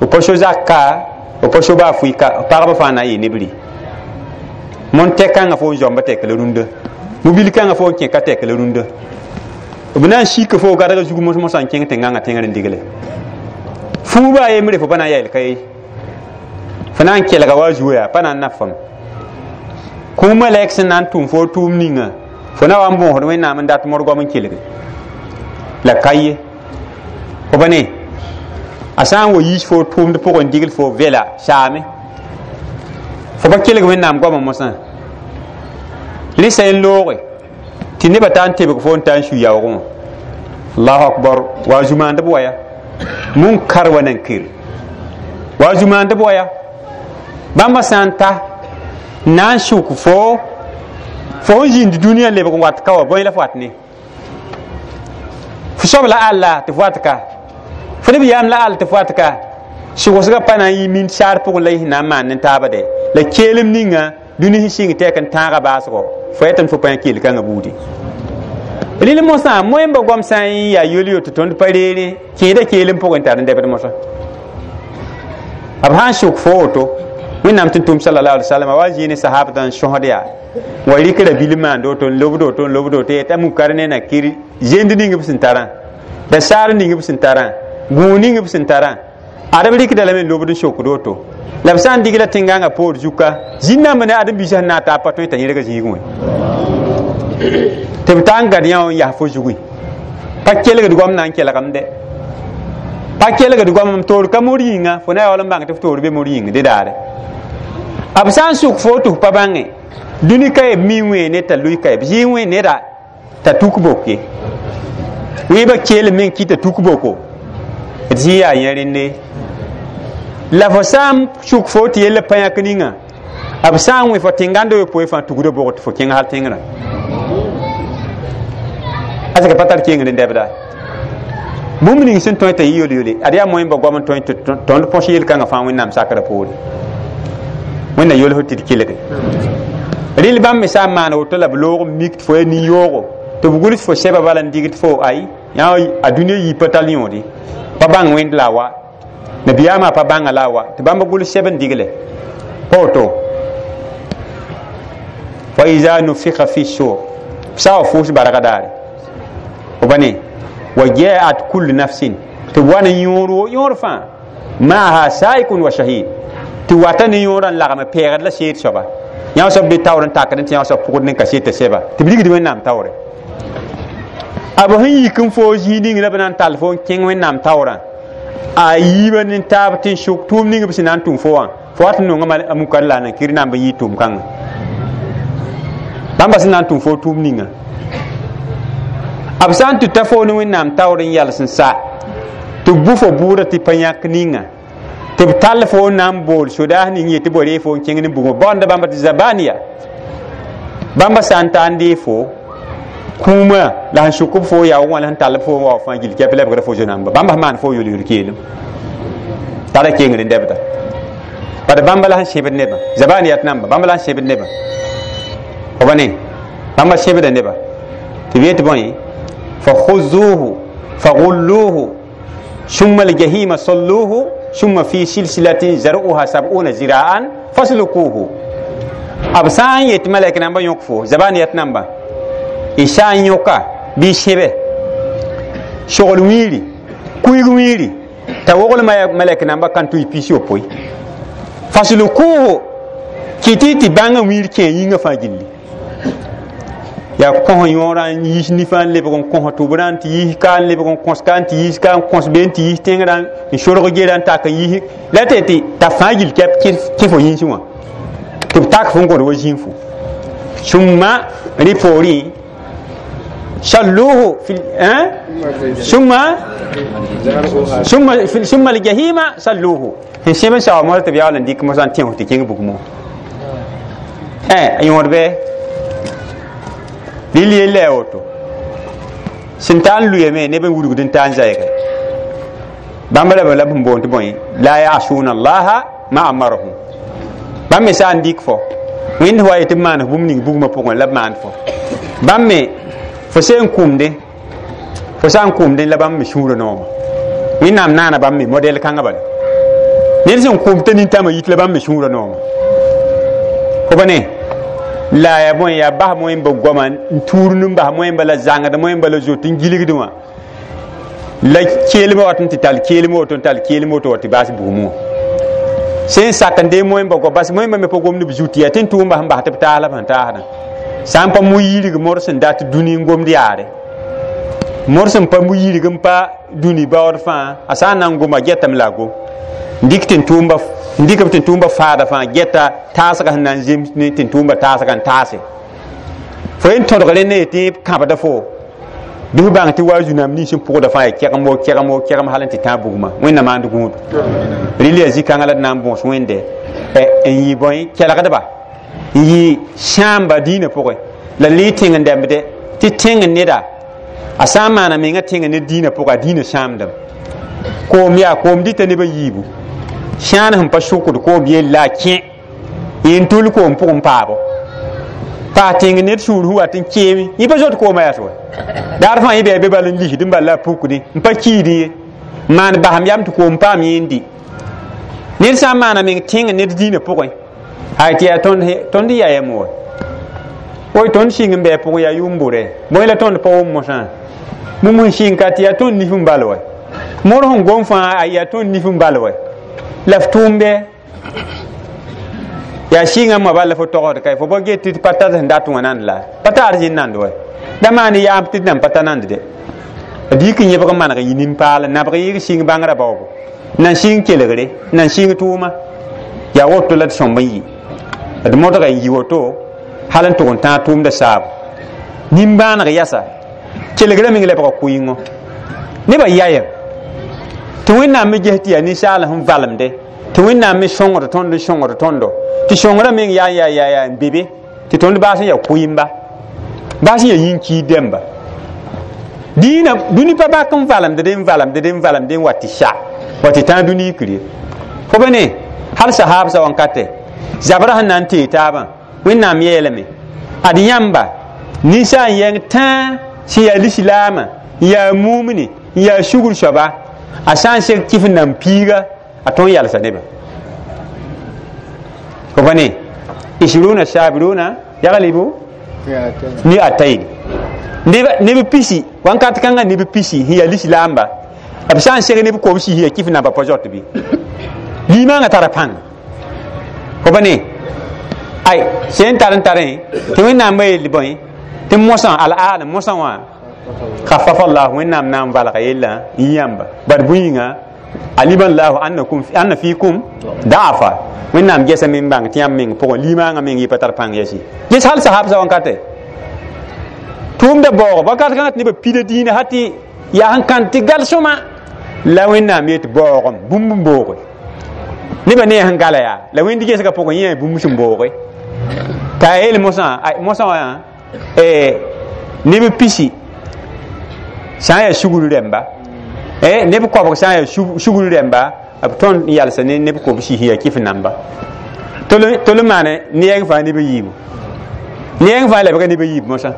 f pa so zak ka f pa so baa fʋɩ pagba fãa na n yɩ nebri mon tɛk kãngã fo n zɔmba tɛk la rũndã mobil kãngã fo n kẽ ka tɛk la rũndã b na n sika fo gadga zug mos-mosã n kẽng tɩ gãngã tẽngr n digle fuub a yembre fo pa na n yɛɛl ka ye fo na n kelga wa a zuo yaa pa na n naf fam kũum malɛk sẽn na n tʋm fo tʋʋm ninga fo na wa n bõosd Wẽnnaam n dat modgom n kelge la ka ye fo pa ne a sã n wa yiis fo tʋʋmd pʋgẽ digl fo vɛla saame fo pa kelg Wẽnnaam goamã mosã rẽsa n looge tɩ nebã taa n tebg fo n taa n sui yaoogẽ wã allahu akbar wa zu-maandb wa ya munkar wa nankir wa zu-maandb wa ya bãmba sã n ta na n sʋk fo fo n zĩnd dũniyã lebg n wat ka wa bõe la f wat ne fo soab la alla tɩ f wat ka fo neb yaam la all tɩ f wat ka sʋgsgã pa na n yɩ min saar pʋgẽ la y sẽn na n maan ne taaba dɛ la keelem ninga dũni sẽn sɩng tɛk n tãaga baasgo fo yetɩ fo pa yã keel kãngã buudi rɩl mosã moẽmba goam sã n yaa yol-yo tɩ tõnd pa reere kẽeda keelem pʋgẽ n tar n dɛbd mosã b sã n sʋk fo woto Wẽnnaam tɩ tʋm sallallahu alaihi wasallam wa zĩig ne sahabdã n sõsd yaa wa rɩkra bil maand woto n lobd woto n lobd woto yetã munkar ne nakir zend ning b sẽn tarã da saar ning b sẽn tarã gũug ning b sẽn tarã ad b rɩkda lame n lobd n sokd woto la b sã n digla tẽngãngã poor zuka zĩn-nambã ne ãdem-biisã sẽn na n taa pa tõe t'a yẽrga zĩigẽ wẽ tɩ b taa n gad yã wã n yas fo zugẽ pa kelgd goam na n kelgem dɛ pa kelgd goam m toor ka mor yĩnga fo na yaool n bãng tɩ f toor be mor yĩng dẽ daare b sã n sʋk fo tɩ f pa bãnge dũni ka b mi wẽene t'a lʋɩ ka b zɩ wẽ neda t'a tuk boke wẽebã keelem meng kɩ t'a tuk boko d zĩ yaa yẽ rẽnde la fo sã n sʋk fo tɩ yella pa yãk ninga b sã n wẽ fo tẽngãnd yopoe fãa tugda bʋg tɩ fo kẽng hal tẽngrã asika pa tar kengr n dɛbda bũmb ning sẽn tõe t'a yɩ yol-yole ad yaa moẽmba goam n tõe tɩ tõnd põs yel-kãngã fãa Wẽnnaam sakrã poore Wẽnna yolsd tɩ d kelge rɩl bãmb me sã n maan woto la b loog n mik tɩ fo yaa nin-yoogo tɩ b gʋls fo sɛba bala n digd fo ay yã a dũniyã yii pa tall yõode pa bãng wẽnd la a wa nabiyaamã pa bãnga la a wa tɩ bãmb gʋls sɛb n digle pa woto wa iza nufika fi sur sã wa fʋʋs barga daare fo pa ne wa jaat kullu nafsin tɩ b wa ne yõor yõor fãa maaha saikun wa shahid tɩ wata ne yõorã n lagm pɛɛgd la seed soaba yã soab be taoor n takd tɩ yã soab pʋgd ne kaseta sɛba tɩ b rigd Wẽnnaam taoore b sẽn yik n foo zĩig ning la b na n tall fo n kẽng Wẽnnaam taoorã a yiibã ne taab tɩ n sʋk tʋʋm ning b sẽn na n tʋm fo wã fo wat n nongã a mukar la a nakir na n b yɩ tʋʋm kãngã bãmba sẽn na n tʋm fo tʋʋm ninga b sã n tɩ ta fo ne Wẽnnaam taoor n yals n sa tɩ b bʋ fo bʋʋda tɩ pa yãk ninga tɩ b tall fo n na n bool sodaas ning yetɩ bo ree fo n kẽng ne bugmã baoonda bãmba tɩ zabaniya bãmba sã n taa n dee fo kũumã la sẽn sʋk b fo yaoog wã la sẽn tall b fo n wa fãa gill kɛp lebgra fo zo-namba bãmba sẽn maan fo yol-yol keelem tara kengr n dɛbda bad bãmba la sẽn sẽbd nebã zabaniyat namba bãmba la sẽn sẽbd nebã fo pa ne bãmba sẽbda nebã tɩ b yet bõe fa khuzuhu fa gulluhu summa aljahima salluhu summa fi silsilatin zar'uha sab'una zira'an faslukuhu b sã n yet malɛk namba yõk fo zabaniyat namba y sã n yõka bɩ sẽbe sogl wiiri kuig wiiri t'a wogl malɛk namba kan tʋ y pis yopoe faslukuhu Kɩtɩ tɩ bãngã wiir kẽ yĩngã fãa gilli yaa kõs yõorã n yiis nifã n lebg n kõs tʋbrã n tɩ yiis ka n lebg n kõs ka n tɩ yiis ka n kõs be n tɩ yiis tẽngrã n sorg gera n tak n yiis la tɩ tɩ t'a fãa gill kɛp kẽ fo yĩnsẽ wã tɩ b tak fo n gõd wa zĩnfu summa rẽ poorẽ salluhu fi summa summa summa aljahima salluhu sẽn sẽb n sao mosã tɩ b yaool n dɩk mosã n tẽos tɩ kẽng bugmõ a yõod bɩ rɩl yella yaa woto sẽn ta n lʋyame neb n wudgd n ta n zaɛɛge bãmb la la b sẽn boond tɩ bõe la yasuna allaha ma amarahum bãmb me sã n dɩk fo wẽnd wa yetɩ b maan bũmb ning bugmã pʋgẽ la b maand fo bãmb me fo sẽn kʋmdẽ fo sã n kʋmdẽ la bãmb me sũurã nooma wẽnnaam naana bãmb me modɛl kãngã bala ned sẽn kʋm t'a nintãmã yit la bãmb me sũurã nooma fo pa ne la ya bõe yaa bas moẽmba goama n tuurd n bas moẽmba la zãngd moẽmba la zoet n gilgd wã la keelmã wat n tɩ tall keelm woto n tall keelm woto wa tɩ baas bugmẽ wã sẽn sak n dee moẽmba goa bas moẽmba me pa gomd b zut yaa tɩ n tʋʋmba sẽn bas tɩ b taas la b sẽn taasdã sã n pa mu-yirg mor sẽn dat dũni n gomd yaare mor sẽn pa mu-yirg n pa dũni baood fãa a sã n na n goma getame la a gom n dɩk b tɩ tʋʋmba faada fãa geta taasga sẽn na n zems ne tɩ tʋʋmba taasga n taase fo yen tõdg rẽnd yetɩ kãbda fo bɩ f bãng tɩ wa zu-nãmb nins n pʋgda fãa ya kɛgem wo kɛgem wo kɛgem hal n tɩ tãag bugmã wẽnnaam maand gũudu rɩl yaa zĩ-kãngã la d na n bõos wẽnde n yɩ bõe kelgdba n yɩ sãamba dĩinã pʋgẽ la lɩ tẽng n dɛmbde tɩ tẽng neda a sã n maana mengã tẽng ned dĩinã pʋgã a dĩinã sãamdame koom yaa koom dɩta nebã yiibu sãan sẽn pa sʋkd koom yella a kẽ yẽn tʋl koom pʋgẽ paabo paas tẽng ned sũur sẽn wat n keeme yẽ pa zot koomã yaa wa daar fãa yẽ bɩ a be bal n lisd n bal la a pukdẽ n pa kiidẽ ye n maan basem yam tɩ koom paam yẽ n dɩ ned sã n maana meng tẽng ned dĩinã pʋgẽ ay tɩ yaa tõnd ya yam wa oy tõnd sɩng n bɩ a pʋgẽ yaa yʋʋm bʋrɛ bõe la tõnd pa wʋm mosã bũmb sẽn sɩng ka tɩ yaa tõnd nif n bal wa mor sẽn gom fãa a yaa tõnd nif n bal wa la f tʋʋm bɩ yaa sɩngã moa bal la fo togsd ka fo pa get tɩ pa tar sẽn dat wã nand la pa taar zĩnd nand wa da maan yaam tɩ d nan pa ta nand de d yik n yẽbg n maneg n yɩ nin-paal nabg yɩg sɩng bãngrã baoobo nan sɩng kelgre nan sɩng tʋʋma yaa woto la d sõmb n yɩ d modga n yɩ woto hal n tʋg n tãag tʋʋmda saabo nimbãaneg yasa kelgrã meng lebga kʋɩngo nebã yayem tɩ wẽnnaam me ges tɩ yaa ninsaal sẽn valemde tɩ wẽnnaam me sõngd tõnd n sõngd tõndo tɩ sõngrã meng yaa yaa yaa yaa n be be tɩ tõnd baas n yaa kʋɩmba baas n yaa yĩn-kiid dẽmba dĩinã dũni pa bak n valemd n valemd n valemd n wa tɩ sa wa tɩ tãag dũni yikr ye fo pa ne hal sahaabsã wãnkate zabrã sẽn na n tee taabã wẽnnaam yeelame ad yãmba ninsaal n yẽng tãa sẽn yaa lislaamã n yaa mumne n yaa sugr soaba a sã n seg kɩf n nan piiga a tõn yalsa nebã fo pa ne isruna sabiruna yaglibu mi'atayn neb pisi wãnkat kãngã neb pisi sẽn yaa lislaamba b sã n seg neb kobsi sẽn yaa kɩf namba pa zot bɩ limaangã tara pãng fo pa ne ay sẽn tar n tarẽ tɩ wẽnnaam yeel bõe tɩ mosã al-aana mosã wã khaffafa allah wẽnnaam na n valga yella n yãmba bad bũyĩnga alima llahu anna fikum da'afa wẽnnaam gesa me n bãng tɩ yãmb meng pʋgẽ limaangã meng yɩ pa tar pãng yɛsi ges hal sahabsã wãnkate tʋʋmda baoog wakat kãngã tɩ nebã pida dĩinã ha tɩ yaa sẽn kãn tɩ gal sõma la wẽnnaam yet baoogem bũmb n booge nebã ne sẽn gala yaa la wẽnd gesgã pʋgẽ yẽ bũmb sẽn booge t'a yeel mosã mosã wã neb pisi sã n yaa sugr rẽmba neb kobg sã n yaa sugr rẽmba b tõnd n yalsa ne neb kobsi sẽn yaa kɩf namba tol n maane neɛng fãa neb yiibu neɛng fãa lebga neb yiib mosã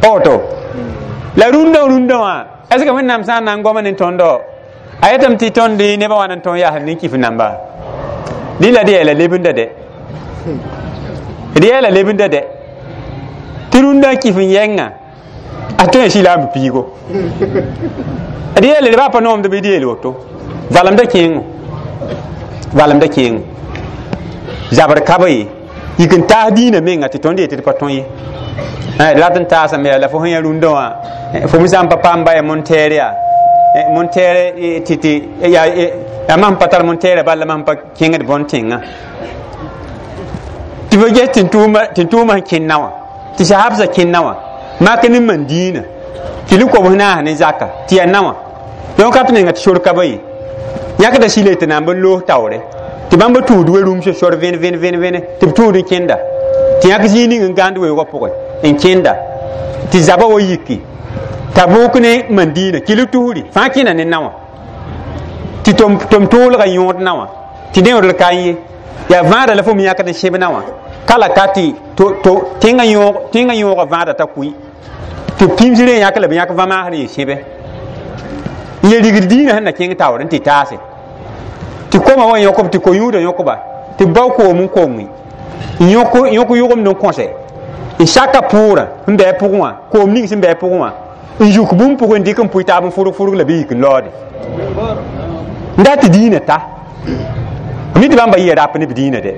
pa woto la rũndã rũndã wã est ce que wẽnnaam sã n na n goma ne tõndo a yetame tɩ tõnd nebã wã n tõnd yaasd ne kɩf namba rɩla d yeela lebenda dɛ d yeela lebenda dɛ tɩ rũndã kɩf n yɛngã a tõe n sɩlaam piigo d yeele d baa pa noomd bɩ d yeel woto valemda kẽengo valemda kẽengo zabr ka be ye Yik n taas dĩinã menga tɩ tõnd yetɩ d pa tõe ye. Rat n taasame yaa la fo sẽn yã rũndã wã fo me sã n pa paam ba ya montɛɛr yaa montɛɛr tɩ yaa mam pa tar montɛɛrã bal la mam pa kẽngd bõn tẽngã tɩ fo ges tɩ tʋʋma sẽn kẽnna wã tɩ sahabsã kẽnna wã mak ne man dĩinã tɩ lʋ kobs naas ne zaka tɩ yaa na wã yõ ka tɩ menga tɩ sor ka ba ye yãkda sɩle tɩ na n bɩ loos taoore tɩ bãmb tũud we rũmsã sor vẽn vẽn vẽn vẽne tɩ b tũud n kẽnda tɩ yãk zĩig ning n gãnd weoogã pʋgẽ n kẽnda tɩ zabã wa yiki Tabuk ne Mandina kɩl tusri fãa kẽna ne na wã tɩ tʋm tʋʋlgã yõod na wã tɩ neoodl ka n ye yaa vãada la fo me yãkd n sẽb na wã ka la ka tɩ tẽngã yõogã vãada t'a kʋɩ tɩ pĩms rẽ yãk la b yãk vãmaasr yɩ sẽbe n ye rigd dĩinã sẽn na kẽng taoor n tɩ taase tɩ koma wã yõkb tɩ ko-yũudã yõkba tɩ b bao koom n konge n yõk yʋgemd n kõse n saka pʋʋrã n bɩ a pʋgẽ wã koom ning sẽn bɩ a pʋgẽ wã n yuk bũmb pʋgẽ n dɩk n pʋɩ taab n fʋrg fʋrg la bɩ yik n laoode n dat tɩ dĩinã ta mi tɩ bãmba yɩa rap ne b dĩinã de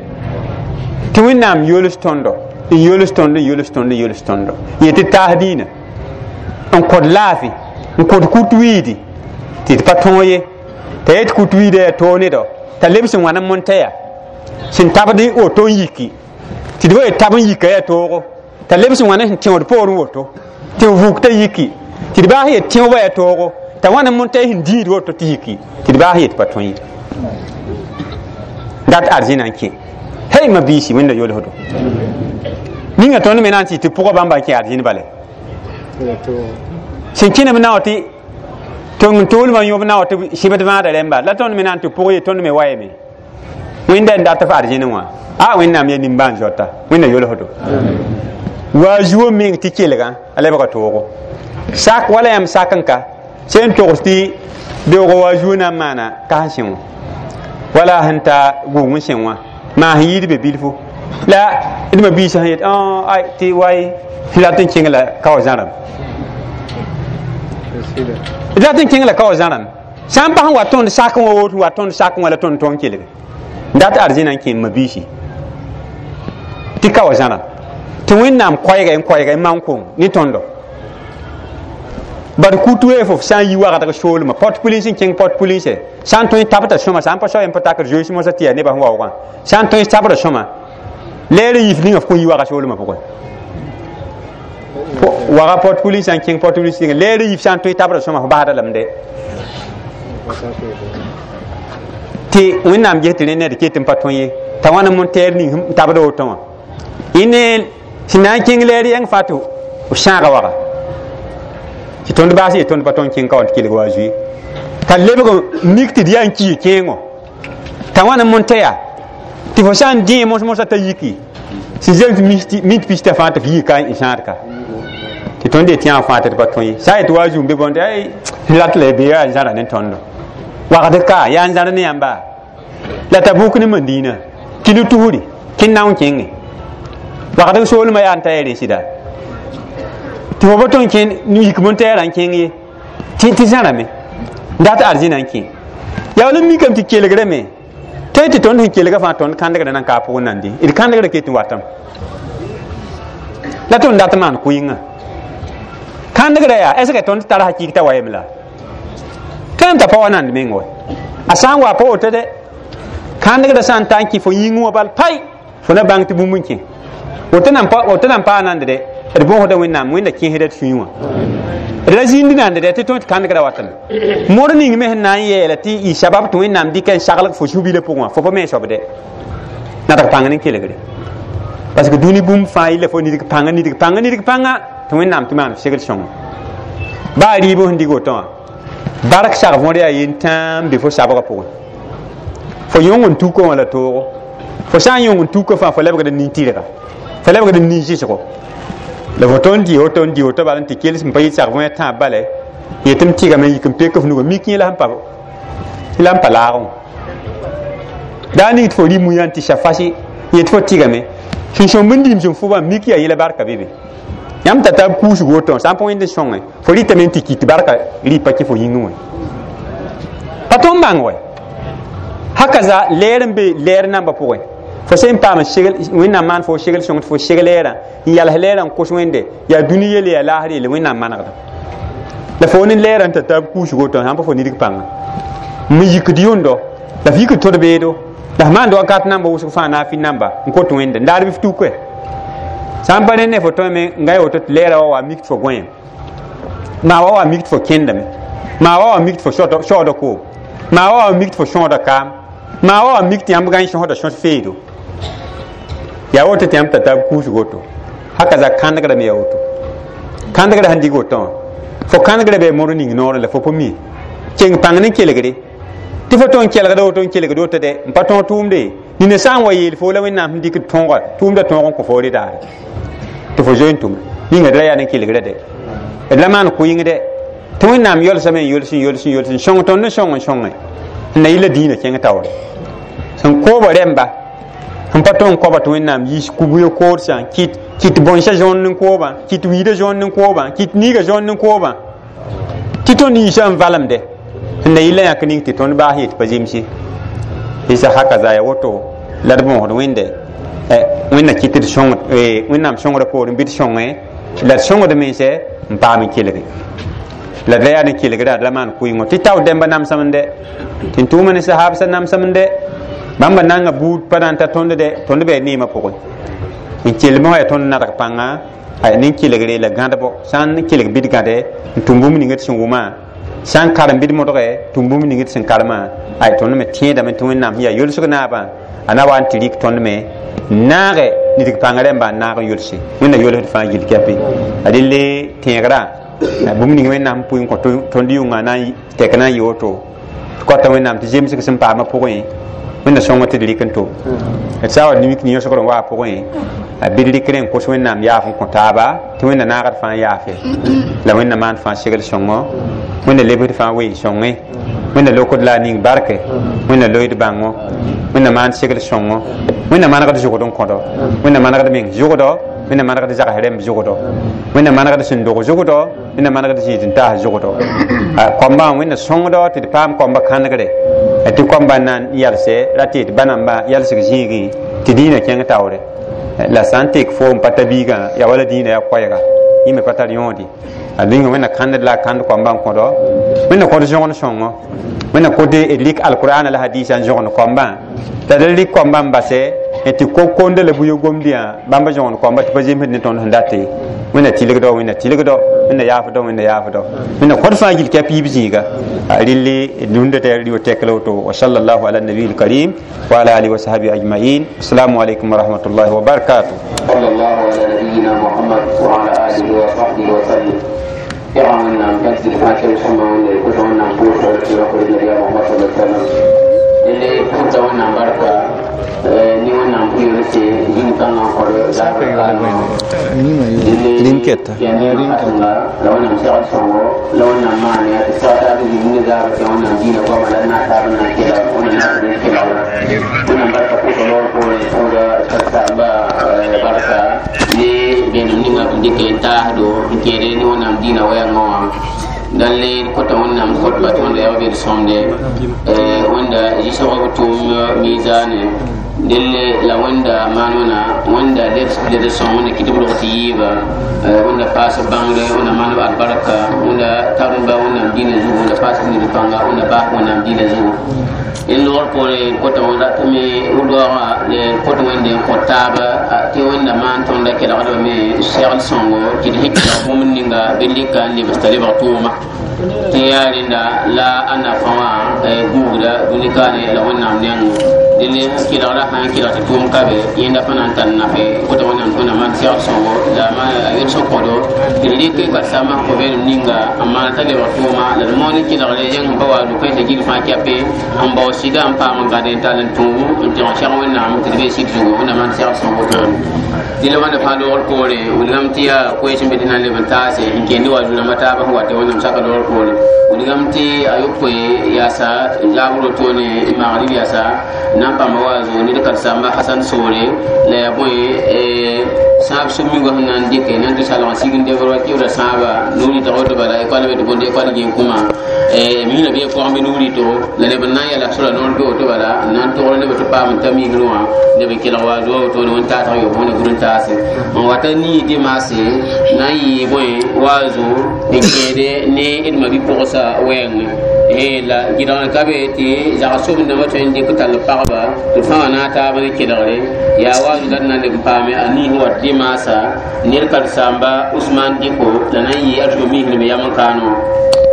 tɩ Wẽnnaam yols tõndo n yols tõndo n yols tõndo n yols tõndo yetɩ tɩ taas dĩinã n kõd laafɩ n kõd kut wiidi tɩ d pa tõog ye t'a yet kut wiida yaa toog nedɔ t'a lebs n wãn n montɛya sẽn tabd woto n yiki tɩ d wa tab n yika yaa toogo t'a lebs n wãn sẽn tẽod poorẽ woto tɩ b vuk t'a yiki tɩ d baas yet tẽobã yaa toogo t'a wãn n montɛy sẽn dĩid woto tɩ yiki tɩ d baas yet pa tõe ye dat arzẽna n kẽ hey ma biisi Wẽnda yolsdo ninga tõnd me na n tɩ tɩ pʋgã bãmba n kẽ arzẽn bale sẽn kẽnem na wã tɩ tong toolmã yõb na wã tɩ sɩbd vãada rẽmba la tõnd me na n tɩ pʋg ye tõnd me wayame Wẽnda n dat f arzẽne wã a Wẽnnaam ya nimbãan zoata Wẽnda yolsdo wa zuo meng tɩ kelgã a lebga toogo sak wala yãmb sak n ka sẽn togs tɩ beoogã wa zuo na n maana kas sẽ wã wala sẽn ta gʋʋng n sẽ wã maa sẽn yɩɩd be bilfo la d ma biisã sẽn yet ay tɩ way rat n kẽng la kao zãrame d rat n kẽng la kao zãrame sã n pa sẽn wa tõnd sak wã woto wa tõnd sak wã la tõnd tõng kelge dat arzẽna n kẽ ma biisi tɩ ka wa zãrame tɩ Wẽnnaam koɛɛga n koɛɛga n maan kong ne tõndo bad kut wee fo sã n yi wagdg soolmã pot pulins n kẽng pot pulinse sã n tõe tabta sõma sã n pa soa n pa takr zoees mosã tɩ yaa nebã sẽn waoogã sã n tõe tabra sõma leer n yif ninga f kõn yi waga soolmã pʋgẽ waga pot pulins n kẽng pot pulins leer n yif sã n tõe tabra sõma f basda lame de tɩ Wẽnnaam ges tɩ rẽ ned ket n pa tõe ye t'a wãn n montɛɛr ning n tabda woto wã y ne sẽn na n kẽng leer yɛng fãa tɩ f sãaga waga tɩ tõnd baas ye tõnd pa tõnd kẽng ka wã tɩ kelg wa zoe t'a lebg mik tɩ d yaa n ki kẽengo t'a wãn n montɛya tɩ fo sã n dẽ mos mosã t'a yiki sẽn zems mint pista fãa tɩ f yika n sãad ka tɩ tõnd yetɩ yã fãa tɩ d pa tõe ye sã n yetɩ wa zũum be bõnd ay rat la be yaa n zãra ne tõndo wagd ka yaa n zãr ne yãmba la t'a bʋk ne Mandina kilo tusri kẽnd na n kẽnge wagd soolmã yaa n ta ya rẽ sɩda tɩ fo pa tõn kẽnd yik montɛɛrã n kẽng ye tɩ zãrame dat arzẽna n kẽ yaa wala mikame tɩ kelgrame tõe tɩ tõnd sẽn kelga fãa tõnd kãndgrã nan ka a pʋgẽ nande d kãndgrã ket n watame la tõnd dat maan kʋɩngã kãndgrã yaa est ce que tõnd tar hakɩɩk t'a wayame la tõem t'a pa wa nand meng wa a sã n wa pa woto de kãndgrã sã n ta n kẽ fo yĩngẽ wã bal pai fo na bãng tɩ bũmb n kẽ woto nan paa nand de d bõosda Wẽnnaam Wẽnda kẽesda d sũyẽ wã d ra zĩnd nand dɛ tɩ tõe tɩ kãndgrã watame mor ning me sẽn na n yeela tɩ y sabab tɩ Wẽnnaam dɩka n saglg fo su-bilã pʋgẽ wã fo pa me soab de nadg pãng ne kelgre parce que dũni bũmb fãa yilla fo nidg pãnga nidg pãnga nidg pãnga tɩ Wẽnnaam tɩ maan segl sõngo baa rɩɩb sẽn dig woto wã bark sag võor yaa yen tãam be fo sabgã pʋgẽ fo yõng n tuka wã la toogo fo sã n yõng n tuka fãa fo lebgd n nin-tɩrga fo lebgd n nin-zɩsgo la fo tõnd dɩ woto n dɩ woto bala n tɩ kels n pa yɩ sag võe tãab bale yetɩ m tɩgame n yik n pek f nugã mik yẽ la sẽn pa laagẽ wã daa ning tɩ fo rɩ muyã n tɩ sa fasɩ yetɩ fo tɩgame sẽn sõmb n diim sẽn fʋbã mik yaa yẽla barka be be yãmb t'a tab kuusg woto sã n pa wẽnd n sõngẽ fo rɩtame n tɩ kit barka rɩpa kẽ fo yĩngẽ wã pa tõnd bãng wɛ hakaza leer n be leer nambã pʋgẽ Fo sẽn paam segl wẽnnaam maan fo segl sõng tɩ fo seg leerã n yals leerã n kos wẽnde yaa dũni yelle yaa laasr yelle wẽnnaam manegda la fo ne leerã n tar taab kuusg woto sãn pa fo nidg pãnga n yikd yʋndo la f yikd tod beedo la f maand wakat namba wʋsg fãa naafɩ namba n kot wẽnde n daar bɩ f tuke sã n pa rẽ ne fo tõeme n ga woto tɩ leerã wa wa mik tɩ fo gõem maa wa wa mik tɩ fo kẽndame maa wa wa mik tɩ fo saooda koom maa wa wa mik tɩ fo sõoda kaam maa wa wa mik tɩ yãmb gã n sõsda sõs feedo yaa woto tɩ yãmb tar taab kuusg woto haka za kãnegrame yaa woto kãnegrã sẽn dig woto wã fo kãnegrã bɩ moor ning noorẽ la fo pa mi keng pãng ne kelgre tɩ fo tõe n kelgda woto n kelgd woto dɛ n pa tõog tʋʋmde nina sã n wa yeel fo la wẽnnaam sẽn dɩkd tõoga tʋʋmda tõog n kõ fo redaare tɩ fo zoe n tʋme ninga d ra yaa ne kelgrã dɛ d la maan kʋɩng dɛ tɩ wẽnnaam yolsame n yols n yols n yols n sõng tõnd n sõng n sõnge n na yɩla dĩinã kẽng taoore sẽn kooba rẽmba sẽn pa tõe n koaba tɩ wẽnnaam yiis kubuya koodsã kɩt bõnsã zõond n koobã kɩt wiidã zõond n koobã kɩt niigã zõond n koobã tɩ tõnd yiisã n valemde sẽn na yɩla yãk ning tɩ tõnd baas yet pa zemse isa haka za ya woto la d võosd wẽnde wẽnna kɩt d sõng wẽnnaam sõngrã poorẽ bɩ d sõnge la d sõngd mense n paam n kelge la d ra yaa ne kelgrã d la maan kʋɩngo tɩ tao dẽmba namsem dɛ tɩ n tʋʋma ne sahaabsã namsem dɛ bãmba nanga buud pa na n ta tõnd dɛ tõnd bɩ neemã pʋgẽ n kelmẽ wã yaa tõnd nadg pãnga nin kelgre la gãdbo sã n kelg bɩ d gãde n tʋm bũmb ninga d sẽn wʋmã sã n karem bɩ d modge tʋm bũmb ninga d sẽn karemã ay tõnd me tẽedame tɩ wẽnnaam sẽn yaa yolsg naabã a na wa n tɩ rɩk tõnd me naage nidg pãng rẽmba n naag n yolse wẽnna yolsd fãa gill kɛpɩ a delle tẽegrã bũmb ning wẽnnaam pʋɩ n kõ tõnd yʋngã na n tɛk na n yɩ woto tɩ kɔta wẽnnaam tɩ zemsg sẽn paamã pʋgẽ wẽnna sõngo tɩ d rɩk n tʋm d sã wa nimik ne yõsgr n waa pʋgẽ bɩ d rɩkr n kos wẽnnaam yaaf n kõ taaba tɩ wẽnna naagd fãa yaafe la wẽnna maan fãa segl sõngo wẽnna lebsd fãa ween sõnge wẽnna lokd la a ning barke wẽnna loeed bãngo wẽnna maan segl sõngo wẽnna manegd zʋgd n kõdo wẽnna manegd meng zʋgdo wẽnna manegd zags rẽmb zʋgdo wẽnna manegd sẽn dog zʋgdo wẽnna manegd zĩig n taas zʋgdo koambã wẽnna sõngdo tɩ d paam koamba kãnegre tɩ koamba n na n yalse ra tɩ d ba namba yalsg zĩigẽ tɩ dĩinã kẽng taoore la sã n tek fo n pa ta biigã yaa wala dĩinã yaa koɛɛga yẽ me pa tar yõode a dĩnga wẽnna kãnd la a kãnd koambã n kõdo wẽnna kõd zõgen sõngo wẽnna kõd d lik alkur'ana la hadisa n zõgen koambã t'a d lik koambã n base tɩ ko-konda la buyo gomdã bãmba zõgen koamba tɩ pa zemsd ne tõnd sẽn date wẽnna tɩlgdo wẽnna tɩlgdo wẽnna yaafdo wẽnna yaafdo wẽnna kõd fãa gill kɛp yiib zĩiga rɩlli rũndã tɩ rɩ tek la woto wa sallallahu ala nabi lkarim wa ala alihi wa sahbihi ajmain assalamu alaikum wa rahmatullahi wa barakatuh. صلى الله على نبينا محمد وعلى آله وصحبه وسلم. يرى أن كنت الفاتحة ثم كنت أن نقول النبي محمد صلى الله عليه وسلم اللي كنت أن بركة ni wannan kuyo ce yin kan nan kwaro da Rinketa. La wannan sai songo la wannan ma ne ya ta ta da yin da ba ta wannan dina ko mala na ta na ke la wannan na da ke la wannan barka ko ko ko ko da ta ba barka ni be ni ma ndi ke ta do ke re ni wannan dina waya ngawa dan le kota wannan khutba to wanda ya be somde wanda ji sababu tum mizane delle la wanda manona wanda leb sõng wẽnna kɩ tɩ b rog tɩ yɩɩba wẽnda paas bãngre wẽnda maan albarka wẽnda tarẽmba wẽnnaam dĩinã zugu wẽnda paas ned pãnga wẽnda baas wẽnnaam dĩinã zugu n logr poore kota wẽn ratame roaga kot wẽnde n kõ taaba tɩ wẽnda maan tõnda kelgdbame segl sõngo tɩ d sẽn kelg bũmb ninga bɩ lika n lebs t'a lebg tʋʋma tɩ yaa rẽnda la a nafã wã guugda dũni kaane la wẽnnaam nengẽ dẽnd kelgra sã n kelg tɩ tʋʋm ka be yẽnda fã na n tar nafe kota wẽnnaam tõnda maan segl sõngo la a yel sẽn kõdo tɩ d rɩk karsãmbã sẽn kõ vẽenem ninga n maan t'a lebg tʋʋma la d moon kelgre yẽng sẽn pa wa rʋ-kãensã gill fãa kɛpe n bao sɩda n paam n gãd n tall n tũub n tẽg sɛg wẽnnaam tɩ d be sɩd zugu wẽnnaam maan segl sõngo toore dẽla wãnda fãa loogr poore wilgame tɩ yaa koees n be tɩ na n leb n taase n kẽende wa zu-rãmbã taabã sẽn wa tɩ wẽnnaam saka loogr poore wilgame tɩ a yopoe yaasa zaabr wotone magrib yaasa n na n pãmba wa zugu ned karsãmba hasan soore la yaa bõe sãab sũ-migã sẽn na n dɩke na n tɩ salg n sig n debr wa kɩʋda sãaba nuur yɩtg woto bala ekɔl be tɩ bõnd ekɔl gẽn-kũma Mina bɩ pʋgẽ bɩ nuur rɩtgo la neb n na n yɛla sora noor bɩ woto bala n na n togr neb tɩ paam n ta misrẽ wã neb n kelg wa zoa wotone wẽn-taasg yob wẽne gũd n taase n wata nii dimaase na n yɩ bõe waazo n kẽede ne d ma-bi-pʋgsa wɛɛngẽ. La gɩdgr ka be tɩ zag sobendãmbã tõe n dɩk tall pagba tɩ fãa na a taab ne kelgre yaa waazo la d na n leb n paame a niis wat dimaasa ned karen-saamba Usman Diko la na n yɩ a tʋ misrẽ be yam n kaane wã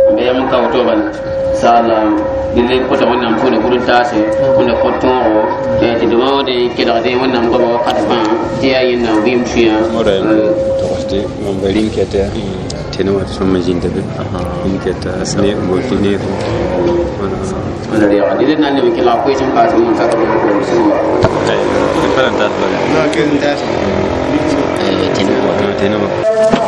n be yam n ka woto bala inshallah dille kota wẽnnaam pʋʋne gũd n taase wẽnna kõ tõogo tɩ dõma wã dẽ kelgdẽ wẽnnaam goama wakat fãa tɩ yaa yẽnnaam vɩɩm sũyã. Togsde mam ba rĩnkɛta tɩ ne wat sõma zĩnda be rĩnkɛta ne botɩ neer. Dille na n leb n kelg koees n paas n sak bismillah. Tɩ pa na n tas bala. Tɩ tɩ ne.